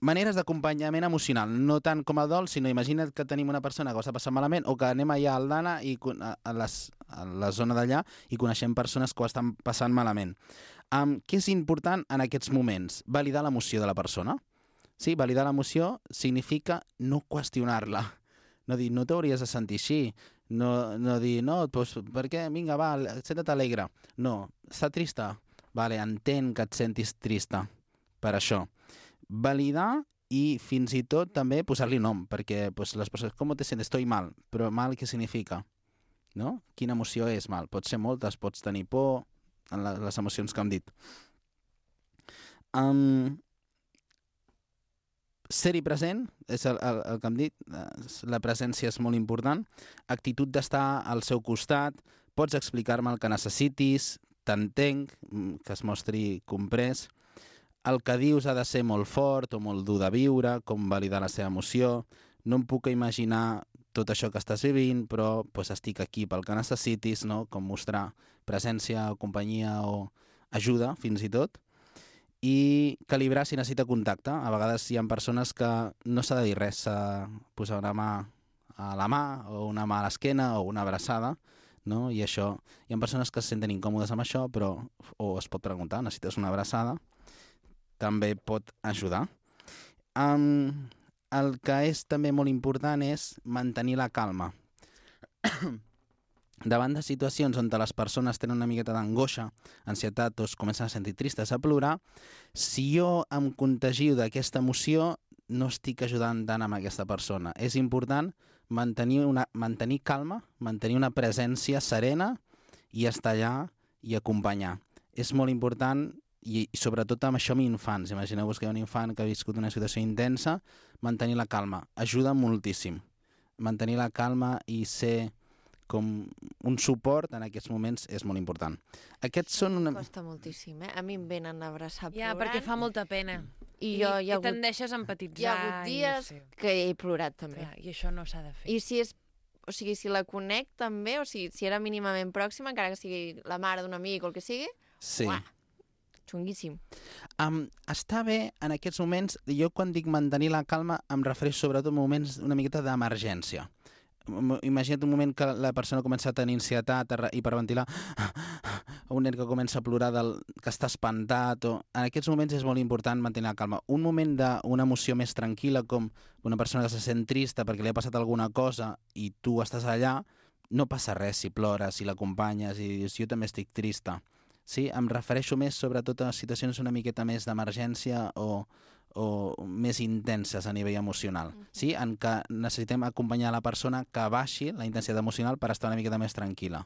Speaker 8: Maneres d'acompanyament emocional, no tant com el dol, sinó imagina't que tenim una persona que ho està passant malament o que anem allà a Aldana i a la zona d'allà i coneixem persones que ho estan passant malament. Què és important en aquests moments? Validar l'emoció de la persona. Sí, validar l'emoció significa no qüestionar-la. No dir, no t'hauries de sentir així. No dir, no, doncs, per què? Vinga, va, senta't alegre. No, està trista? Vale, entenc que et sentis trista per això. Validar i fins i tot també posar-li nom, perquè pues, les persones, com te sientes? Estoy mal, però mal què significa? No? Quina emoció és mal? Pot ser moltes, pots tenir por, en les emocions que hem dit. Ser-hi present, és el que hem dit, la presència és molt important, actitud d'estar al seu costat, pots explicar-me el que necessitis, t'entenc, que es mostri comprès. El que dius ha de ser molt fort o molt dur de viure, com validar la seva emoció. No em puc imaginar tot això que estàs vivint, però pues, estic aquí pel que necessitis, no? Com mostrar presència o companyia o ajuda, fins i tot. I calibrar si necessita contacte. A vegades hi ha persones que no s'ha de dir res, s'ha de posar una mà a la mà o una mà a l'esquena o una abraçada, no? I això, hi ha persones que se senten incòmodes amb això, però o es pot preguntar, necessites una abraçada? També pot ajudar. El que és també molt important és mantenir la calma. Davant de situacions on les persones tenen una miqueta d'angoixa, ansietat o es comencen a sentir tristes, a plorar, si jo em contagio d'aquesta emoció, no estic ajudant tant amb aquesta persona. És important mantenir calma, mantenir una presència serena i estar allà i acompanyar. És molt important i sobretot amb això amb infants. Imagineu-vos que hi ha un infant que ha viscut una situació intensa, mantenir la calma. Ajuda moltíssim. Mantenir la calma i ser com un suport en aquests moments és molt important. Aquests són una...
Speaker 1: Costa moltíssim, eh? A mi em venen a abraçar plorant.
Speaker 2: Ja, perquè fa molta pena.
Speaker 1: I
Speaker 2: tendeixes a empatitzar.
Speaker 1: Hi ha hagut dies que he plorat també.
Speaker 2: Clar, I això no s'ha de fer.
Speaker 1: I si és... O sigui, si la conec també, o sigui, si era mínimament pròxima, encara que sigui la mare d'un amic o el que sigui,
Speaker 8: sí.
Speaker 1: Uah, xunguíssim.
Speaker 8: Està bé en aquests moments, jo quan dic mantenir la calma em refereixo sobretot a moments una miqueta d'emergència. Imagina't un moment que la persona comença a tenir ansietat, a hiperventilar, un nen que comença a plorar que està espantat. En aquests moments és molt important mantenir la calma. Un moment d'una emoció més tranquil·la, com una persona que se sent trista perquè li ha passat alguna cosa i tu estàs allà, no passa res si plores, si l'acompanyes i dius jo també estic trista. Sí? Em refereixo més sobretot a situacions una miqueta més d'emergència o més intenses a nivell emocional, sí? En què necessitem acompanyar la persona que baixi la intensitat emocional per estar una miqueta més tranquil·la.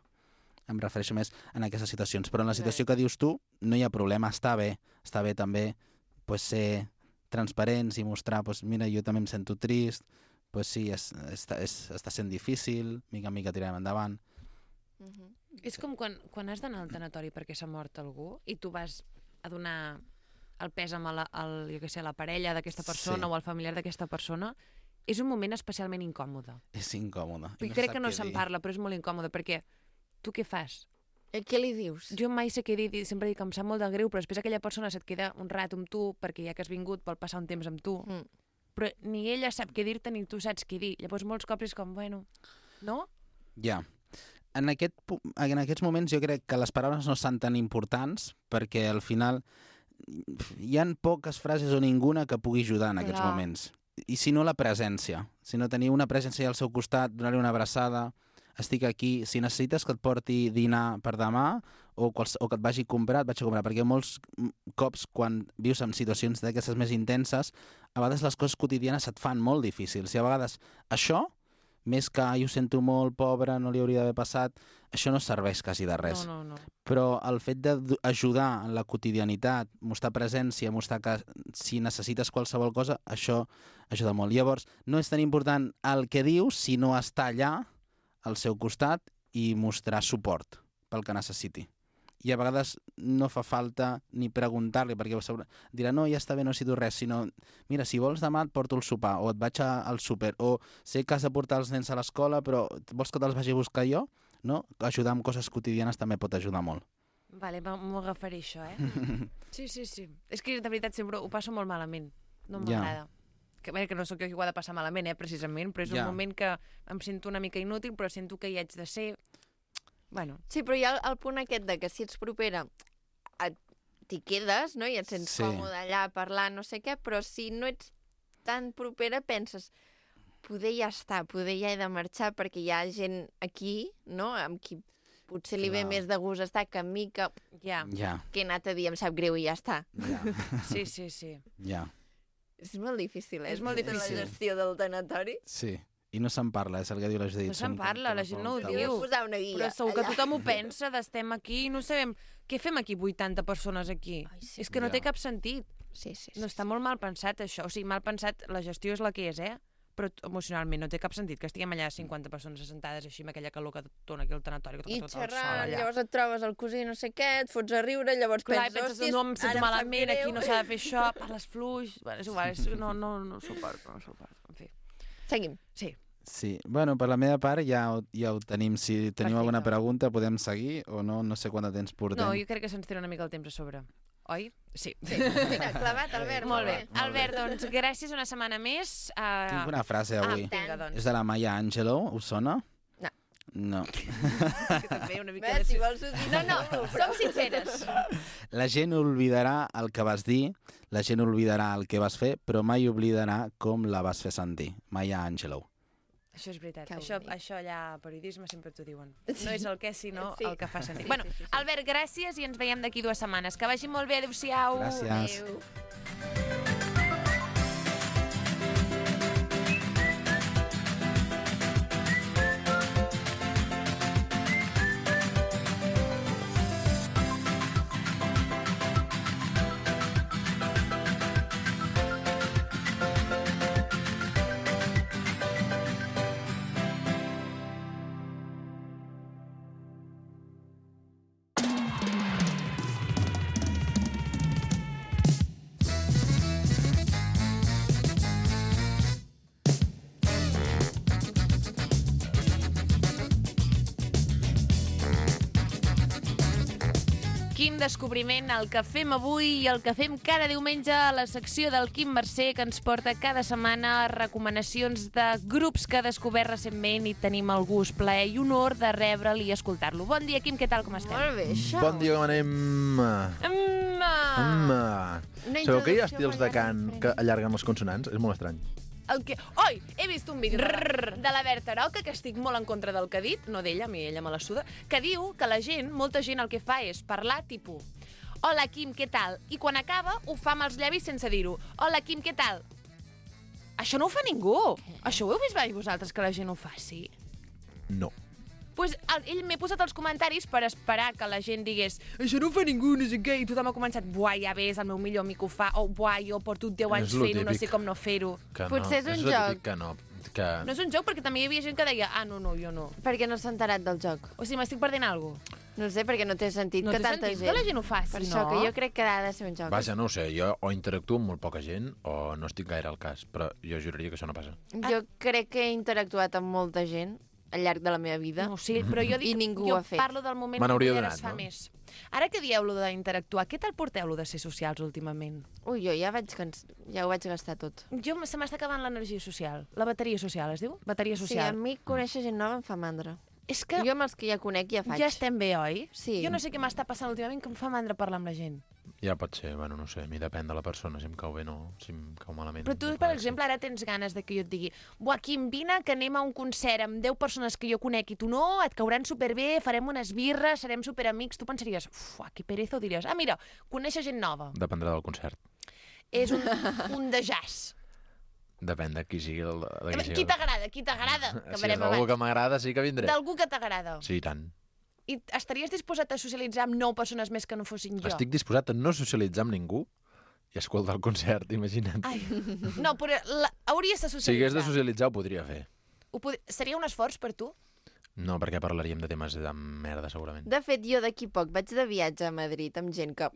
Speaker 8: Em refereixo més en aquestes situacions. Però en la situació que dius tu no hi ha problema, està bé també ser transparents i mostrar, mira, jo també em sento trist, sí, està sent difícil, mica en mica tirarem endavant.
Speaker 2: És com quan has d'anar al tanatori perquè s'ha mort algú i tu vas a donar el pèsam a la parella d'aquesta persona o al familiar d'aquesta persona, és un moment especialment incòmode.
Speaker 8: És incòmode.
Speaker 2: Crec que no se'n parla, però és molt incòmode, perquè tu què fas?
Speaker 1: Què li dius?
Speaker 2: Jo mai sé què dir, sempre dic que em sap molt de greu, però després aquella persona se't queda un rato amb tu, perquè ja que has vingut vol passar un temps amb tu, però ni ella sap què dir-te ni tu saps què dir. Llavors molts cops és com, bueno, no?
Speaker 8: Ja. En aquests moments jo crec que les paraules no són tan importants, perquè al final hi ha poques frases o ninguna que pugui ajudar en aquests moments. I si no, la presència. Si no teniu una presència al seu costat, donar-li una abraçada, estic aquí, si necessites que et porti dinar per demà o que et vagi a comprar, et vaig a comprar, perquè molts cops quan vius en situacions d'aquestes més intenses, a vegades les coses quotidianes et fan molt difícils, i a vegades això, més que jo ho sento molt, pobre, no li hauria d'haver passat, això no serveix quasi de res.
Speaker 2: No.
Speaker 8: Però el fet d'ajudar en la quotidianitat, mostrar presència, mostrar que si necessites qualsevol cosa, això ajuda molt. Llavors, no és tan important el que dius, sinó estar allà al seu costat i mostrar suport pel que necessiti. I a vegades no fa falta ni preguntar-li, perquè dirà, no, ja està bé, no necessito res, sinó, mira, si vols demà et porto el sopar, o et vaig al súper, o sé que has de portar els nens a l'escola, però vols que te'ls vagi a buscar jo? No? Ajudar amb coses quotidianes també pot ajudar molt.
Speaker 2: Vale, m'ho agafaré això, Sí. És que de veritat sempre ho passo molt malament. No m'agrada. Que no sóc jo qui ho ha de passar malament, precisament, però és un moment que em sento una mica inútil, però sento que hi haig de ser. Bueno.
Speaker 1: Sí, però hi ha el punt aquest de que si ets propera t'hi quedes, no? I et sents còmode allà a parlar, no sé què, però si no ets tan propera penses, poder ja està, poder ja he de marxar perquè hi ha gent aquí, no?, amb qui potser li ve més de gust estar que a mi que he anat a dir em sap greu i ja està.
Speaker 2: Sí.
Speaker 8: Ja.
Speaker 1: És molt difícil,
Speaker 2: És molt difícil.
Speaker 1: La gestió del tanatori.
Speaker 8: Sí. I no se'n parla, és el que diu la Judit.
Speaker 2: No se'n parla, la gent no ho diu.
Speaker 1: Posar una guia,
Speaker 2: però segur que tothom ho pensa, d'estem aquí i no sabem què fem aquí 80 persones aquí. És que no té cap sentit.
Speaker 1: Sí.
Speaker 2: No, està molt mal pensat això. O sigui, mal pensat, la gestió és la que és, però emocionalment no té cap sentit que estiguem allà 50 persones assentades així amb aquella calor que et dona aquí al tanatori.
Speaker 1: I xerrant, llavors et trobes el cosí no sé què, et fots a riure, llavors penses,
Speaker 2: no em sento malament, aquí no s'ha de fer això, parles fluix, és igual, no suporto, en fi.
Speaker 1: Seguim.
Speaker 8: Sí, bueno, per la meva part ja ho tenim. Si teniu alguna pregunta podem seguir o no, no sé quant de temps portem.
Speaker 2: No, jo crec que se'ns tira una mica el temps a sobre. Oi? Sí.
Speaker 1: Mira, clavat, Albert.
Speaker 2: Molt bé. Albert, doncs, gràcies una setmana més.
Speaker 8: Tinc una frase avui. És de la Maya Angelou, us sona? No.
Speaker 2: També una mica
Speaker 1: si vols ho dir.
Speaker 2: No, som sinceres.
Speaker 8: La gent oblidarà el que vas dir, la gent oblidarà el que vas fer, però mai oblidarà com la vas fer sentir. Maya Angelou.
Speaker 2: Això és veritat. Això allà a periodisme sempre t'ho diuen. No és el què, sinó el que fa sentir. Bueno, Albert, gràcies i ens veiem d'aquí 2 setmanes. Que vagi molt bé. Adéu-siau.
Speaker 8: Gràcies.
Speaker 2: Adéu. Quin descobriment el que fem avui i el que fem cada diumenge a la secció del Quim Mercè, que ens porta cada setmana recomanacions de grups que ha descobert recentment i tenim el gust, plaer i honor de rebre'l i escoltar-lo. Bon dia, Quim, què tal, com estem?
Speaker 1: Molt bé, això.
Speaker 9: Bon dia, com anem? Sabeu que hi ha estils de cant que allarguen les consonants? És molt estrany.
Speaker 2: Oi, he vist un vídeo de la Berta Roca, que estic molt en contra del que ha dit, no d'ella, a mi ella me la suda, que diu que la gent, molta gent el que fa és parlar tipus hola, Quim, què tal? I quan acaba ho fa amb els llavis sense dir-ho. Hola, Quim, què tal? Això no ho fa ningú. Això ho heu vist mai vosaltres, que la gent ho faci?
Speaker 9: No.
Speaker 2: Pues ell m'he posat els comentaris per esperar que la gent digués això no ho fa ningú, no sé què, i tothom ha començat buah, ja ves, el meu millor amic ho fa, o buah, jo porto 10 anys fent-ho, no sé com no fer-ho.
Speaker 1: Potser és un joc.
Speaker 2: No és un joc, perquè també hi havia gent que deia no, jo no.
Speaker 1: Perquè no s'ha enterat del joc.
Speaker 2: O sigui, m'estic perdent alguna cosa.
Speaker 1: No sé, perquè no té sentit que tanta gent...
Speaker 2: que la gent ho faci,
Speaker 1: per això que jo crec que ha de ser un joc.
Speaker 9: Vaja, no ho sé, jo o interactuo amb molt poca gent o no estic gaire al cas, però jo juraria que això no passa.
Speaker 1: Jo crec que he interactuat amb molta gent al llarg de la meva vida.
Speaker 2: No, sí, però jo dic,
Speaker 1: I ningú
Speaker 2: jo
Speaker 1: ho ha fet.
Speaker 2: parlo del moment
Speaker 9: Me n'hauria
Speaker 2: que
Speaker 9: donat,
Speaker 2: es fa
Speaker 9: no?
Speaker 2: més. Ara que dieu-lo d'interactuar, què tal porteu-lo de ser socials últimament?
Speaker 1: Ui, jo ja ho vaig gastar tot.
Speaker 2: Jo se m'està acabant l'energia social. La bateria social, es diu? Bateria
Speaker 1: Sí,
Speaker 2: social.
Speaker 1: a mi conèixer gent nova em fa mandra.
Speaker 2: És que
Speaker 1: Jo amb els que ja conec ja faig.
Speaker 2: ja estem bé, oi?
Speaker 1: Sí.
Speaker 2: Jo no sé què m'està passant últimament, que em fa mandra parlar amb la gent.
Speaker 9: Ja pot ser, bueno, no sé, a mi depèn de la persona, si em cau bé no, si em cau malament.
Speaker 2: Però tu,
Speaker 9: no
Speaker 2: per
Speaker 9: res.
Speaker 2: exemple, ara tens ganes de que jo et digui buah, Quim, vine, que anem a un concert amb 10 persones que jo conec i tu no, et cauran superbé, farem unes birres, serem superamics. Tu pensaries, que pereza, o diries, mira, conèixer gent nova.
Speaker 9: Dependrà del concert.
Speaker 2: És un de jazz.
Speaker 9: Depèn de qui sigui el...
Speaker 2: Qui t'agrada, qui t'agrada, que
Speaker 9: Si és
Speaker 2: verem
Speaker 9: algú
Speaker 2: abans.
Speaker 9: que m'agrada, sí que vindré.
Speaker 2: D'algú que t'agrada.
Speaker 9: Sí, i tant.
Speaker 2: I estaries disposat a socialitzar amb 9 persones més que no fossin jo?
Speaker 9: Estic disposat a no socialitzar amb ningú i escoltar el concert, imagina't.
Speaker 2: Ai, no, però hauries de socialitzar.
Speaker 9: Si hagués de socialitzar, ho podria fer.
Speaker 2: Seria un esforç per tu?
Speaker 9: No, perquè parlaríem de temes de merda, segurament.
Speaker 1: De fet, jo d'aquí poc vaig de viatge a Madrid amb gent que...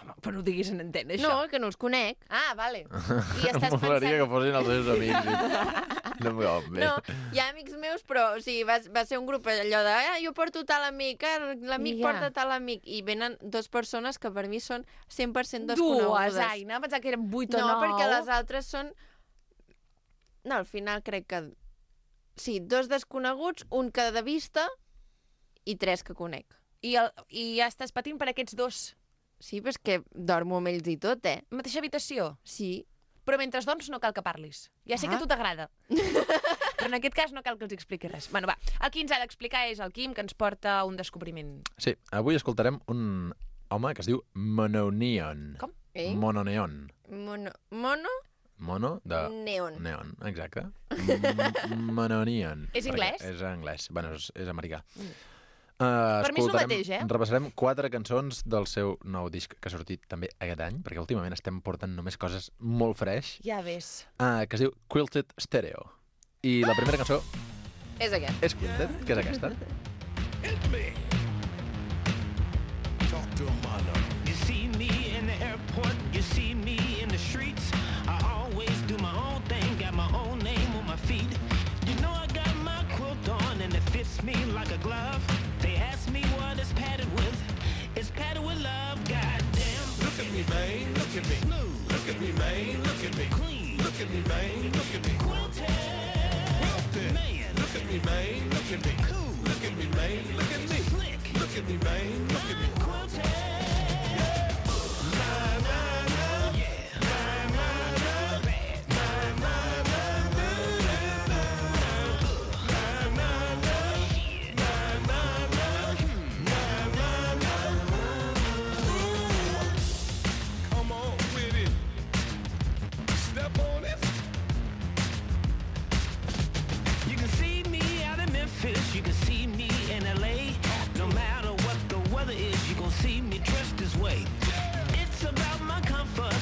Speaker 2: Home, però no ho diguis en antena, això.
Speaker 1: No, que no els conec.
Speaker 2: Ah, vale. I estàs
Speaker 9: Molaria que
Speaker 2: pensant...
Speaker 9: fossin els seus amics. No, bé.
Speaker 1: No, hi ha amics meus, però o sigui, va ser un grup allò de jo porto tal amic, l'amic
Speaker 2: Ja.
Speaker 1: porta tal amic, i venen 2 persones que per mi són 100%
Speaker 2: Dues,
Speaker 1: desconegudes.
Speaker 2: Aina, pensava que eren 8 o 9.
Speaker 1: No, perquè les altres són... No, al final crec que... Sí, 2 desconeguts, un que de vista i 3 que conec.
Speaker 2: I ja estàs patint per aquests 2.
Speaker 1: Sí, però és que dormo amb ells i tot,
Speaker 2: Mateixa habitació?
Speaker 1: Sí.
Speaker 2: Però mentre dorms no cal que parlis. Ja sé que a tu t'agrada. Però en aquest cas no cal que els expliqui res. Bueno, va, el qui ens ha d'explicar és el Quim, que ens porta un descobriment.
Speaker 9: Sí, avui escoltarem un home que es diu Mononeon.
Speaker 2: Com?
Speaker 9: Mononeon.
Speaker 1: Mono?
Speaker 9: Mono de...
Speaker 1: Neon.
Speaker 9: Neon, exacte. Mononeon.
Speaker 2: És anglès?
Speaker 9: És anglès, bueno, és americà.
Speaker 2: Per mi és el mateix,
Speaker 9: Repassarem 4 cançons del seu nou disc que ha sortit també aquest any, perquè últimament estem portant només coses molt fresh,
Speaker 2: Ja ves.
Speaker 9: que es diu Quilted Stereo. I la primera cançó
Speaker 1: És aquest.
Speaker 9: és Quilted, que és aquesta.
Speaker 10: You see me in the airport, you see me in the streets. I always do my own thing, got my own name on my feet. You know I got my quilt on and it fits me like a glove. They ask me what it's padded with. It's padded with love, goddamn. Look at me, man, look at me. Look at me, man, look at me. Clean. Look at me, man, look at me. Quilted. Man. Look at me, man, look at me. Cool. Look at me, man, look at me. Slick. Look at me, man, look at me. Quilted. You can see me out in Memphis, you can see me in LA. No matter what the weather is, you gon' see me dressed this way. It's about my comfort,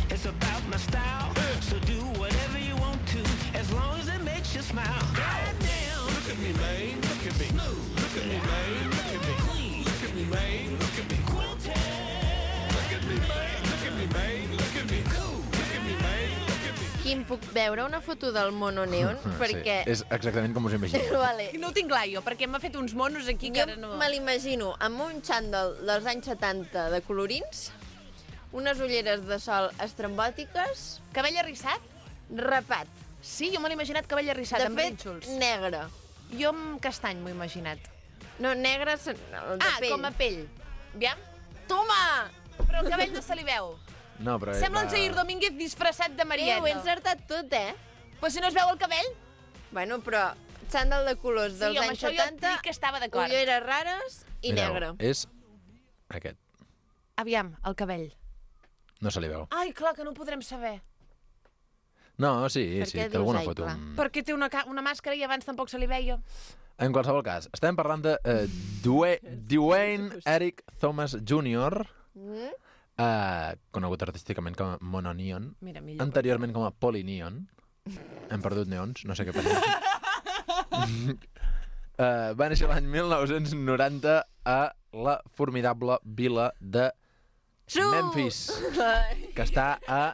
Speaker 10: it's about my style. So do whatever you want to, as long as it makes you smile. Goddamn! Look at me, man, look at me. Look at me, man, look at me. Clean. Look at me, man, look at me. Quilted. Look at me, man, look at me, man, look at me. Cool. Look at me, man, look at me.
Speaker 1: Quim, puc veure una foto del mono neon? Perquè...
Speaker 9: Sí, és exactament com us imagineu.
Speaker 1: Vale.
Speaker 2: No ho tinc clar jo, perquè m'ha fet uns monos aquí que
Speaker 1: Jo
Speaker 2: ara no...
Speaker 1: me l'imagino amb un xandall dels anys 70 de colorins, unes ulleres de sol estrambòtiques,
Speaker 2: Cabell arrissat?
Speaker 1: rapat.
Speaker 2: Sí, jo me l'he imaginat cabell arrissat,
Speaker 1: De
Speaker 2: amb
Speaker 1: fet,
Speaker 2: rínxols.
Speaker 1: negre.
Speaker 2: Jo amb castany m'ho he imaginat.
Speaker 1: No, negre el de pell.
Speaker 2: Com a pell. Aviam?
Speaker 1: Toma!
Speaker 2: Però el cabell no se li veu.
Speaker 9: No, però...
Speaker 2: Sembla un Jair Domínguez disfressat de Marieta.
Speaker 1: Ho he encertat tot,
Speaker 2: Però si no es veu el cabell?
Speaker 1: Bueno, però xandall de colors dels
Speaker 2: Sí, amb
Speaker 1: anys
Speaker 2: això jo
Speaker 1: 70,
Speaker 2: dic que estava d'acord.
Speaker 1: ulleres rares i
Speaker 9: Mireu,
Speaker 1: negre.
Speaker 9: és aquest.
Speaker 2: Aviam, el cabell.
Speaker 9: No se li veu.
Speaker 2: Ai, clar, que no ho podrem saber.
Speaker 9: No, sí,
Speaker 1: Per
Speaker 9: sí,
Speaker 1: què
Speaker 9: té alguna
Speaker 1: dius, ai,
Speaker 9: foto.
Speaker 1: clar?
Speaker 2: Perquè té una màscara i abans tampoc se li veia.
Speaker 9: En qualsevol cas, estem parlant de Dwayne Eric Thomas Jr., conegut artísticament com a Mononion,
Speaker 2: Mira, millor.
Speaker 9: anteriorment com a Polyneon. Hem perdut neons, no sé què passa. Va néixer l'any 1990 a la formidable vila de Memphis, que està a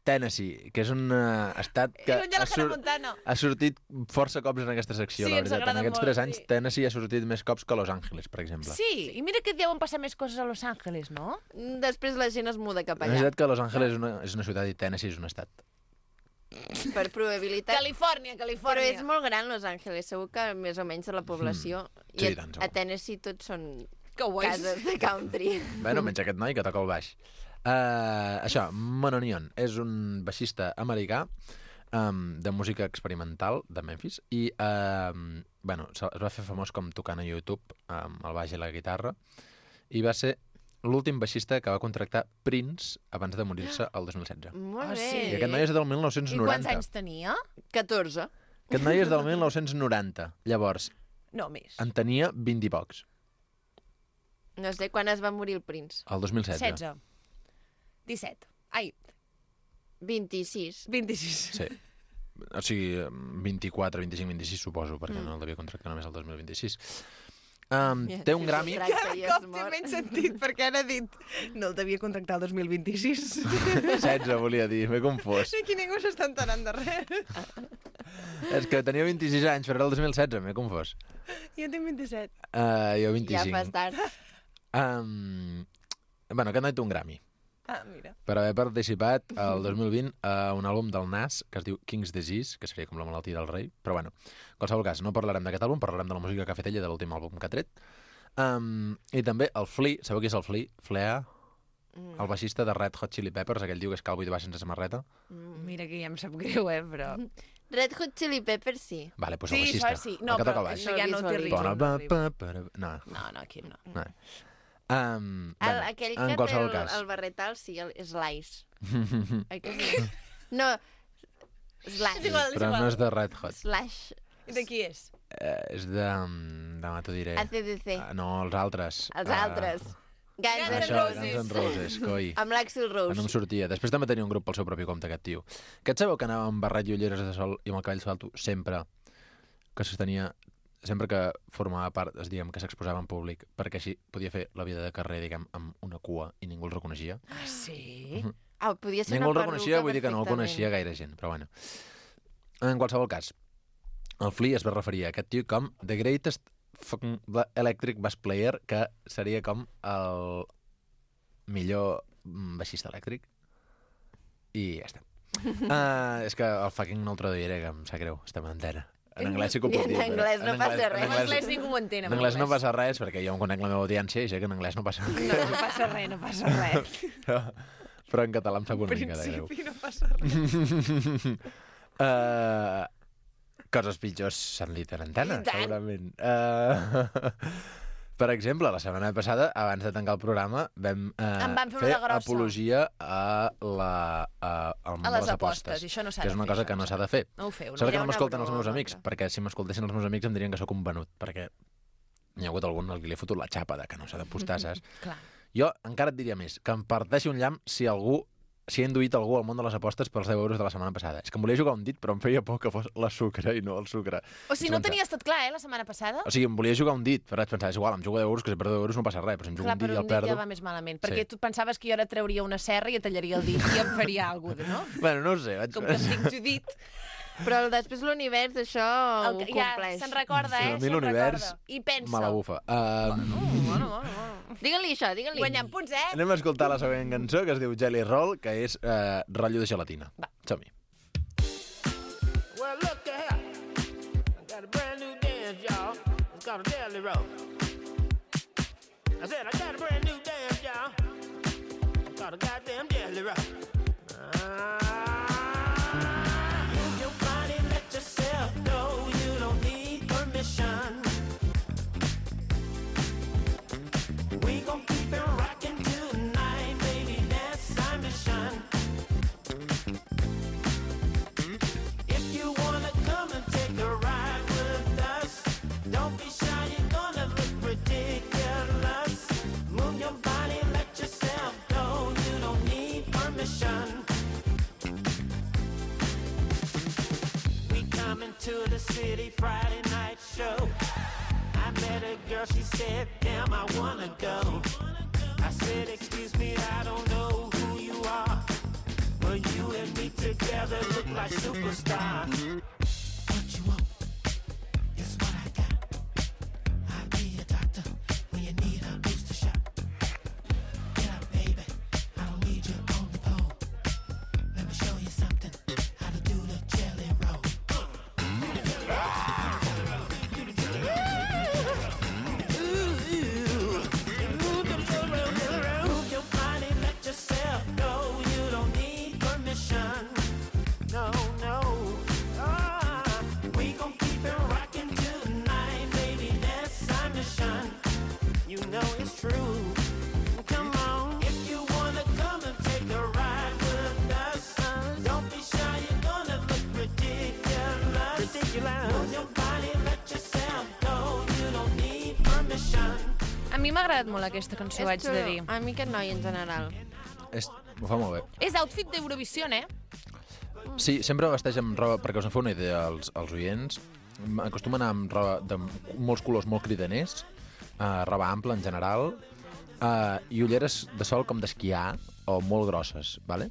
Speaker 9: Tennessee, que és un estat que
Speaker 2: Lluny de la Hannah Montana.
Speaker 9: ha sortit força cops en aquesta secció,
Speaker 2: Sí,
Speaker 9: la
Speaker 2: ens
Speaker 9: veritat. En
Speaker 2: agrada
Speaker 9: aquests
Speaker 2: molt,
Speaker 9: 3 anys,
Speaker 2: sí.
Speaker 9: Tennessee ha sortit més cops que Los Angeles, per exemple.
Speaker 2: Sí, i mira que deuen passar més coses a Los Angeles, no?
Speaker 1: Després la gent es muda cap
Speaker 9: És
Speaker 1: allà.
Speaker 9: veritat que Los Angeles és una ciutat i Tennessee és un estat.
Speaker 1: Per probabilitat.
Speaker 2: Califòrnia.
Speaker 1: Però és molt gran Los Angeles, segur que més o menys de la població.
Speaker 9: Sí,
Speaker 1: I
Speaker 9: tant,
Speaker 1: a
Speaker 9: segur.
Speaker 1: Tennessee tots són
Speaker 2: Cowboys.
Speaker 1: cases de country.
Speaker 9: Bueno, menys aquest noi que toca el baix. Això, Mononion és un baixista americà de música experimental de Memphis i bueno, es va fer famós com tocant a YouTube amb el baix i la guitarra i va ser l'últim baixista que va contractar Prince abans de morir-se el 2016.
Speaker 1: Molt bé.
Speaker 2: sí.
Speaker 9: I aquest noi és del
Speaker 2: I
Speaker 9: 1990.
Speaker 2: quants anys tenia?
Speaker 1: 14.
Speaker 9: Aquest noi és del 1990. Llavors,
Speaker 2: No, més.
Speaker 9: en tenia 20 i pocs,
Speaker 1: No sé quan es va morir el Prince.
Speaker 9: el 2016.
Speaker 2: 16. 17. Ai,
Speaker 1: 26.
Speaker 2: 26.
Speaker 9: Sí. O sigui, 24, 25, 26, suposo, perquè no el devia contractar només el 2026. Té un Grammy...
Speaker 2: Cop té menys sentit, perquè ara ha dit no el devia contractar el 2026.
Speaker 9: 16, volia dir, m'he confós.
Speaker 2: Aquí ningú s'està enterant de res.
Speaker 9: És que tenia 26 anys, però era el 2016, m'he confós.
Speaker 2: Jo tinc 27.
Speaker 9: Jo 25.
Speaker 1: Ja fas tard.
Speaker 9: Bueno, aquest noi té un Grammy
Speaker 2: Ah, mira.
Speaker 9: per haver participat el 2020 a un àlbum del Nas que es diu King's Disease, que seria com la malaltia del rei, però bueno, en qualsevol cas, no parlarem d'aquest àlbum, parlarem de la música que ha fet ella de l'últim àlbum que ha tret. I també el Flea, sabeu qui és el Flea? Flea, el baixista de Red Hot Chili Peppers, aquell diu que és calvo i va sense samarreta.
Speaker 2: Mira que ja em sap greu, però...
Speaker 1: Red Hot Chili Peppers, sí.
Speaker 9: Vale, doncs
Speaker 2: Sí,
Speaker 9: el baixista,
Speaker 2: això sí. No,
Speaker 9: el que toca
Speaker 2: però
Speaker 9: el baix.
Speaker 2: això ja no té
Speaker 1: Visualitzo.
Speaker 2: ritme.
Speaker 9: No,
Speaker 2: No, aquí no.
Speaker 9: no. Bueno,
Speaker 1: Aquell
Speaker 9: en
Speaker 1: que té
Speaker 9: qualsevol cas.
Speaker 1: el barretal, sí, és l'Ice. Oi que sí? No, Slash.
Speaker 9: Però no és de Red Hot.
Speaker 1: Slash.
Speaker 2: De qui és?
Speaker 9: És de... demà t'ho diré.
Speaker 1: ACDC.
Speaker 9: No, els altres.
Speaker 1: Els altres. Guns N'
Speaker 9: Això,
Speaker 1: Roses.
Speaker 9: Guns N' Roses, coi.
Speaker 1: Amb l'Axl
Speaker 9: No em
Speaker 1: Rose.
Speaker 9: sortia. Després també tenia un grup pel seu propi compte, aquest tio. Que et sabeu que anava amb barret i ulleres de sol i amb el cabell salto sempre que sostenia... Sempre que formava part, diguem, que s'exposava en públic, perquè així podia fer la vida de carrer, diguem, amb una cua i ningú el reconeixia.
Speaker 2: Ah, sí?
Speaker 1: Ah, podia ser
Speaker 9: Ningú el
Speaker 1: una
Speaker 9: reconeixia,
Speaker 1: perruca
Speaker 9: vull dir que no el
Speaker 1: perfectament.
Speaker 9: coneixia gaire gent, però bueno. En qualsevol cas, el Flea es va referir a aquest tio com The Greatest fucking Electric Bass Player, que seria com el millor baixista elèctric. I ja està. És que el fucking no el traduiré, que em sap greu, estem en antena. En anglès sí que ho puc dir.
Speaker 1: En anglès no passa res.
Speaker 2: En anglès ningú ho entén.
Speaker 9: En anglès no passa res, perquè jo em conec la meva audiència i sé que en anglès no passa res.
Speaker 2: No, no passa res, no passa res.
Speaker 9: Però en català em sap una mica de greu.
Speaker 2: principi no passa res.
Speaker 9: Coses pitjors s'han dit en antena,
Speaker 1: I tant.
Speaker 9: segurament. Per exemple, la setmana passada, abans de tancar el programa, vam,
Speaker 2: En vam fer una
Speaker 9: fer
Speaker 2: de grossa.
Speaker 9: apologia a al món
Speaker 2: A
Speaker 9: de
Speaker 2: les
Speaker 9: les
Speaker 2: apostes,
Speaker 9: apostes,
Speaker 2: i això no s'ha
Speaker 9: que és
Speaker 2: de
Speaker 9: una
Speaker 2: fer,
Speaker 9: cosa
Speaker 2: això
Speaker 9: que
Speaker 2: no
Speaker 9: no
Speaker 2: s'ha
Speaker 9: s'ha de fer.
Speaker 2: No ho feu,
Speaker 9: Sort que
Speaker 1: Era
Speaker 9: no
Speaker 1: una
Speaker 9: m'escolten els meus
Speaker 1: broma,
Speaker 9: amics,
Speaker 1: però.
Speaker 9: perquè si m'escoltessin els meus amics em dirien que sóc un venut, perquè hi ha hagut algun al que li he fotut la xapa de que no s'ha d'apostar, saps?
Speaker 2: Clar.
Speaker 9: Jo encara et diria més, que em parteixi un llamp si he induït algú al món de les apostes pels 10 euros de la setmana passada. És que em volia jugar un dit, però em feia por que fos la sucre i no el sucre.
Speaker 2: O sigui, no ho tenies tot clar, la setmana passada?
Speaker 9: O sigui, em volia jugar un dit, però vaig pensar, és igual, em jugo 10 euros, que si perdo 10 euros no passa res, però si em jugo
Speaker 2: Clar,
Speaker 9: un dit i
Speaker 2: però
Speaker 9: el
Speaker 2: un dit
Speaker 9: perdo...
Speaker 2: ja va més malament,
Speaker 9: Sí.
Speaker 2: perquè tu pensaves que jo ara trauria una serra i et tallaria el dit i em faria alguna cosa, no?
Speaker 9: Bueno, no ho sé, vaig...
Speaker 2: Com que em dic Judit,
Speaker 1: Però després l'univers això ho
Speaker 2: ja
Speaker 1: compleix.
Speaker 2: se'n recorda,
Speaker 9: Sí, a mi
Speaker 2: se'n
Speaker 9: l'univers
Speaker 2: recorda. I pensa.
Speaker 9: me la bufa.
Speaker 2: Bueno.
Speaker 1: Digue-li això, digue-li.
Speaker 2: Guanyant punts, eh?
Speaker 9: Anem a escoltar la següent cançó, que es diu Jelly Roll, que és rotllo de gelatina.
Speaker 2: Va.
Speaker 9: Som-hi.
Speaker 10: Well, look here. I got a brand new dance, y'all. It's called a Jelly Roll. I said I got a brand new dance, y'all. start a goddamn deadly rush. Move your body, let yourself go. You don't need permission. We gon' keep it rockin' tonight, baby, that's our mission. If you wanna come and take a ride with us, don't be shy, you're gonna look ridiculous. Move your body, let yourself go, you don't need permission. We coming to the city Friday night show. I met a girl, she said, damn, I wanna go. I said, excuse me, I don't know who you are, but you and me together look like superstars. What you want is what I got. I'll be your doctor when you need a booster shot. Get up, baby, I don't need you on the pole. Let me show you something, how to do the jelly roll. Move your body, let yourself go. You don't need permission. No, no. We gon' keep it rockin' tonight, baby. That's our mission. You know it's true. Come on, if you wanna come and take a ride with us, don't be shy. You're gonna look ridiculous. Move your body, let yourself go. You don't need permission.
Speaker 2: A mi m'ha agradat molt aquesta cançó, haig de dir.
Speaker 1: A mi aquest noi, en general.
Speaker 9: Ho fa molt bé.
Speaker 2: És outfit d'Eurovisió, eh?
Speaker 9: Sí, sempre vesteix amb roba, perquè us en feu una idea als oients, acostumen a anar amb roba de molts colors molt cridaners, roba ampla en general, i ulleres de sol com d'esquiar o molt grosses, ¿vale?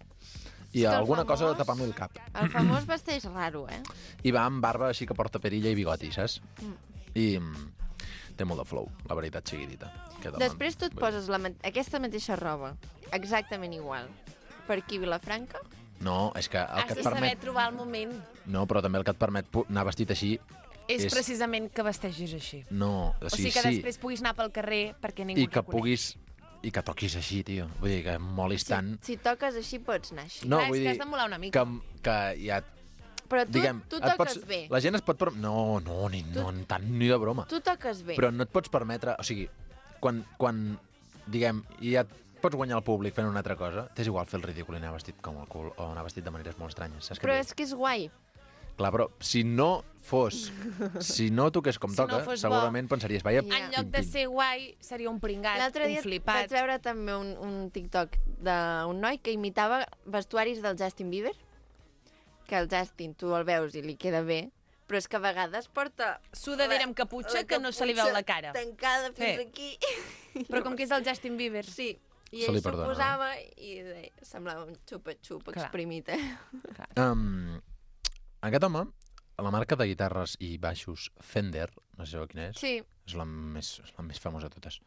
Speaker 9: I alguna cosa de tapar-me el cap.
Speaker 1: El famós vesteix raro, eh?
Speaker 9: I va amb barba així que porta perilla i bigoti, saps? I té molt de flow, la veritat sigui dita.
Speaker 1: Després tu et poses aquesta mateixa roba, exactament igual, per aquí a Vilafranca.
Speaker 9: No, és que el
Speaker 2: Has
Speaker 9: que
Speaker 2: de
Speaker 9: et
Speaker 2: saber
Speaker 9: permet...
Speaker 2: trobar el moment.
Speaker 9: No, però també el que et permet anar vestit així...
Speaker 2: És precisament que vestegis així.
Speaker 9: No,
Speaker 2: O sigui que després puguis anar pel carrer perquè ningú
Speaker 9: I que
Speaker 2: et reconeix.
Speaker 9: puguis... I que toquis així, tio. Vull dir, que molis tant...
Speaker 1: Si toques així, pots anar així.
Speaker 9: No,
Speaker 2: Clar, és
Speaker 9: vull
Speaker 2: que
Speaker 9: dir
Speaker 2: has de molar una mica.
Speaker 9: que ja...
Speaker 1: Però tu,
Speaker 9: Diguem,
Speaker 1: tu
Speaker 9: et
Speaker 1: toques
Speaker 9: pots,
Speaker 1: bé.
Speaker 9: La gent es pot... No, ni tant ni de broma.
Speaker 1: Tu toques bé.
Speaker 9: Però no et pots permetre... O sigui, quan diguem, ja et pots guanyar el públic fent una altra cosa, t'és igual fer el ridícul i anar vestit com el cul o anar vestit de maneres molt estranyes. Saps
Speaker 1: Però és que és guai.
Speaker 9: Clar, però si no fos... Si no toqués com
Speaker 2: Si no
Speaker 9: toca,
Speaker 2: fos
Speaker 9: segurament pensaries, vaya...
Speaker 2: En lloc de ser guai, seria un pringat,
Speaker 1: L'altre
Speaker 2: un
Speaker 1: dia
Speaker 2: flipat.
Speaker 1: vaig veure també un TikTok d'un noi que imitava vestuaris del Justin Bieber, que el Justin tu el veus i li queda bé, però és que a vegades porta...
Speaker 2: Sudadera amb caputxa que no se li veu la cara.
Speaker 1: Tancada fins
Speaker 2: Sí.
Speaker 1: aquí.
Speaker 2: Però com que és el Justin Bieber.
Speaker 1: Sí. I
Speaker 9: Se
Speaker 1: ell
Speaker 9: li
Speaker 1: s'ho
Speaker 9: perdona,
Speaker 1: posava i semblava un xupa-xup
Speaker 2: Clar.
Speaker 1: exprimit.
Speaker 9: Aquest home, la marca de guitarres i baixos Fender, no sé quina és,
Speaker 1: Sí.
Speaker 9: és la més famosa de totes,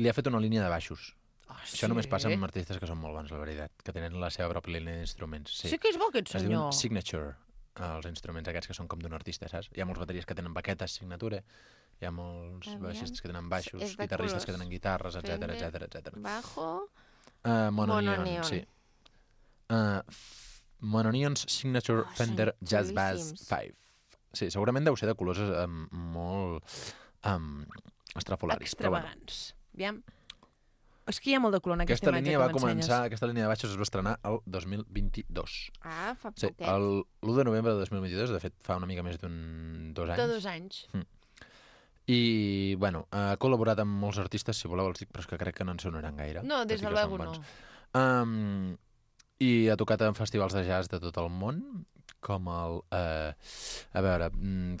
Speaker 9: li ha fet una línia de baixos. Això només passa amb artistes que són molt bons, la veritat, que tenen la seva pròpia línia d'instruments.
Speaker 2: Sí que és bo aquest
Speaker 9: Es diuen
Speaker 2: senyor.
Speaker 9: Signature, els instruments aquests que són com d'un artista, saps? Hi ha molts bateries que tenen baquetes, signature, hi ha molts
Speaker 1: Aviam.
Speaker 9: baixistes que tenen baixos,
Speaker 1: És de
Speaker 9: guitarristes
Speaker 1: colors.
Speaker 9: que tenen guitarres, etc
Speaker 1: Fender.
Speaker 9: etc.
Speaker 1: Bajo...
Speaker 9: Mononeon, sí. Mononeon's Signature Fender Jazz Bass
Speaker 1: xulíssims.
Speaker 9: 5. Sí, segurament deu ser de colors molt estrafolaris. però bueno.
Speaker 2: Extravagants. Aviam. És que hi ha molt de color en aquesta
Speaker 9: Aquesta
Speaker 2: imatge
Speaker 9: línia
Speaker 2: que
Speaker 9: va
Speaker 2: m'ensenyes.
Speaker 9: començar, aquesta línia de baixos es va estrenar el 2022.
Speaker 1: Ah, fa
Speaker 9: Sí,
Speaker 1: poquet.
Speaker 9: l'1 de novembre de 2022, de fet fa una mica més dos anys.
Speaker 2: De 2 anys.
Speaker 9: I, bueno, ha col·laborat amb molts artistes, si voleu els dic, però és que crec que no en sonaran gaire.
Speaker 2: No, des
Speaker 9: tot i
Speaker 2: de
Speaker 9: que són
Speaker 2: luego
Speaker 9: bons.
Speaker 2: no.
Speaker 9: I ha tocat en festivals de jazz de tot el món, com el... a veure,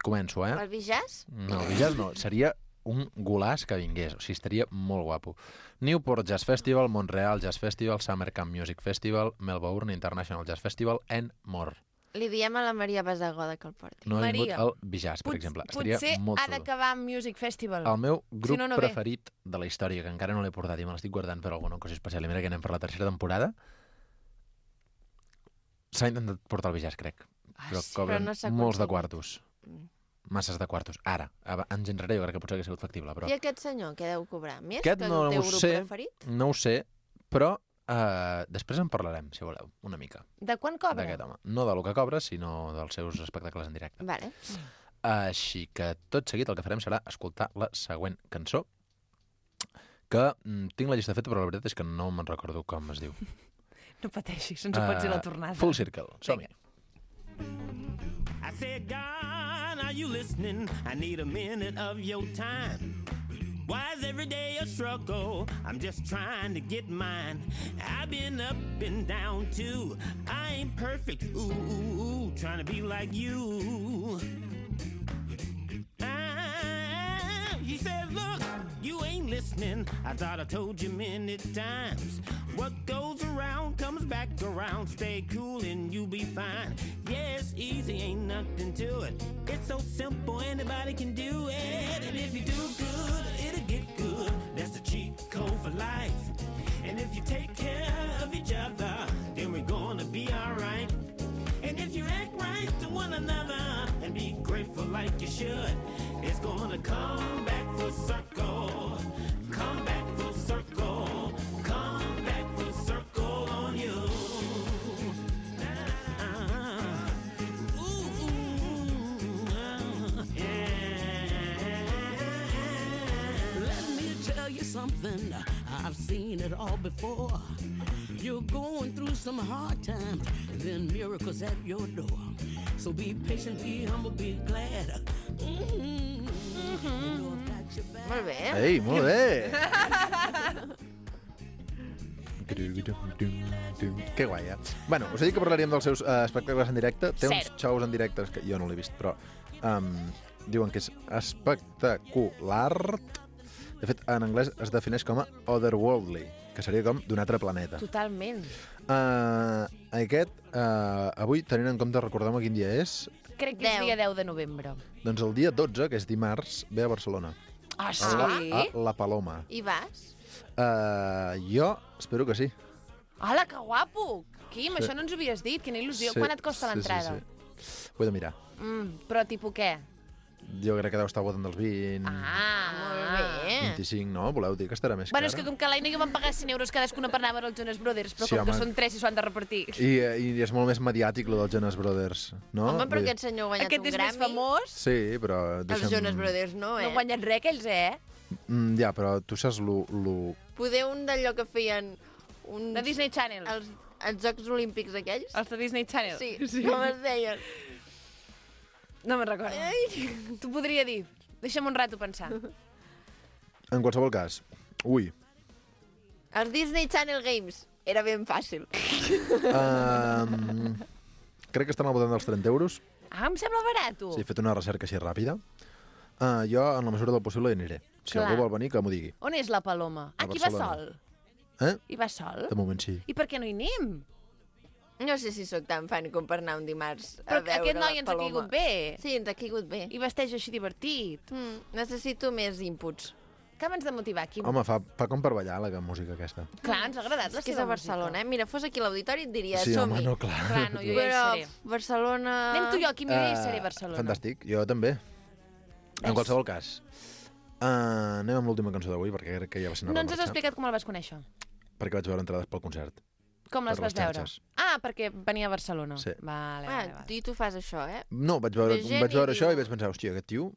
Speaker 9: començo,
Speaker 1: El Bijàs?
Speaker 9: No, el jazz no, seria un golaç que vingués, o sigui, estaria molt guapo. Newport Jazz Festival, Montreal Jazz Festival, Summer Camp Music Festival, Melbourne International Jazz Festival, and more.
Speaker 1: Li diem a la Maria Basagoda que el porti.
Speaker 9: No ha vingut
Speaker 2: Maria,
Speaker 9: el Bijaz, per exemple. Estaria
Speaker 2: Potser
Speaker 9: molt
Speaker 2: ha
Speaker 9: xulo.
Speaker 2: d'acabar amb Music Festival.
Speaker 9: El meu grup
Speaker 2: no, no ve.
Speaker 9: preferit de la història, que encara no l'he portat i me l'estic guardant per alguna cosa especial, i mira que anem per la tercera temporada, s'ha intentat portar el Bijaz, crec. Però
Speaker 1: sí,
Speaker 9: cobren
Speaker 1: però no s'ha
Speaker 9: molts de
Speaker 1: aconseguit.
Speaker 9: quartos. masses de quartos. Ara, anys enrere jo crec que potser hauria sigut factible, però...
Speaker 1: I aquest senyor, què deu cobrar? Més
Speaker 9: Aquest
Speaker 1: que
Speaker 9: no
Speaker 1: el teu
Speaker 9: ho
Speaker 1: grup
Speaker 9: sé,
Speaker 1: preferit?
Speaker 9: no ho sé, però després en parlarem, si voleu, una mica,
Speaker 2: De quan cobra?
Speaker 9: d'aquest home. No del que cobra, sinó dels seus espectacles en directe.
Speaker 1: Vale.
Speaker 9: Així que tot seguit el que farem serà escoltar la següent cançó, que tinc la llista feta, però la veritat és que no me'n recordo com es diu.
Speaker 2: No pateixis, ens ho pots dir a la tornada.
Speaker 9: Full Circle, som-hi.
Speaker 10: I said, God, are you listening? I need a minute of your time. Why is every day a struggle? I'm just trying to get mine. I've been up and down too. I ain't perfect, ooh, trying to be like you. He said, look, you ain't listening. I thought I told you many times. What goes around comes back around. Stay cool and you'll be fine. Yeah, it's easy, ain't nothing to it. It's so simple, anybody can do it. And if you do good, it'll get good. That's the cheat code for life. And if you take care of each other, then we're gonna be alright. And if you act right to one another and be grateful like you should, it's gonna come back full circle. Come back full circle. Come back full circle on you.
Speaker 11: Let me tell you something, I've seen it all before. You're going through some hard times, and then miracles at your door. So be patient, be humble, be glad.
Speaker 1: Molt bé.
Speaker 9: Ei, molt bé! Que guai, eh? Bueno, us he dit que parlaríem dels seus espectacles en directe. Té uns shows en directe que jo no l'he vist, però diuen que és espectacular. De fet, en anglès es defineix com a otherworldly, que seria com d'un altre planeta.
Speaker 2: Totalment.
Speaker 9: Avui, tenint en compte, recordem quin dia és,
Speaker 2: Crec que és dia 10 de novembre.
Speaker 9: doncs el dia 12, que és dimarts, ve a Barcelona.
Speaker 2: Ah, sí?
Speaker 9: A La Paloma.
Speaker 1: I vas?
Speaker 9: Jo espero que sí.
Speaker 2: Hola, que guapo! Quim,
Speaker 9: Sí.
Speaker 2: això no ens ho havies dit. Quina il·lusió.
Speaker 9: Sí,
Speaker 2: Quan et costa l'entrada?
Speaker 9: Sí. Ho he de mirar.
Speaker 2: Però tipus què?
Speaker 9: Jo crec que deu estar al voltant dels 20...
Speaker 2: Molt bé.
Speaker 9: 25, no? Voleu dir que estarà més
Speaker 2: Bueno, és
Speaker 9: cara?
Speaker 2: que com que l'Aina i jo vam pagar 100 euros cadascuna per anar a veure els Jonas Brothers, però
Speaker 9: Sí,
Speaker 2: com que
Speaker 9: home.
Speaker 2: són 3 i s'ho han de repartir.
Speaker 9: I és molt més mediàtic, lo dels Jonas Brothers, no?
Speaker 1: Home, però
Speaker 9: Vull dir-
Speaker 1: aquest senyor ha guanyat
Speaker 2: Aquest
Speaker 1: un
Speaker 2: és
Speaker 1: Grammy.
Speaker 2: més famós.
Speaker 9: Sí, però...
Speaker 1: Els Jonas Brothers no,
Speaker 2: No han guanyat res, aquells,
Speaker 9: Ja, però tu saps lo...
Speaker 1: Poder un d'allò que feien...
Speaker 2: De Disney Channel.
Speaker 1: Els Jocs Olímpics aquells?
Speaker 2: Els de Disney Channel.
Speaker 1: Sí, com es deien?
Speaker 2: No me'n recordo. T'ho podria dir. Deixa'm un rato pensar.
Speaker 9: En qualsevol cas, ui,
Speaker 1: Els Disney Channel Games. Era ben fàcil.
Speaker 9: crec que estan al voltant dels 30 euros.
Speaker 2: Ah, em sembla barato.
Speaker 9: Sí, he fet una recerca així ràpida. Jo, en la mesura del possible, hi aniré. Si
Speaker 2: Clar.
Speaker 9: algú vol venir, que m'ho digui.
Speaker 2: On és la Paloma?
Speaker 9: A
Speaker 2: Aquí va
Speaker 9: Barcelona.
Speaker 2: sol. Hi va sol?
Speaker 9: De moment sí.
Speaker 2: I per què no hi anem?
Speaker 1: No sé si sóc tan fan com per anar un dimarts a
Speaker 2: Però
Speaker 1: veure
Speaker 2: aquest noi
Speaker 1: la
Speaker 2: ens ha
Speaker 1: Paloma.
Speaker 2: caigut bé.
Speaker 1: Sí, ens ha caigut bé.
Speaker 2: I vesteix així divertit.
Speaker 1: Necessito més inputs.
Speaker 2: Acaba'ns de motivar, Quim.
Speaker 9: Home, fa com per ballar la música aquesta.
Speaker 2: Clar, ens ha agradat la
Speaker 1: És que és
Speaker 2: seva
Speaker 1: a Barcelona, eh? Mira, fos aquí a l'auditori et diria,
Speaker 9: Sí, home,
Speaker 1: som-hi.
Speaker 9: no, clar.
Speaker 2: Clar, no, jo ja hi
Speaker 1: Però
Speaker 2: seré.
Speaker 1: Barcelona...
Speaker 2: Anem tu i jo, Quim, jo ja hi seré a Barcelona.
Speaker 9: Fantàstic, jo també. En qualsevol cas, anem amb l'última cançó d'avui, perquè crec que ja va ser una
Speaker 2: No ens has
Speaker 9: marxa,
Speaker 2: explicat com el vas conèixer.
Speaker 9: perquè vaig veure entrades pel concert.
Speaker 2: Com les
Speaker 9: Per
Speaker 2: vas
Speaker 9: les
Speaker 2: veure?
Speaker 9: xarxes.
Speaker 2: Ah, perquè venia a Barcelona.
Speaker 9: Sí.
Speaker 2: Vale.
Speaker 1: I tu fas això, eh?
Speaker 9: No, vaig veure
Speaker 1: Ve gent i
Speaker 9: això
Speaker 1: diu-
Speaker 9: i vaig pensar, hòstia, aquest tio...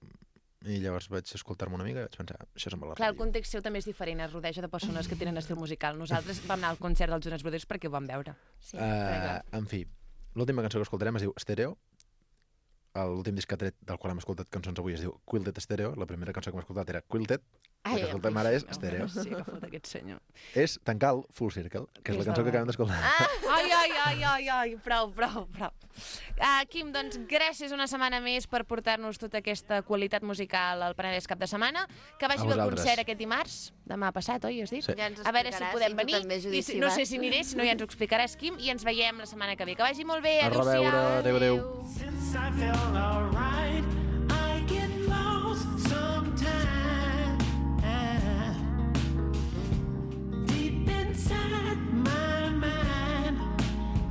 Speaker 9: I llavors vaig escoltar-me una mica i vaig pensar, això sembla la
Speaker 2: Clar, el
Speaker 9: ràdio.
Speaker 2: context seu també és diferent, es rodeja de persones que tenen estil musical. Nosaltres vam anar al concert dels Jonas Brothers perquè ho vam veure.
Speaker 1: Sí,
Speaker 9: En fi, l'última cançó que escoltarem es diu Stereo. L'últim disc que ha tret del qual hem escoltat cançons avui es diu Quilted Stereo. La primera cançó que hem escoltat era Quilted. La que escoltem ara és Stereo.
Speaker 2: Sí, que fot aquest senyor.
Speaker 9: És tancar el Full Circle, que és la cançó que acabem d'escoltar.
Speaker 2: Ai, prou. Quim, doncs gràcies una setmana més per portar-nos tota aquesta qualitat musical al Penedès cap de setmana. Que vagi
Speaker 9: A
Speaker 2: bé el
Speaker 9: vosaltres.
Speaker 2: concert aquest dimarts, demà passat, oi, has dit?
Speaker 9: Sí.
Speaker 1: Ja ens
Speaker 2: A veure si
Speaker 1: explicaràs,
Speaker 2: podem
Speaker 1: i tu
Speaker 2: venir.
Speaker 1: també, Judit,
Speaker 2: I
Speaker 1: si
Speaker 2: no
Speaker 1: vas.
Speaker 2: sé si aniré, si no ja ens ho explicaràs, Quim, i ens veiem la setmana que ve. Que vagi molt bé,
Speaker 9: A
Speaker 2: adéu-siau.
Speaker 9: reveure, adéu.
Speaker 10: Since I felt alright, I get lost sometimes. Deep inside my mind,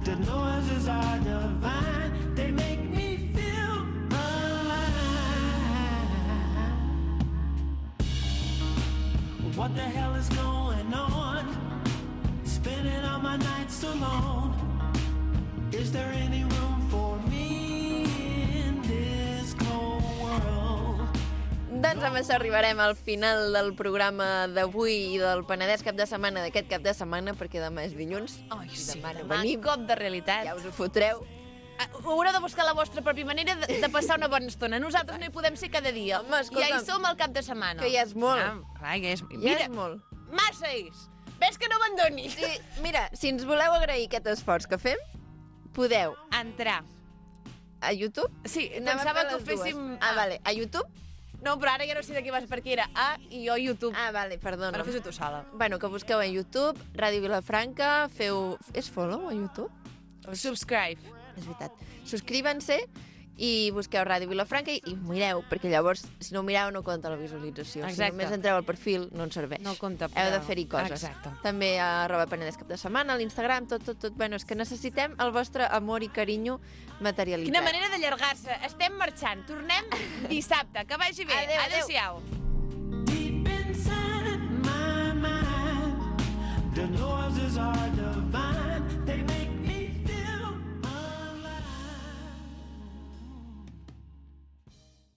Speaker 10: the noises are divine. They make me feel alive. What the hell is going on? Spending all my nights alone. Is there any room for me in this cold world?
Speaker 1: Doncs amb això arribarem al final del programa d'avui i del Penedès cap de setmana d'aquest cap de setmana, perquè demà és dilluns.
Speaker 2: Ai, sí,
Speaker 1: demà no
Speaker 2: demà
Speaker 1: venim.
Speaker 2: cop de realitat.
Speaker 1: Ja us ho fotreu.
Speaker 2: Haureu de buscar la vostra pròpia manera de passar una bona estona. Nosaltres no hi podem ser cada dia.
Speaker 1: Home, escolta'm,
Speaker 2: ja hi som al cap de setmana.
Speaker 1: Que ja és molt.
Speaker 2: Clar, ja és...
Speaker 1: Ja és molt.
Speaker 2: Massa és. Ves que no abandonis.
Speaker 1: Sí, mira, si ens voleu agrair aquest esforç que fem, podeu
Speaker 2: entrar
Speaker 1: a YouTube.
Speaker 2: Sí,
Speaker 1: Anava
Speaker 2: pensava
Speaker 1: a
Speaker 2: que
Speaker 1: fer
Speaker 2: ho
Speaker 1: les
Speaker 2: féssim...
Speaker 1: dues. Vale, a YouTube.
Speaker 2: No, però ara ja no sé de què vas, perquè era A i jo YouTube.
Speaker 1: Vale, perdona.
Speaker 2: Però fes-ho tu sola.
Speaker 1: Bueno, que busqueu a YouTube, Ràdio Vilafranca, feu... És follow a YouTube?
Speaker 2: Subscribe.
Speaker 1: És veritat. Subscriuen-se i busqueu Ràdio Vilafranca i mireu, perquè llavors, si no ho mireu, no compta la visualització.
Speaker 2: Exacte.
Speaker 1: Si només entreu al perfil, no ens serveix.
Speaker 2: No compta.
Speaker 1: Heu de fer-hi coses.
Speaker 2: Exacte.
Speaker 1: També a @Penedès cap de setmana, a l'Instagram, tot. Bueno, és que necessitem el vostre amor i carinyo materialitzat.
Speaker 2: Quina manera d'allargar-se. Estem marxant. Tornem dissabte. Que vagi bé.
Speaker 1: Adéu.
Speaker 2: Adéu-siau.